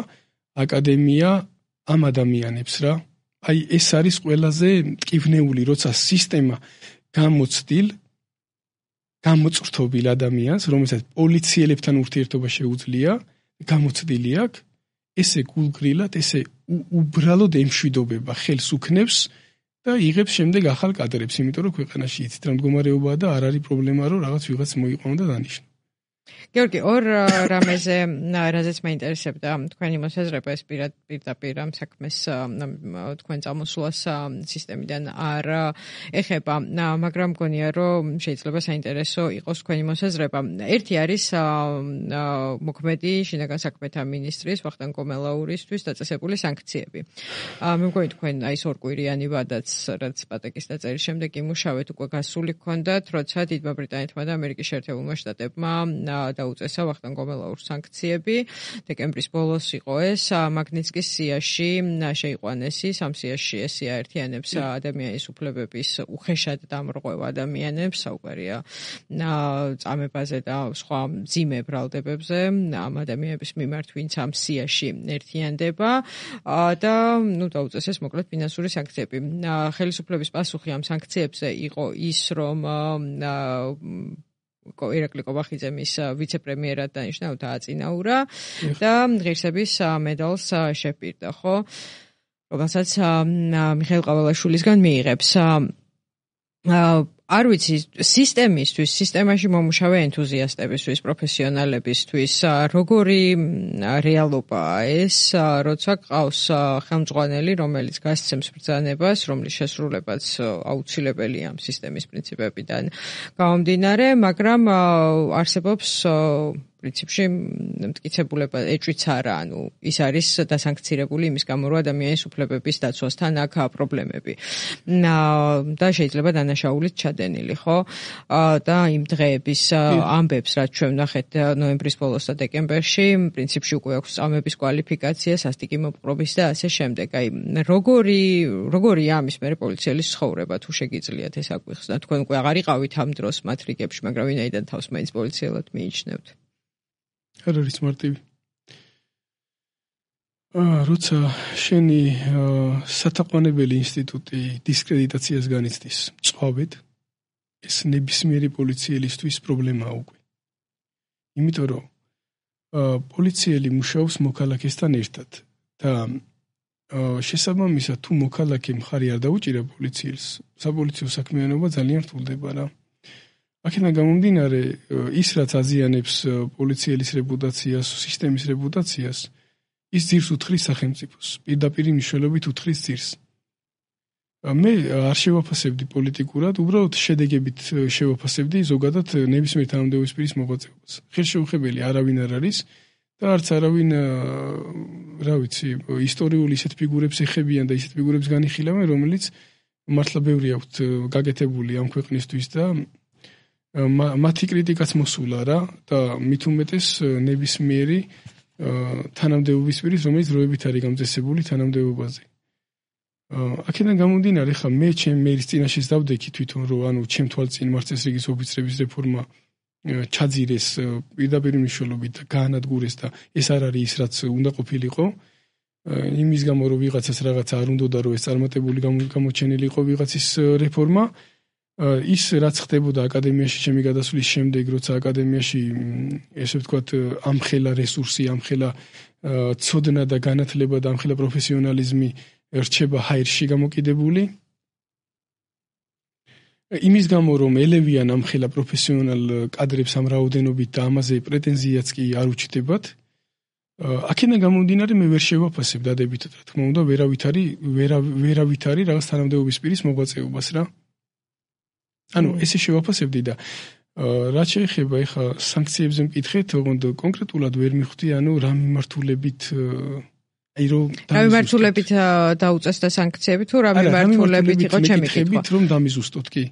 აკადემია ამ ადამიანებს რა. აი, ეს არის ყველაზე მტკივნეული, როცა სისტემა გამოწრთობილ ადამიანს, რომელსაც პოლიციელებთან ურთიერთობა შეუძლია, გამოცდილი აქვს, ესე გულგრილად, ესე უბრალოდ ემშვიდობება, ხელს უქნევს და იღებს შემდეგ ახალ კადრებს, იმიტომ რომ ქვეყანაში იცით რა მდგომარეობაა და არ არის პრობლემა, რომ რაღაც ვიღაც მოიყვანო და დანიშნო. გიორგი, ორ რამეზე, რაზეც მეინტერესებდა თქვენი მოსაზრება, ეს პირდაპირ ამ საქმეს თქვენ წამოსვლას სისტემიდან არ ეხება, მაგრამ მგონია, რომ შეიძლება საინტერესო იყოს თქვენი მოსაზრება. ერთი არის მოქმედი შინაგან საქმეთა მინისტრის ვახტანგ კომელაურისთვის დაწესებული სანქციები. მე მგონი თქვენ აი ეს ორკვირიანი ვადაც, რაც პატეკის დაწერის შემდეგ იმუშავეთ, უკვე გასული გქონდათ, როცა დიდმა ბრიტანეთმა და ამერიკის შეერთებულმა შტატებმა დაუწესა ვახტანგ კომელაურს სანქციები. დეკემბრის ბოლოს იყო ეს, მაგნიცკის სიაში შეიყვანეს ის, ამ სიაში ესია ერთიანებს ადამიანის უფლებების უხეშად დამრღვევა ადამიანებს, საუბარია წამებაზე და სხვა მძიმე ბრალდებებზე ამ ადამიანების მიმართ, ვინც ამ სიაში ერთიანდება და დაუწესეს მოკლედ ფინანსური სანქციები. ხელისუფლების პასუხი ამ სანქციებზე იყო ის, რომ ირაკლი კობახიძემ ის ვიცე-პრემიერად დანიშნა, დააწინაურა და ღირსების მედალს შეპირდა, ხო? რომელსაც მიხეილ ყაველაშვილისგან მიიღებს. არ ვიცი, სისტემაში მომუშავე ენთუზიასტებისთვის, პროფესიონალებისთვის, როგორი რეალობაა ეს, როცა ყავს ხელმძღვანელი, რომელიც გასცემს ბრძანებას, რომლის შესრულებაც აუცილებელია ამ სისტემის პრინციპებიდან გამომდინარე, მაგრამ არსებობს პრინციპში მტკიცებულება ეჭვიც არა, ის არის დასანქცირებული იმის გამო, რომ ადამიანის უფლებების დაცვასთან აქვს პრობლემები. და შეიძლება დანაშაულით ჩადენილი, ხო? და იმ დღეების ამბებს, რაც ჩვენ ვნახეთ ნოემბრის ბოლოს და დეკემბერში, პრინციპში უკვე აქვს წამების კვალიფიკაცია, სასტიკი მოპყრობის და ასე შემდეგ. აი, როგორი ამის მერე პოლიციელის ცხოვრება, თუ შეგიძლიათ ეს აგვიხსნა. თქვენ უკვე აღარ იყავით ამ დროს მათ რიგებში, მაგრამ ვინაიდან თავს მაინც პოლიციელად მიიჩნევთ. არ არის მარტივი. როცა შენი სათაყვანებელი ინსტიტუტი დისკრედიტაციას განიცდის წვავით, ეს ნებისმიერი პოლიციელისთვის პრობლემაა უკვე. იმიტომ რომ პოლიციელი მუშაობს მოქალაქესთან ერთად და შესაბამისად თუ მოქალაქე მხარი არ დაუჭირა პოლიციელს, საპოლიციო საქმიანობა ძალიან რთულდება რა. აქედან გამომდინარე, ის რაც აზიანებს პოლიციელის რეპუტაციას, სისტემის რეპუტაციას, ის ძირს უთხრის სახელმწიფოს, პირდაპირ მნიშვნელობით უთხრის ძირს. მე არ შევაფასებდი პოლიტიკურად, უბრალოდ შედეგებით შევაფასებდი ზოგადად ნებისმიერ თანამდებობის პირის მოღვაწეობას. ხელშეუხებელი არავინ არ არის და არც არავინ, რა ვიცი, ისტორიული ისეთ ფიგურებს ეხებიან და ისეთ ფიგურებს განიხილავენ, რომელიც მართლა ბევრი აქვთ გაკეთებული ამ ქვეყნისთვის და მათი კრიტიკაც მოსულა რა და მით უმეტეს ნებისმიერი თანამდებობის პირის, რომელიც დროებით არის გამწესებული თანამდებობაზე. აქედან გამომდინარე, ხა მე მერის წინაშე დავდექი თვითონ, რომ ჩემ თვალწინ მარცხენრიგის ოფიცრების რეფორმა ჩაძირეს პირდაპირ მნიშვნელობით და გაანადგურეს და ეს არ არის ის, რაც უნდა ყოფილიყო. იმის გამო, რომ ვიღაცას რაღაცა არ უნდოდა, რომ ეს წარმატებული გამოჩენილიყო ვიღაცის რეფორმა. ის რაც ხდებოდა აკადემიაში ჩემი გადასვლის შემდეგ, როცა აკადემიაში ესე ვთქვათ ამხელა რესურსი, ამხელა ცოდნა და განათლება და ამხელა პროფესიონალიზმი რჩება ჰაერში გამოკიდებული. იმის გამო რომ ელევიან ამხელა პროფესიონალ კადრებს ამ რაოდენობით და ამაზე პრეტენზიაც კი არ უჩნდებათ. აქედან გამომდინარე მე ვერ შევაფასებ დადებითად, რა თქმა უნდა, ვერავით არის რაღაც თანამდებობის პირის მოღვაწეობას რა. ესე შევაფასებდი და რაც შეეხება ეხა სანქციებზე მკითხეთ, ოღონდ კონკრეტულად ვერ მივხვდი, რა მიმართულებით რა მიმართულებით დაუწესდა სანქციები თუ რა მიმართულებით იყო ჩემი კითხვა? რომ დამიზუსტოთ კი.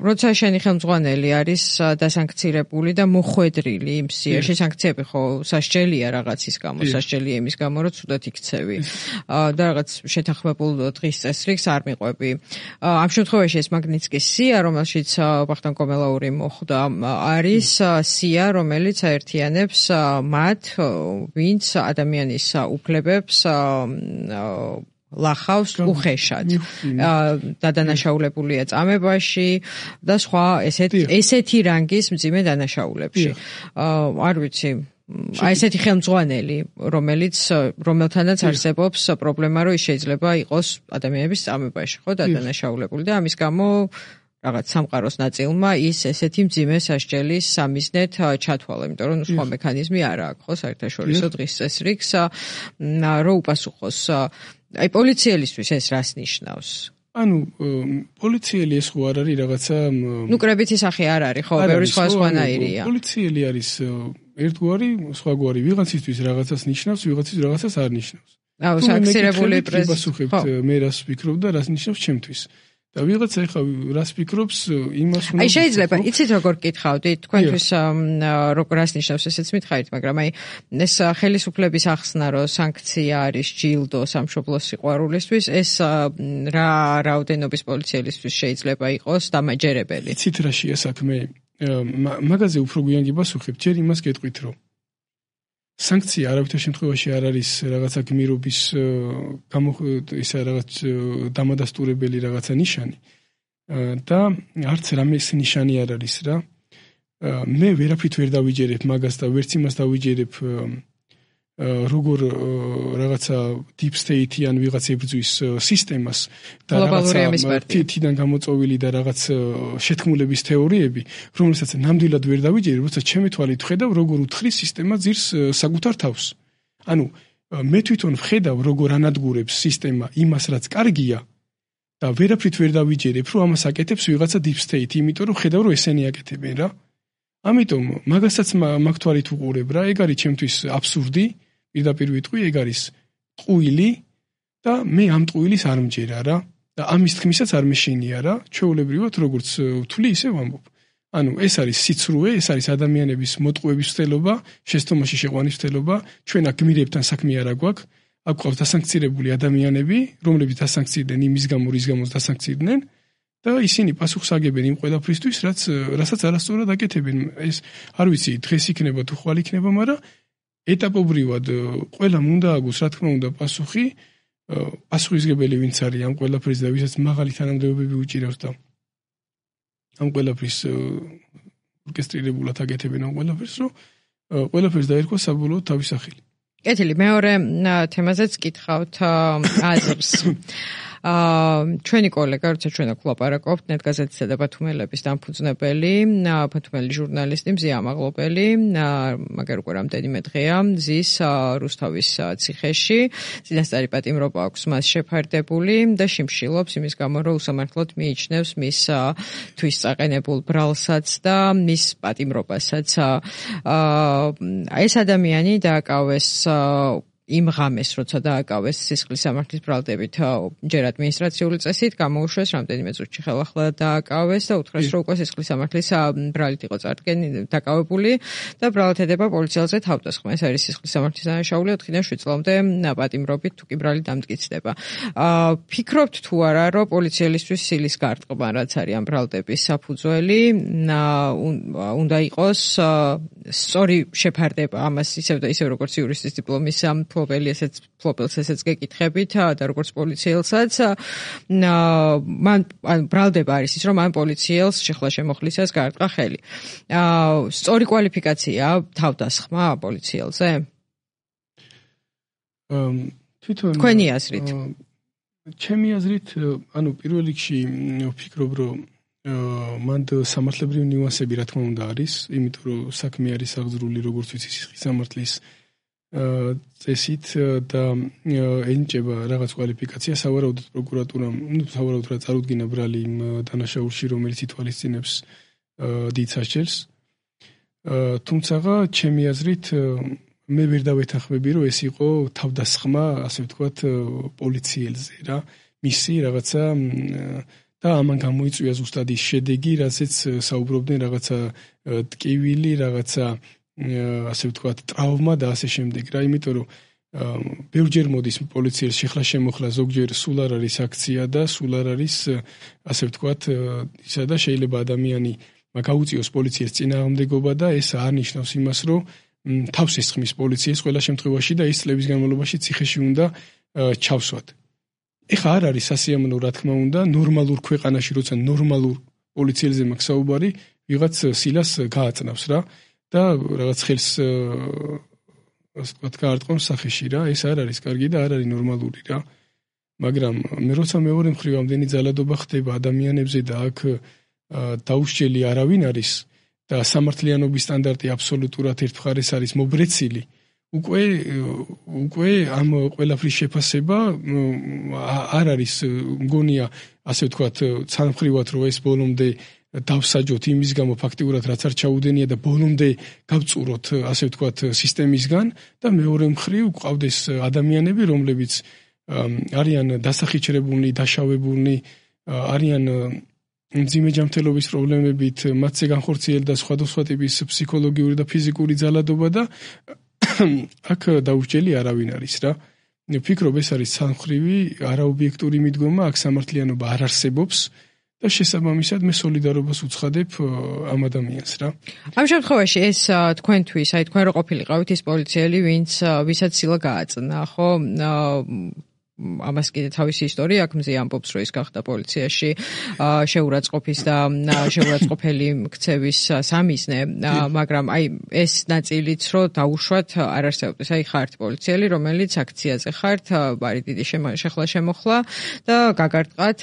როცა შენი ხელმძღვანელი არის დასანქცირებული და მოხვედრილი იმ სიაში, სანქციები ხო სასჯელია რაღაცის გამო, სასჯელია იმის გამო, რომ ცუდად იქცევი და რაღაც შეთანხმებულ დღის წესრიგს არ მიყვები. ამ შემთხვევაში ეს მაგნიცკის სია, რომელშიც ვახტანგ კომელაური მოხვდა, არის სია, რომელიც აერთიანებს მათ, ვინც ადამიანის უფლებებს ლახავს უხეშად. დადანაშაულებულია წამებაში და სხვა ესეთი რანგის მძიმე დანაშაულებში. არ ვიცი, ესეთი ხელმძღვანელი, რომელთანაც არსებობს პრობლემა, რომ ის შეიძლება იყოს ადამიანების წამებაში, ხო, დადანაშაულებული და ამის გამო რაღაც სამყაროს ნაწილმა ის ესეთი მძიმე სასჯელის სამიზნედ ჩათვალა, იმიტომ რომ სხვა მექანიზმი არ აქვს, ხო, საერთაშორისო დღის წესრიგს, რომ უპასუხოს. აი პოლიციელისთვის ეს რას ნიშნავს? პოლიციელი ეს ხო არ არის რაღაცა კრებითი სახე არ არის, ხო, ბევრი სხვანაირია. პოლიციელი არის ერთგვარი, სხვაგვარი, ვიღაცისთვის რაღაცას ნიშნავს, ვიღაცისთვის რაღაცას არ ნიშნავს. სანქცირებული პრეზიდენტი. პასუხებთ მე რას ვფიქრობ და რას ნიშნავს ჩემთვის. და ვიღაცა ეხა რას ფიქრობს იმას უნდა. აი შეიძლება იცით როგორ გითხავდით თქვენთვის რას ნიშნავს ესეც მითხარით, მაგრამ აი ეს ხელისუფლების ახსნა რომ სანქცია არის ჯილდო სამშობლოს სიყვარულისთვის, ეს რა რაოდენობის პოლიციელისთვის შეიძლება იყოს დამაჯერებელი? იცით რაშია საქმე? მაგაზე უფრო გვიან გიპასუხებ, ჯერ იმას გეტყვით რომ სანქცია არავითარ შემთხვევაში არ არის რაღაცა გმირობის ისა რაღაც დამადასტურებელი რაღაცა ნიშანი და არც რამეს ნიშანი არ არის რა. მე ვერაფრით ვერ დავიჯერებ მაგას და ვერც იმას დავიჯერებ როგორ რაღაცა deep state-იან ვიღაც ებრძვის სისტემას და რაღაცა თითიდან გამოწოვილი და რაღაც შეთქმულების თეორიები, რომელსაც ნამდვილად ვერ დავიჯერებ, როცა ჩემი თვალით ვხედავ, როგორ უთხრის სისტემა ძირს საკუთარ თავს. ანუ მე თვითონ ვხედავ, როგორ ანადგურებს სისტემა იმას, რაც კარგია და ვერაფრით ვერ დავიჯერებ, რომ ამას აკეთებს ვიღაცა deep state, იმიტომ რომ ვხედავ, რომ ესენი აკეთებენ რა. ამიტომ მაგასაც მაგ თვალით ვუყურებ რა, ეგ არის ჩემთვის აბსურდი. პირდაპირ ვიტყვი, ეგ არის ტყუილი და მე ამ ტყუილის არ მჯერა რა და ამის თქმისაც არ მეშინია რა, ჩვეულებრივად როგორც ვთვლი, ისე ვამბობ. ანუ ეს არის სიცრუე, ეს არის ადამიანების მოტყუების ცდელობა, შეცდომაში შეყვანის ცდელობა, ჩვენ აქ გმირებთან საქმე არ აგვაქვს, აქ გვყავს დასანქცირებული ადამიანები, რომლებიც დასანქცირდნენ იმის გამო, რის გამოც დასანქცირდნენ და ისინი პასუხს აგებენ იმ ყველაფრისთვის, რასაც არასწორად აკეთებენ. ეს არ ვიცი, დღეს იქნება თუ ხვალ იქნება, მაგრამ ეტაპობრივად ყველამ უნდა აგოს, რა თქმა უნდა, პასუხისმგებელი ვინც არის ამ ყველაფრის და ვისაც მაღალი თანამდებობები უჭირავს და ამ ყველაფრის ორკესტრირებულად აკეთებენ ამ ყველაფერს, რომ ყველაფერს დაერქვა საბოლოოდ თავის სახელი. კეთილი, მეორე თემაზეც გითხავთ აზრს. ჩვენი კოლეგა, როცა ჩვენ აქ ვლაპარაკობთ, ნეტგაზეთისა და ბათუმელების დამფუძნებელი, ბათუმელი ჟურნალისტი მზია ამაღლობელი, მაგარ უკვე რამდენიმე დღეა მზის რუსთავის ციხეში, წინასწარი პატიმრობა აქვს მას შეფარდებული და შიმშილობს იმის გამო, რომ უსამართლოდ მიიჩნევს მის თვისწაყენებულ ბრალსაც და მის პატიმრობასაც. ეს ადამიანი დააკავეს იმ ღამეს, როცა დააკავეს სისხლის სამართლის ბრალდებით ჯერ ადმინისტრაციული წესით, გამოუშვეს რამდენიმე წუთში ხელახლა დააკავეს და უთხრეს, რომ უკვე სისხლის სამართლის ბრალით იყო დაკავებული და ბრალად ედება პოლიციელზე თავდასხმა. ეს არის სისხლის სამართლის დანაშაული 4-დან 7 წლამდე პატიმრობით თუ კი ბრალი დამტკიცდება. ფიქრობთ თუ არა, რომ პოლიციელისთვის სილის გარტყმა, რაც არის ამ ბრალდების საფუძველი, უნდა იყოს სწორი შეფარდება ამას ისევ როგორც იურისტის დიპლომის ფლობელს ესეც გეკითხებით და როგორც პოლიციელსაც მან ბრალდება არის ის, რომ მან პოლიციელს შეხლა შემოხლისას გაარტყა ხელი. სწორი კვალიფიკაცია თავდასხმა პოლიციელზე? თვითონ თქვენი აზრით? ჩემი აზრით, ანუ პირველ რიგში ვფიქრობ, რომ მან სამართლებრივი ნიუანსები რა თქმა უნდა არის, იმიტომ რომ საქმე არის აღძრული როგორც ვიცი სისხლის სამართლის წესით და ენიჭება რაღაც კვალიფიკაცია, სავარაუდოდ პროკურატურამ, სავარაუდოდ რა წარუდგინა ბრალი იმ დანაშაულში, რომელიც ითვალისწინებს დიდ სასჯელს. თუმცა ჩემი აზრით მე ვერ დავეთანხმები, რომ ეს იყო თავდასხმა, ასე ვთქვათ, პოლიციელზე რა, მისი რაღაცა და ამან გამოიწვია ზუსტად ის შედეგი, რასაც საუბრობდნენ რაღაცა ტკივილი, რაღაცა ასე ვთქვათ, ტრავმა და ასე შემდეგ რა, იმიტომ რომ ბევრჯერ მოდის პოლიციელს შეხლა შემოხლა, ზოგჯერ სულ არ არის აქცია და სულ არ არის, ასე ვთქვათ, ისა და შეიძლება ადამიანი გაუწიოს პოლიციას წინააღმდეგობა და ეს არ ნიშნავს იმას, რომ თავს ესხმის პოლიციას ყველა შემთხვევაში და ის წლების განმავლობაში ციხეში უნდა ჩავსვათ. ეხა არ არის სასიამოვნო, რა თქმა უნდა, ნორმალურ ქვეყანაში, როცა ნორმალურ პოლიციელზე მაქვს საუბარი, ვიღაც სილას გააწნავს რა და რაღაც ხელს ასე ვთქვათ, გაარტყმავს სახეში რა, ეს არ არის კარგი და არ არის ნორმალური რა. მაგრამ მე როცა მეორე მხრივ ამდენი ძალადობა ხდება ადამიანებზე და აქ დაუსჯელი არავინ არის და სამართლიანობის სტანდარტი აბსოლუტურად ერთმხარეს არის მობრეცილი, უკვე ამ ყველაფრის შეფასება არ არის, მგონია, ასე ვთქვათ, ცალმხრივად რომ ეს ბოლომდე დავსაჯოთ იმის გამო ფაქტიურად რაც არ ჩაუდენია და ბოლომდე გავწუროთ, ასე ვთქვათ, სისტემისგან და მეორე მხრივ გვყავდეს ადამიანები, რომლებიც არიან დასახიჩრებულნი, დაშავებულნი არიან მძიმე ჯანმრთელობის პრობლემებით, მათზე განხორციელდა და სხვადასხვა ტიპის ფსიქოლოგიური და ფიზიკური ძალადობა და აქ დაუსჯელი არავინ არის რა. ვფიქრობ, ეს არის სამხრივი არაობიექტური მიდგომა, აქ სამართლიანობა არ არსებობს და შესაბამისად მე სოლიდარობას უცხადებ ამ ადამიანს რა. ამ შემთხვევაში ეს თქვენთვის, აი თქვენ რო ყოფილიყავით ის პოლიციელი, ვისაც სილა გააწნა, ხო? ამას კიდე თავისი ისტორია აქვს, მზე ამბობს, რომ ის გახდა პოლიციაში შეურაცხყოფის და შეურაცხყოფელი ქცევის სამიზნე, მაგრამ აი ეს ნაწილიც რო დაუშვათ არ არსებობს. აი ხართ პოლიციელი, რომელიც აქციაზე ხართ, ბარი დიდი შეხლა-შემოხლა და გაგარტყათ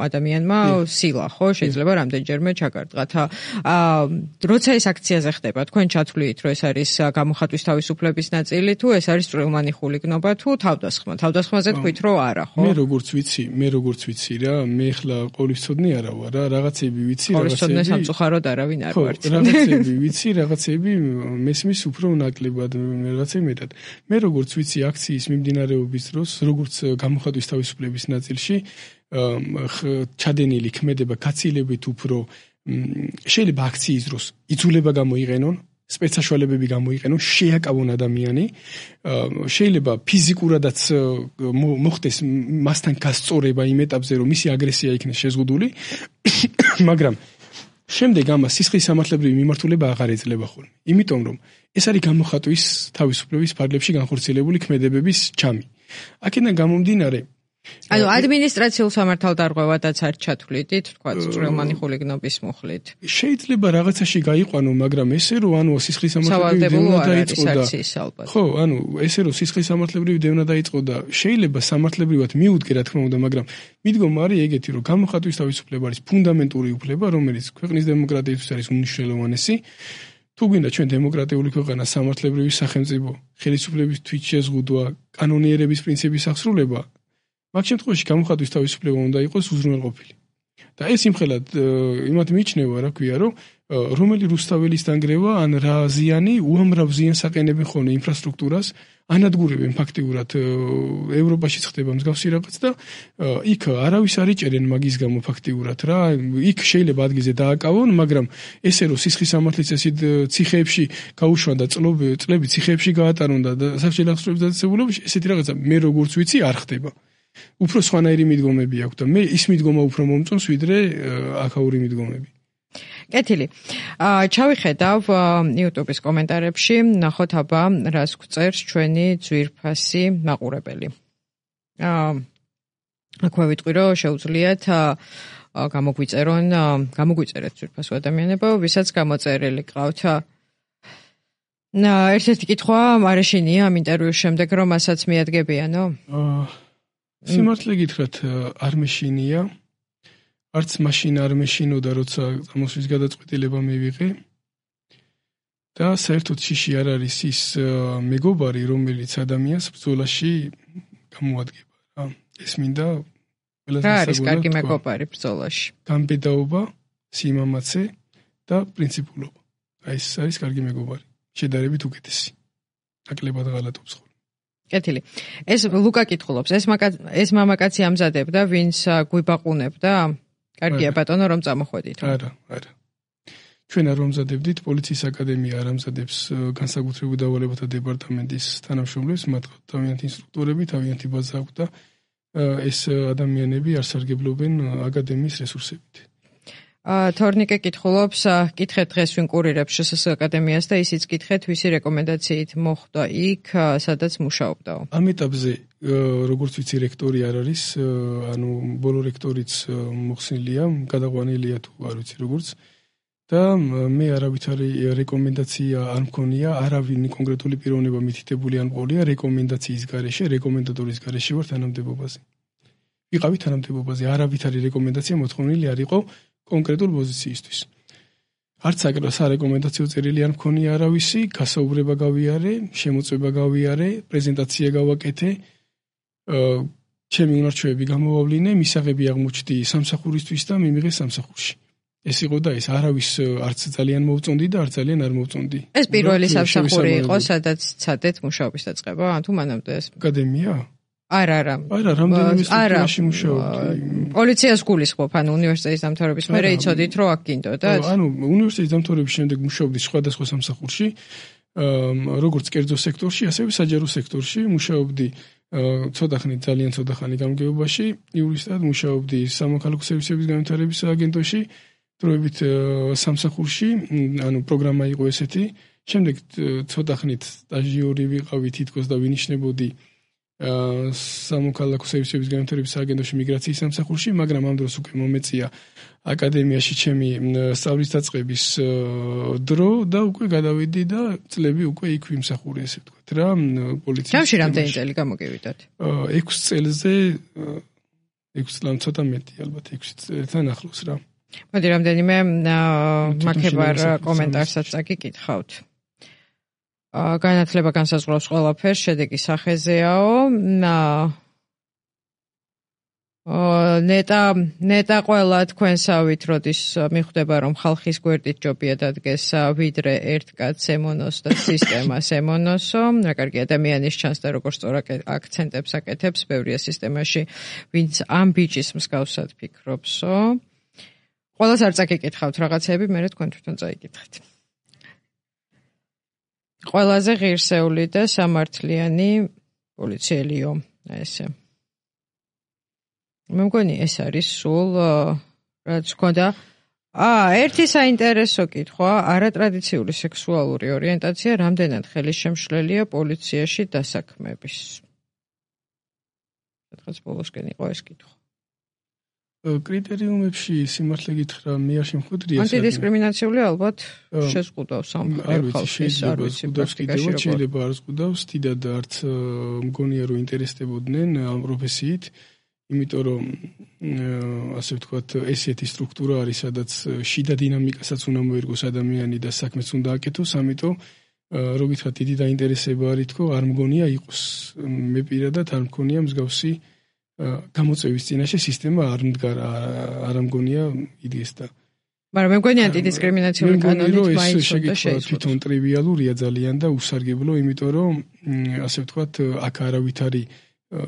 ადამიანმა სილა, ხო? შეიძლება რამდენჯერმე ჩაგარტყათ. როცა ეს აქციაზე ხდება, თქვენ ჩათვლით, რომ ეს არის გამოხატვის თავისუფლების ნაწილი თუ ეს არის წვრილმანი ხულიგნობა თუ თავდასხმა. თავდასხმაზე თქვით რომ არა, ხო? მე როგორც ვიცი რა, მე ხლა ყოვლისწოდნი არა ვარ რა, რაღაცები ვიცი, ყოვლისწოდნე სამწუხაროდ არავინ არ ვარ. რაღაცები ვიცი, რაღაცები მესმის უფრო ნაკლებად, რაღაცები მეტად. მე როგორც ვიცი აქციის მიმდინარეობის დროს, როგორც გამოხატვის თავისუფლების ნაწილში, ჩადენილი ქმედება გაცილებით უფრო შეიძლება აქციის დროს იძულება გამოიყენონ, სპეცსაშუალებები გამოიყენონ, შეაკავონ ადამიანი, შეიძლება ფიზიკურადაც მოხდეს მასთან გასწორება იმ ეტაპზე, რომ მისი აგრესია იქნეს შეზღუდული, მაგრამ შემდეგ ამას სისხლის სამართლებრივი მიმართულება აღარ ეძლევა ხოლმე. იმიტომ რომ ეს არის გამოხატვის თავისუფლების ფარგლებში განხორციელებული ქმედებების ჩამი. აქედან გამომდინარე ანუ ადმინისტრაციულ სამართალდარღვევადაც არ ჩათვლიდით, თქვა წვრილმანი ხულიგნობის მუხლით. შეიძლება რაღაცაში გაიყვანო, მაგრამ ესე რომ ანუ სისხლის სამართლებრივი დევნა დაიწყო და ხო, ანუ ესე რომ სისხლის სამართლებრივი დევნა დაიწყო და შეიძლება სამართლებრივად მიუდგე რა თქმა უნდა, მაგრამ მიდგომა არის ეგეთი, რომ გამოხატვის თავისუფლება არის ფუნდამენტური უფლება, რომელიც ქვეყნის დემოკრატიისთვის არის უმნიშვნელოვანესი. თუ გვინდა ჩვენ დემოკრატიული ქვეყანა, სამართლებრივი სახელმწიფო, ხელისუფლების თვითშეზღუდვა, კანონიერების პრინციპის აღსრულება, მაგ შემთხვევაში გამოხატვის თავისუფლება უნდა იყოს უზრუნველყოფილი. და ეს იმხელად იმათ მიიჩნევა, რა ქვია, რომ რომელი რუსთაველის დანგრევა ან რა ზიანი უამრავ ზიანს აყენებენ ხოლმე ინფრასტრუქტურას, ანადგურებენ ფაქტიურად ევროპაში ხდება მსგავსი რაღაც და იქ არავის არ იჭერენ მაგის გამო ფაქტიურად რა, იქ შეიძლება ადგილზე დააკავონ, მაგრამ ესე რომ სისხლის სამართლის წესით ციხეებში გაუშვან და წლები ციხეებში გაატარონ და საბჭოთა ახსრების დაწესებულებაში, ესეთი რაღაცა მე როგორც ვიცი არ ხდება. უფრო სხვანაირი მიდგომები აქვს და მე ის მიდგომა უფრო მომწონს ვიდრე აქაური მიდგომები. კეთილი. ჩავიხედავ YouTube-ის კომენტარებში, ნახოთ აბა რას გვწერს ჩვენი ძვირფასი მაყურებელი. აქვე ვიტყვი რომ შეუძლიათ გამოგვიწერეთ ძვირფასო ადამიანებო, ვისაც გამოწერილი გყავთ. ერთ-ერთი კითხვა მარეშინია ამ ინტერვიუს შემდეგ, რომ მასაც მიადგებიანო? სიმართლე გითხრათ, არ მეშინია. არც მაშინ არ მეშინოდა, როცა წამოსვლის გადაწყვეტილება მივიღე. და საერთოდ შიში არ არის ის მეგობარი, რომელიც ადამიანს ბრძოლაში გამოადგება რა. ეს მინდა ყველას რა არის კარგი მეგობარი ბრძოლაში? გამბედაობა, სიმამაცე და პრინციპულობა. აი ეს არის კარგი მეგობარი. შედარებით უკეთესი. ნაკლებად ღალატობს ხოლმე. კეთილი. ეს ლუკა კითხულობს, ეს მამაკაცი ამზადებდა, ვინც გვიბაყუნებდა? კარგია ბატონო, რომ წამოხვედით. არა. ჩვენ არ ვამზადებდით, პოლიციის აკადემია არ ამზადებს განსაკუთრებულ დავალებათა დეპარტამენტის თანამშრომლებს, მათ თავიანთი ინსტრუქტორები, თავიანთი ბაზა აქვს და ეს ადამიანები არ სარგებლობენ აკადემიის რესურსებით. თორნიკე კითხულობს, კითხეთ დღეს ვინ კურირებს ჟსს აკადემიას და ისიც კითხეთ, ვისი რეკომენდაციით მოხვდა იქ, სადაც მუშაობდაო. ამ ეტაპზე როგორც ვიცი რექტორი არ არის, ანუ ბოლო რექტორიც მოხსნილია, გადაყვანილია თუ არ ვიცი როგორც და მე არავითარი რეკომენდაცია არ მქონია, არავინ კონკრეტული პიროვნება მითითებული არ მყოლია რეკომენდაციის გარეშე, რეკომენდატორის გარეშე ვარ თანამდებობაზე. ვიყავი თანამდებობაზე, არავითარი რეკომენდაცია მოთხოვნილი არ იყო კონკრეტულ პოზიციისთვის. არც სარეკომენდაციო წერილი არ მქონია არავისი, გასაუბრება გავიარე, შემოწმება გავიარე, პრეზენტაცია გავაკეთე, ჩემი უნარჩვევები გამოვავლინე, მისაღები აღმოჩნდი სამსახურისთვის და მიმიღე სამსახურში. ეს იყო და ეს არავის არც ძალიან მოვწონდი და არც ძალიან არ მოვწონდი. ეს პირველი სამსახური იყო, სადაც ცადეთ მუშაობის დაწყება, თუ მანამდე ეს? აკადემია? არა. რამდენიმე სტრუქტურაში მუშაობდი. პოლიციას გულისხმობ, ანუ უნივერსიტეტის დამთავრების მერე იცოდით, რომ აქ გინდოდათ? ანუ უნივერსიტეტის დამთავრების შემდეგ მუშაობდი სხვადასხვა სამსახურში, როგორც კერძო სექტორში, ასევე საჯარო სექტორში, მუშაობდი ძალიან ცოტა ხანი გამგეობაში, იურისტად მუშაობდი სამოქალაქო სერვისების განვითარების აგენტოში, დროებით სამსახურში, ანუ პროგრამა იყო ესეთი. შემდეგ ცოტა ხნით სტაჟიორი ვიყავი თითქოს და ვინიშნებოდი სამოქალაქო სერვისების განვითარების აგენტოში მიგრაციის სამსახურში, მაგრამ ამ დროს უკვე მომეწია აკადემიაში ჩემი სწავლის დაწყების დრო და უკვე გადავედი და წლები უკვე იქ ვიმსახურე, ესე ვთქვათ რა, პოლიციის. ჯამში რამდენი წელი გამოგივიდათ? 6 წელზე 6 წლამ ცოტა მეტი ალბათ 6 წელთან ახლოს რა. მოდი რამდენიმე მაქებარ კომენტარსაც წაგიკითხავთ. განათლება განსაზღვრავს ყველაფერს, შედეგი სახეზეაო. ნეტა ყველა თქვენსავით, როდის მიხვდება, რომ ხალხის გვერდით ჯობია დადგეს ვიდრე ერთ კაცს ემონოს და სისტემას ემონოსო. რა კარგი ადამიანის ჩანს და როგორც სწორ აქცენტებს აკეთებს, ბევრია სისტემაში, ვინც ამ ბიჭის მსგავსად ფიქრობსო. ყველას არ წაგიკითხავთ რაღაცები, მე თქვენ თვითონ წაიკითხეთ. ყველაზე ღირსეული და სამართლიანი პოლიციელიო, ესე. მე მგონი ეს არის სულ რაც გქონდა. ერთი საინტერესო კითხვა, არატრადიციული სექსუალური ორიენტაცია რამდენად ხელისშემშლელია პოლიციაში დასაქმების? სადღაც ბოლოსკენ იყო ეს კითხვა. კრიტერიუმებში სიმართლე გითხრა, მე არ შემხვედრია. ანტიდისკრიმინაციული ალბათ შეზღუდავს ამ ხალხის, არ ვიცი, პრაქტიკაში როგორ. შეიძლება არ ზღუდავს, დიდად არც მგონია რომ ინტერესდებოდნენ ამ პროფესიით, იმიტომ რომ ასე ვთქვათ, ესეთი სტრუქტურა არის, სადაც შიდა დინამიკასაც უნდა მოერგოს ადამიანი და საქმეც უნდა აკეთოს, ამიტომ რო გითხრათ, დიდი დაინტერესება არის თქო, არ მგონია იყოს. მე პირადად არ მგონია მსგავსი გამოწვევის წინაშე სისტემა არ მგონია იდეს და მაგრამ მე მგონი ანტიდისკრიმინაციული კანონით მაინც უნდა შეიცვალოს. თვითონ ტრივიალურია ძალიან და უსარგებლო, იმიტომ რომ ასე ვთქვათ, აქ არავით არის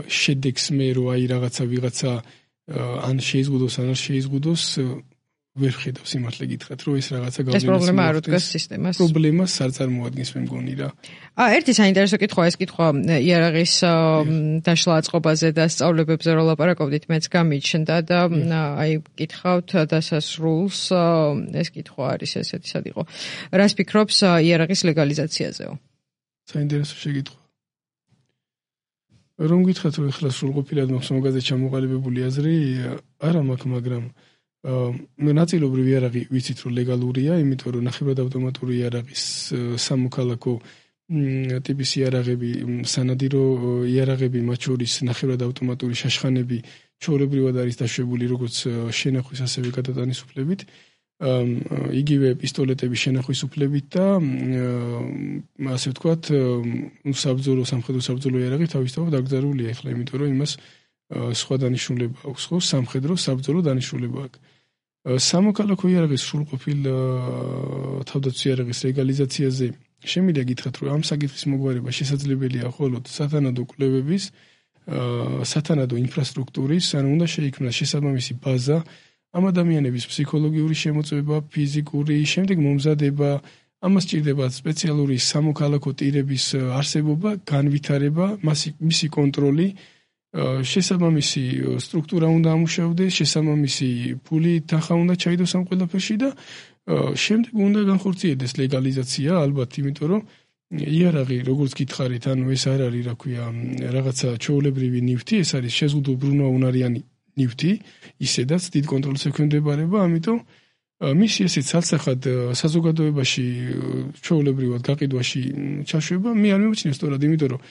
შედეგს მე რო აი ვიღაცა ან შეიზღუდოს ან არ შეიზღუდოს, ვერ ხედავს სიმართლე გითხრათ, რომ ეს რაღაცა გავლენას. ეს პრობლემა არ უდგას სისტემას. პრობლემას არ წარმოადგენს, მე მგონი რა. ერთი საინტერესო კითხვა, ეს კითხვა იარაღის დაშლა აწყობაზე და სწავლებებზე რო ლაპარაკობდით, მეც გამიჩნდა და აი კითხავთ დასასრულს, ეს კითხვა არის ესეთი, სად იყო. რას ფიქრობს იარაღის ლეგალიზაციაზეო? საინტერესო შეკითხვა. რომ გითხრათ, რომ ეხლა სრულყოფილად მაქვს მაგაზე ჩამოყალიბებული აზრი, არა მაქვს, მაგრამ ნაწილობრივ იარაღი ვიცით რომ ლეგალურია, იმიტომ რომ ნახევრად ავტომატური იარაღის სამოქალაქო ტიპის იარაღები, სანადირო იარაღები, მათ შორის ნახევრად ავტომატური შაშხანები ჩვეულებრივად არის დაშვებული როგორც შენახვის ასევე გადატანის უფლებით, იგივე პისტოლეტები შენახვის უფლებით და ასე ვთქვათ, სამხედრო საბრძოლო იარაღი თავისთავად დაკრძალულია ეხლა, იმიტომ რომ იმას სხვა დანიშნულება აქვს, ხო, სამხედრო საბრძოლო დანიშნულება აქვს. სამოქალაქო იარაღის სრულყოფილ თავდაცვის იარაღის ლეგალიზაციაზე შემიძლია გითხრათ, რომ ამ საკითხის მოგვარება შესაძლებელია მხოლოდ სათანადო კვლევების, სათანადო ინფრასტრუქტურის, ანუ უნდა შეიქმნას შესაბამისი ბაზა, ამ ადამიანების ფსიქოლოგიური შემოწმება, ფიზიკური, შემდეგ მომზადება, ამას სჭირდება სპეციალური სამოქალაქო ტირების არსებობა, განვითარება, მისი კონტროლი, შესაბამისი სტრუქტურა უნდა ამუშავდეს, შესაბამისი ფული თანხა უნდა ჩაიდოს ამ ყველაფერში და შემდეგ უნდა განხორციელდეს ლეგალიზაცია, ალბათ, იმიტომ რომ იარაღი, როგორც გითხარით, ანუ ეს არ არის, რა ქვია, რაღაცა ჩვეულებრივი ნივთი, ეს არის შეზღუდულოვნარიანი ნივთი, ისედაც დიდ კონტროლს ექვემდებარება, ამიტომ მისი ესეც ცალსახად საზოგადოებაში ჩვეულებრივად გაყიდვაში ჩაშვება, მე არ მიმოჩნია სწორად, იმიტომ რომ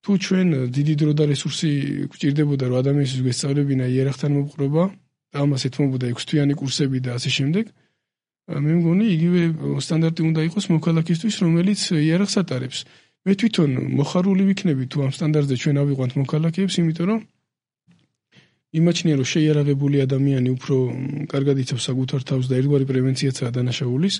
თუ ჩვენ დიდი დრო და რესურსი გვჭირდებოდა, რომ ადამიანის გვესწავლებინა იარაღთან მოპყრობა, ამას ეთმობოდა 6 თვიანი კურსები და ასე შემდეგ, მე მგონი იგივე სტანდარტი უნდა იყოს მოქალაქისთვის, რომელიც იარაღს ატარებს. მე თვითონ მოხარული ვიქნები თუ ამ სტანდარტზე ჩვენ ავიყვანთ მოქალაქეებს, იმიტომ რომ იმაჩნია, რომ შეიარაღებული ადამიანი უფრო კარგად იცავს საკუთარ თავს და ერთგვარი პრევენციაცაა დანაშაულის.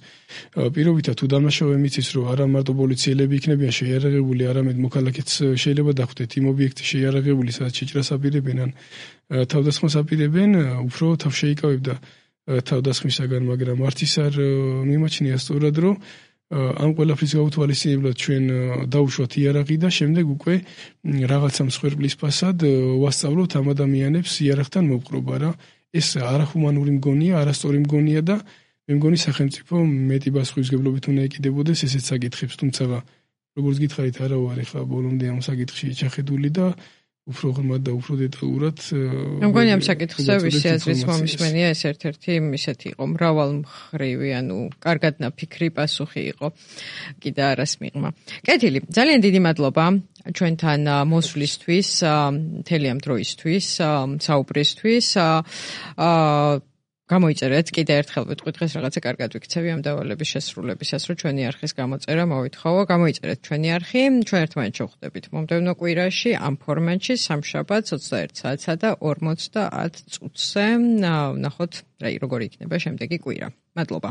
პირობითად თუ დამნაშავე მიცის, რომ არა მარტო პოლიციელები იქნებიან შეიარაღებული, არამედ მოქალაქეც შეიძლება დახვდეთ იმ ობიექტის შეიარაღებული, სადაც შეჭრას აპირებენ ან თავდასხმას აპირებენ, უფრო თავშეიკავებდა თავდასხმისაგან, მაგრამ არც ის არ მიმაჩნია სწორად, რომ ამ ყველაფრის გაუთვალისწინებლად ჩვენ დაუშვათ იარაღი და შემდეგ უკვე რაღაცა მსხვერპლის ფასად ვასწავლოთ ამ ადამიანებს იარაღთან მოპყრობა რა. ეს არახუმანური მგონია, არასწორი მგონია და მე მგონი სახელმწიფო მეტი პასუხისმგებლობით უნდა ეკიდებოდეს ესეთ საკითხებს, თუმცა როგორც გითხარით, არა ვარ ახლა ბოლომდე ამ საკითხში ჩახედული და უფრო ღრმად და უფრო დეტალურად მე მგონი ამ საკითხზე ვისი აზრის მომისმენია ეს ერთ-ერთი ისეთი იყო მრავალმხრივი, ანუ კარგად ნაფიქრი პასუხი იყო კიდე არას მიღმა. კეთილი, ძალიან დიდი მადლობა ჩვენთან მოსვლისთვის, მთელი ამ დროისთვის, საუბრისთვის. გამოიწერეთ, კიდე ერთხელ ვიტყვი დღეს რაღაცა კარგად ვიქცევი ამ დავალების შესრულებისას, რომ ჩვენი არხის გამოწერა მოვითხოვო. გამოიწერეთ ჩვენი არხი, ჩვენ ერთმანეთს შევხვდებით მომდევნო კვირაში ამ ფორმატში სამშაბათს 21 საათსა და 50 წუთზე. ვნახოთ, როგორი იქნება შემდეგი კვირა. მადლობა.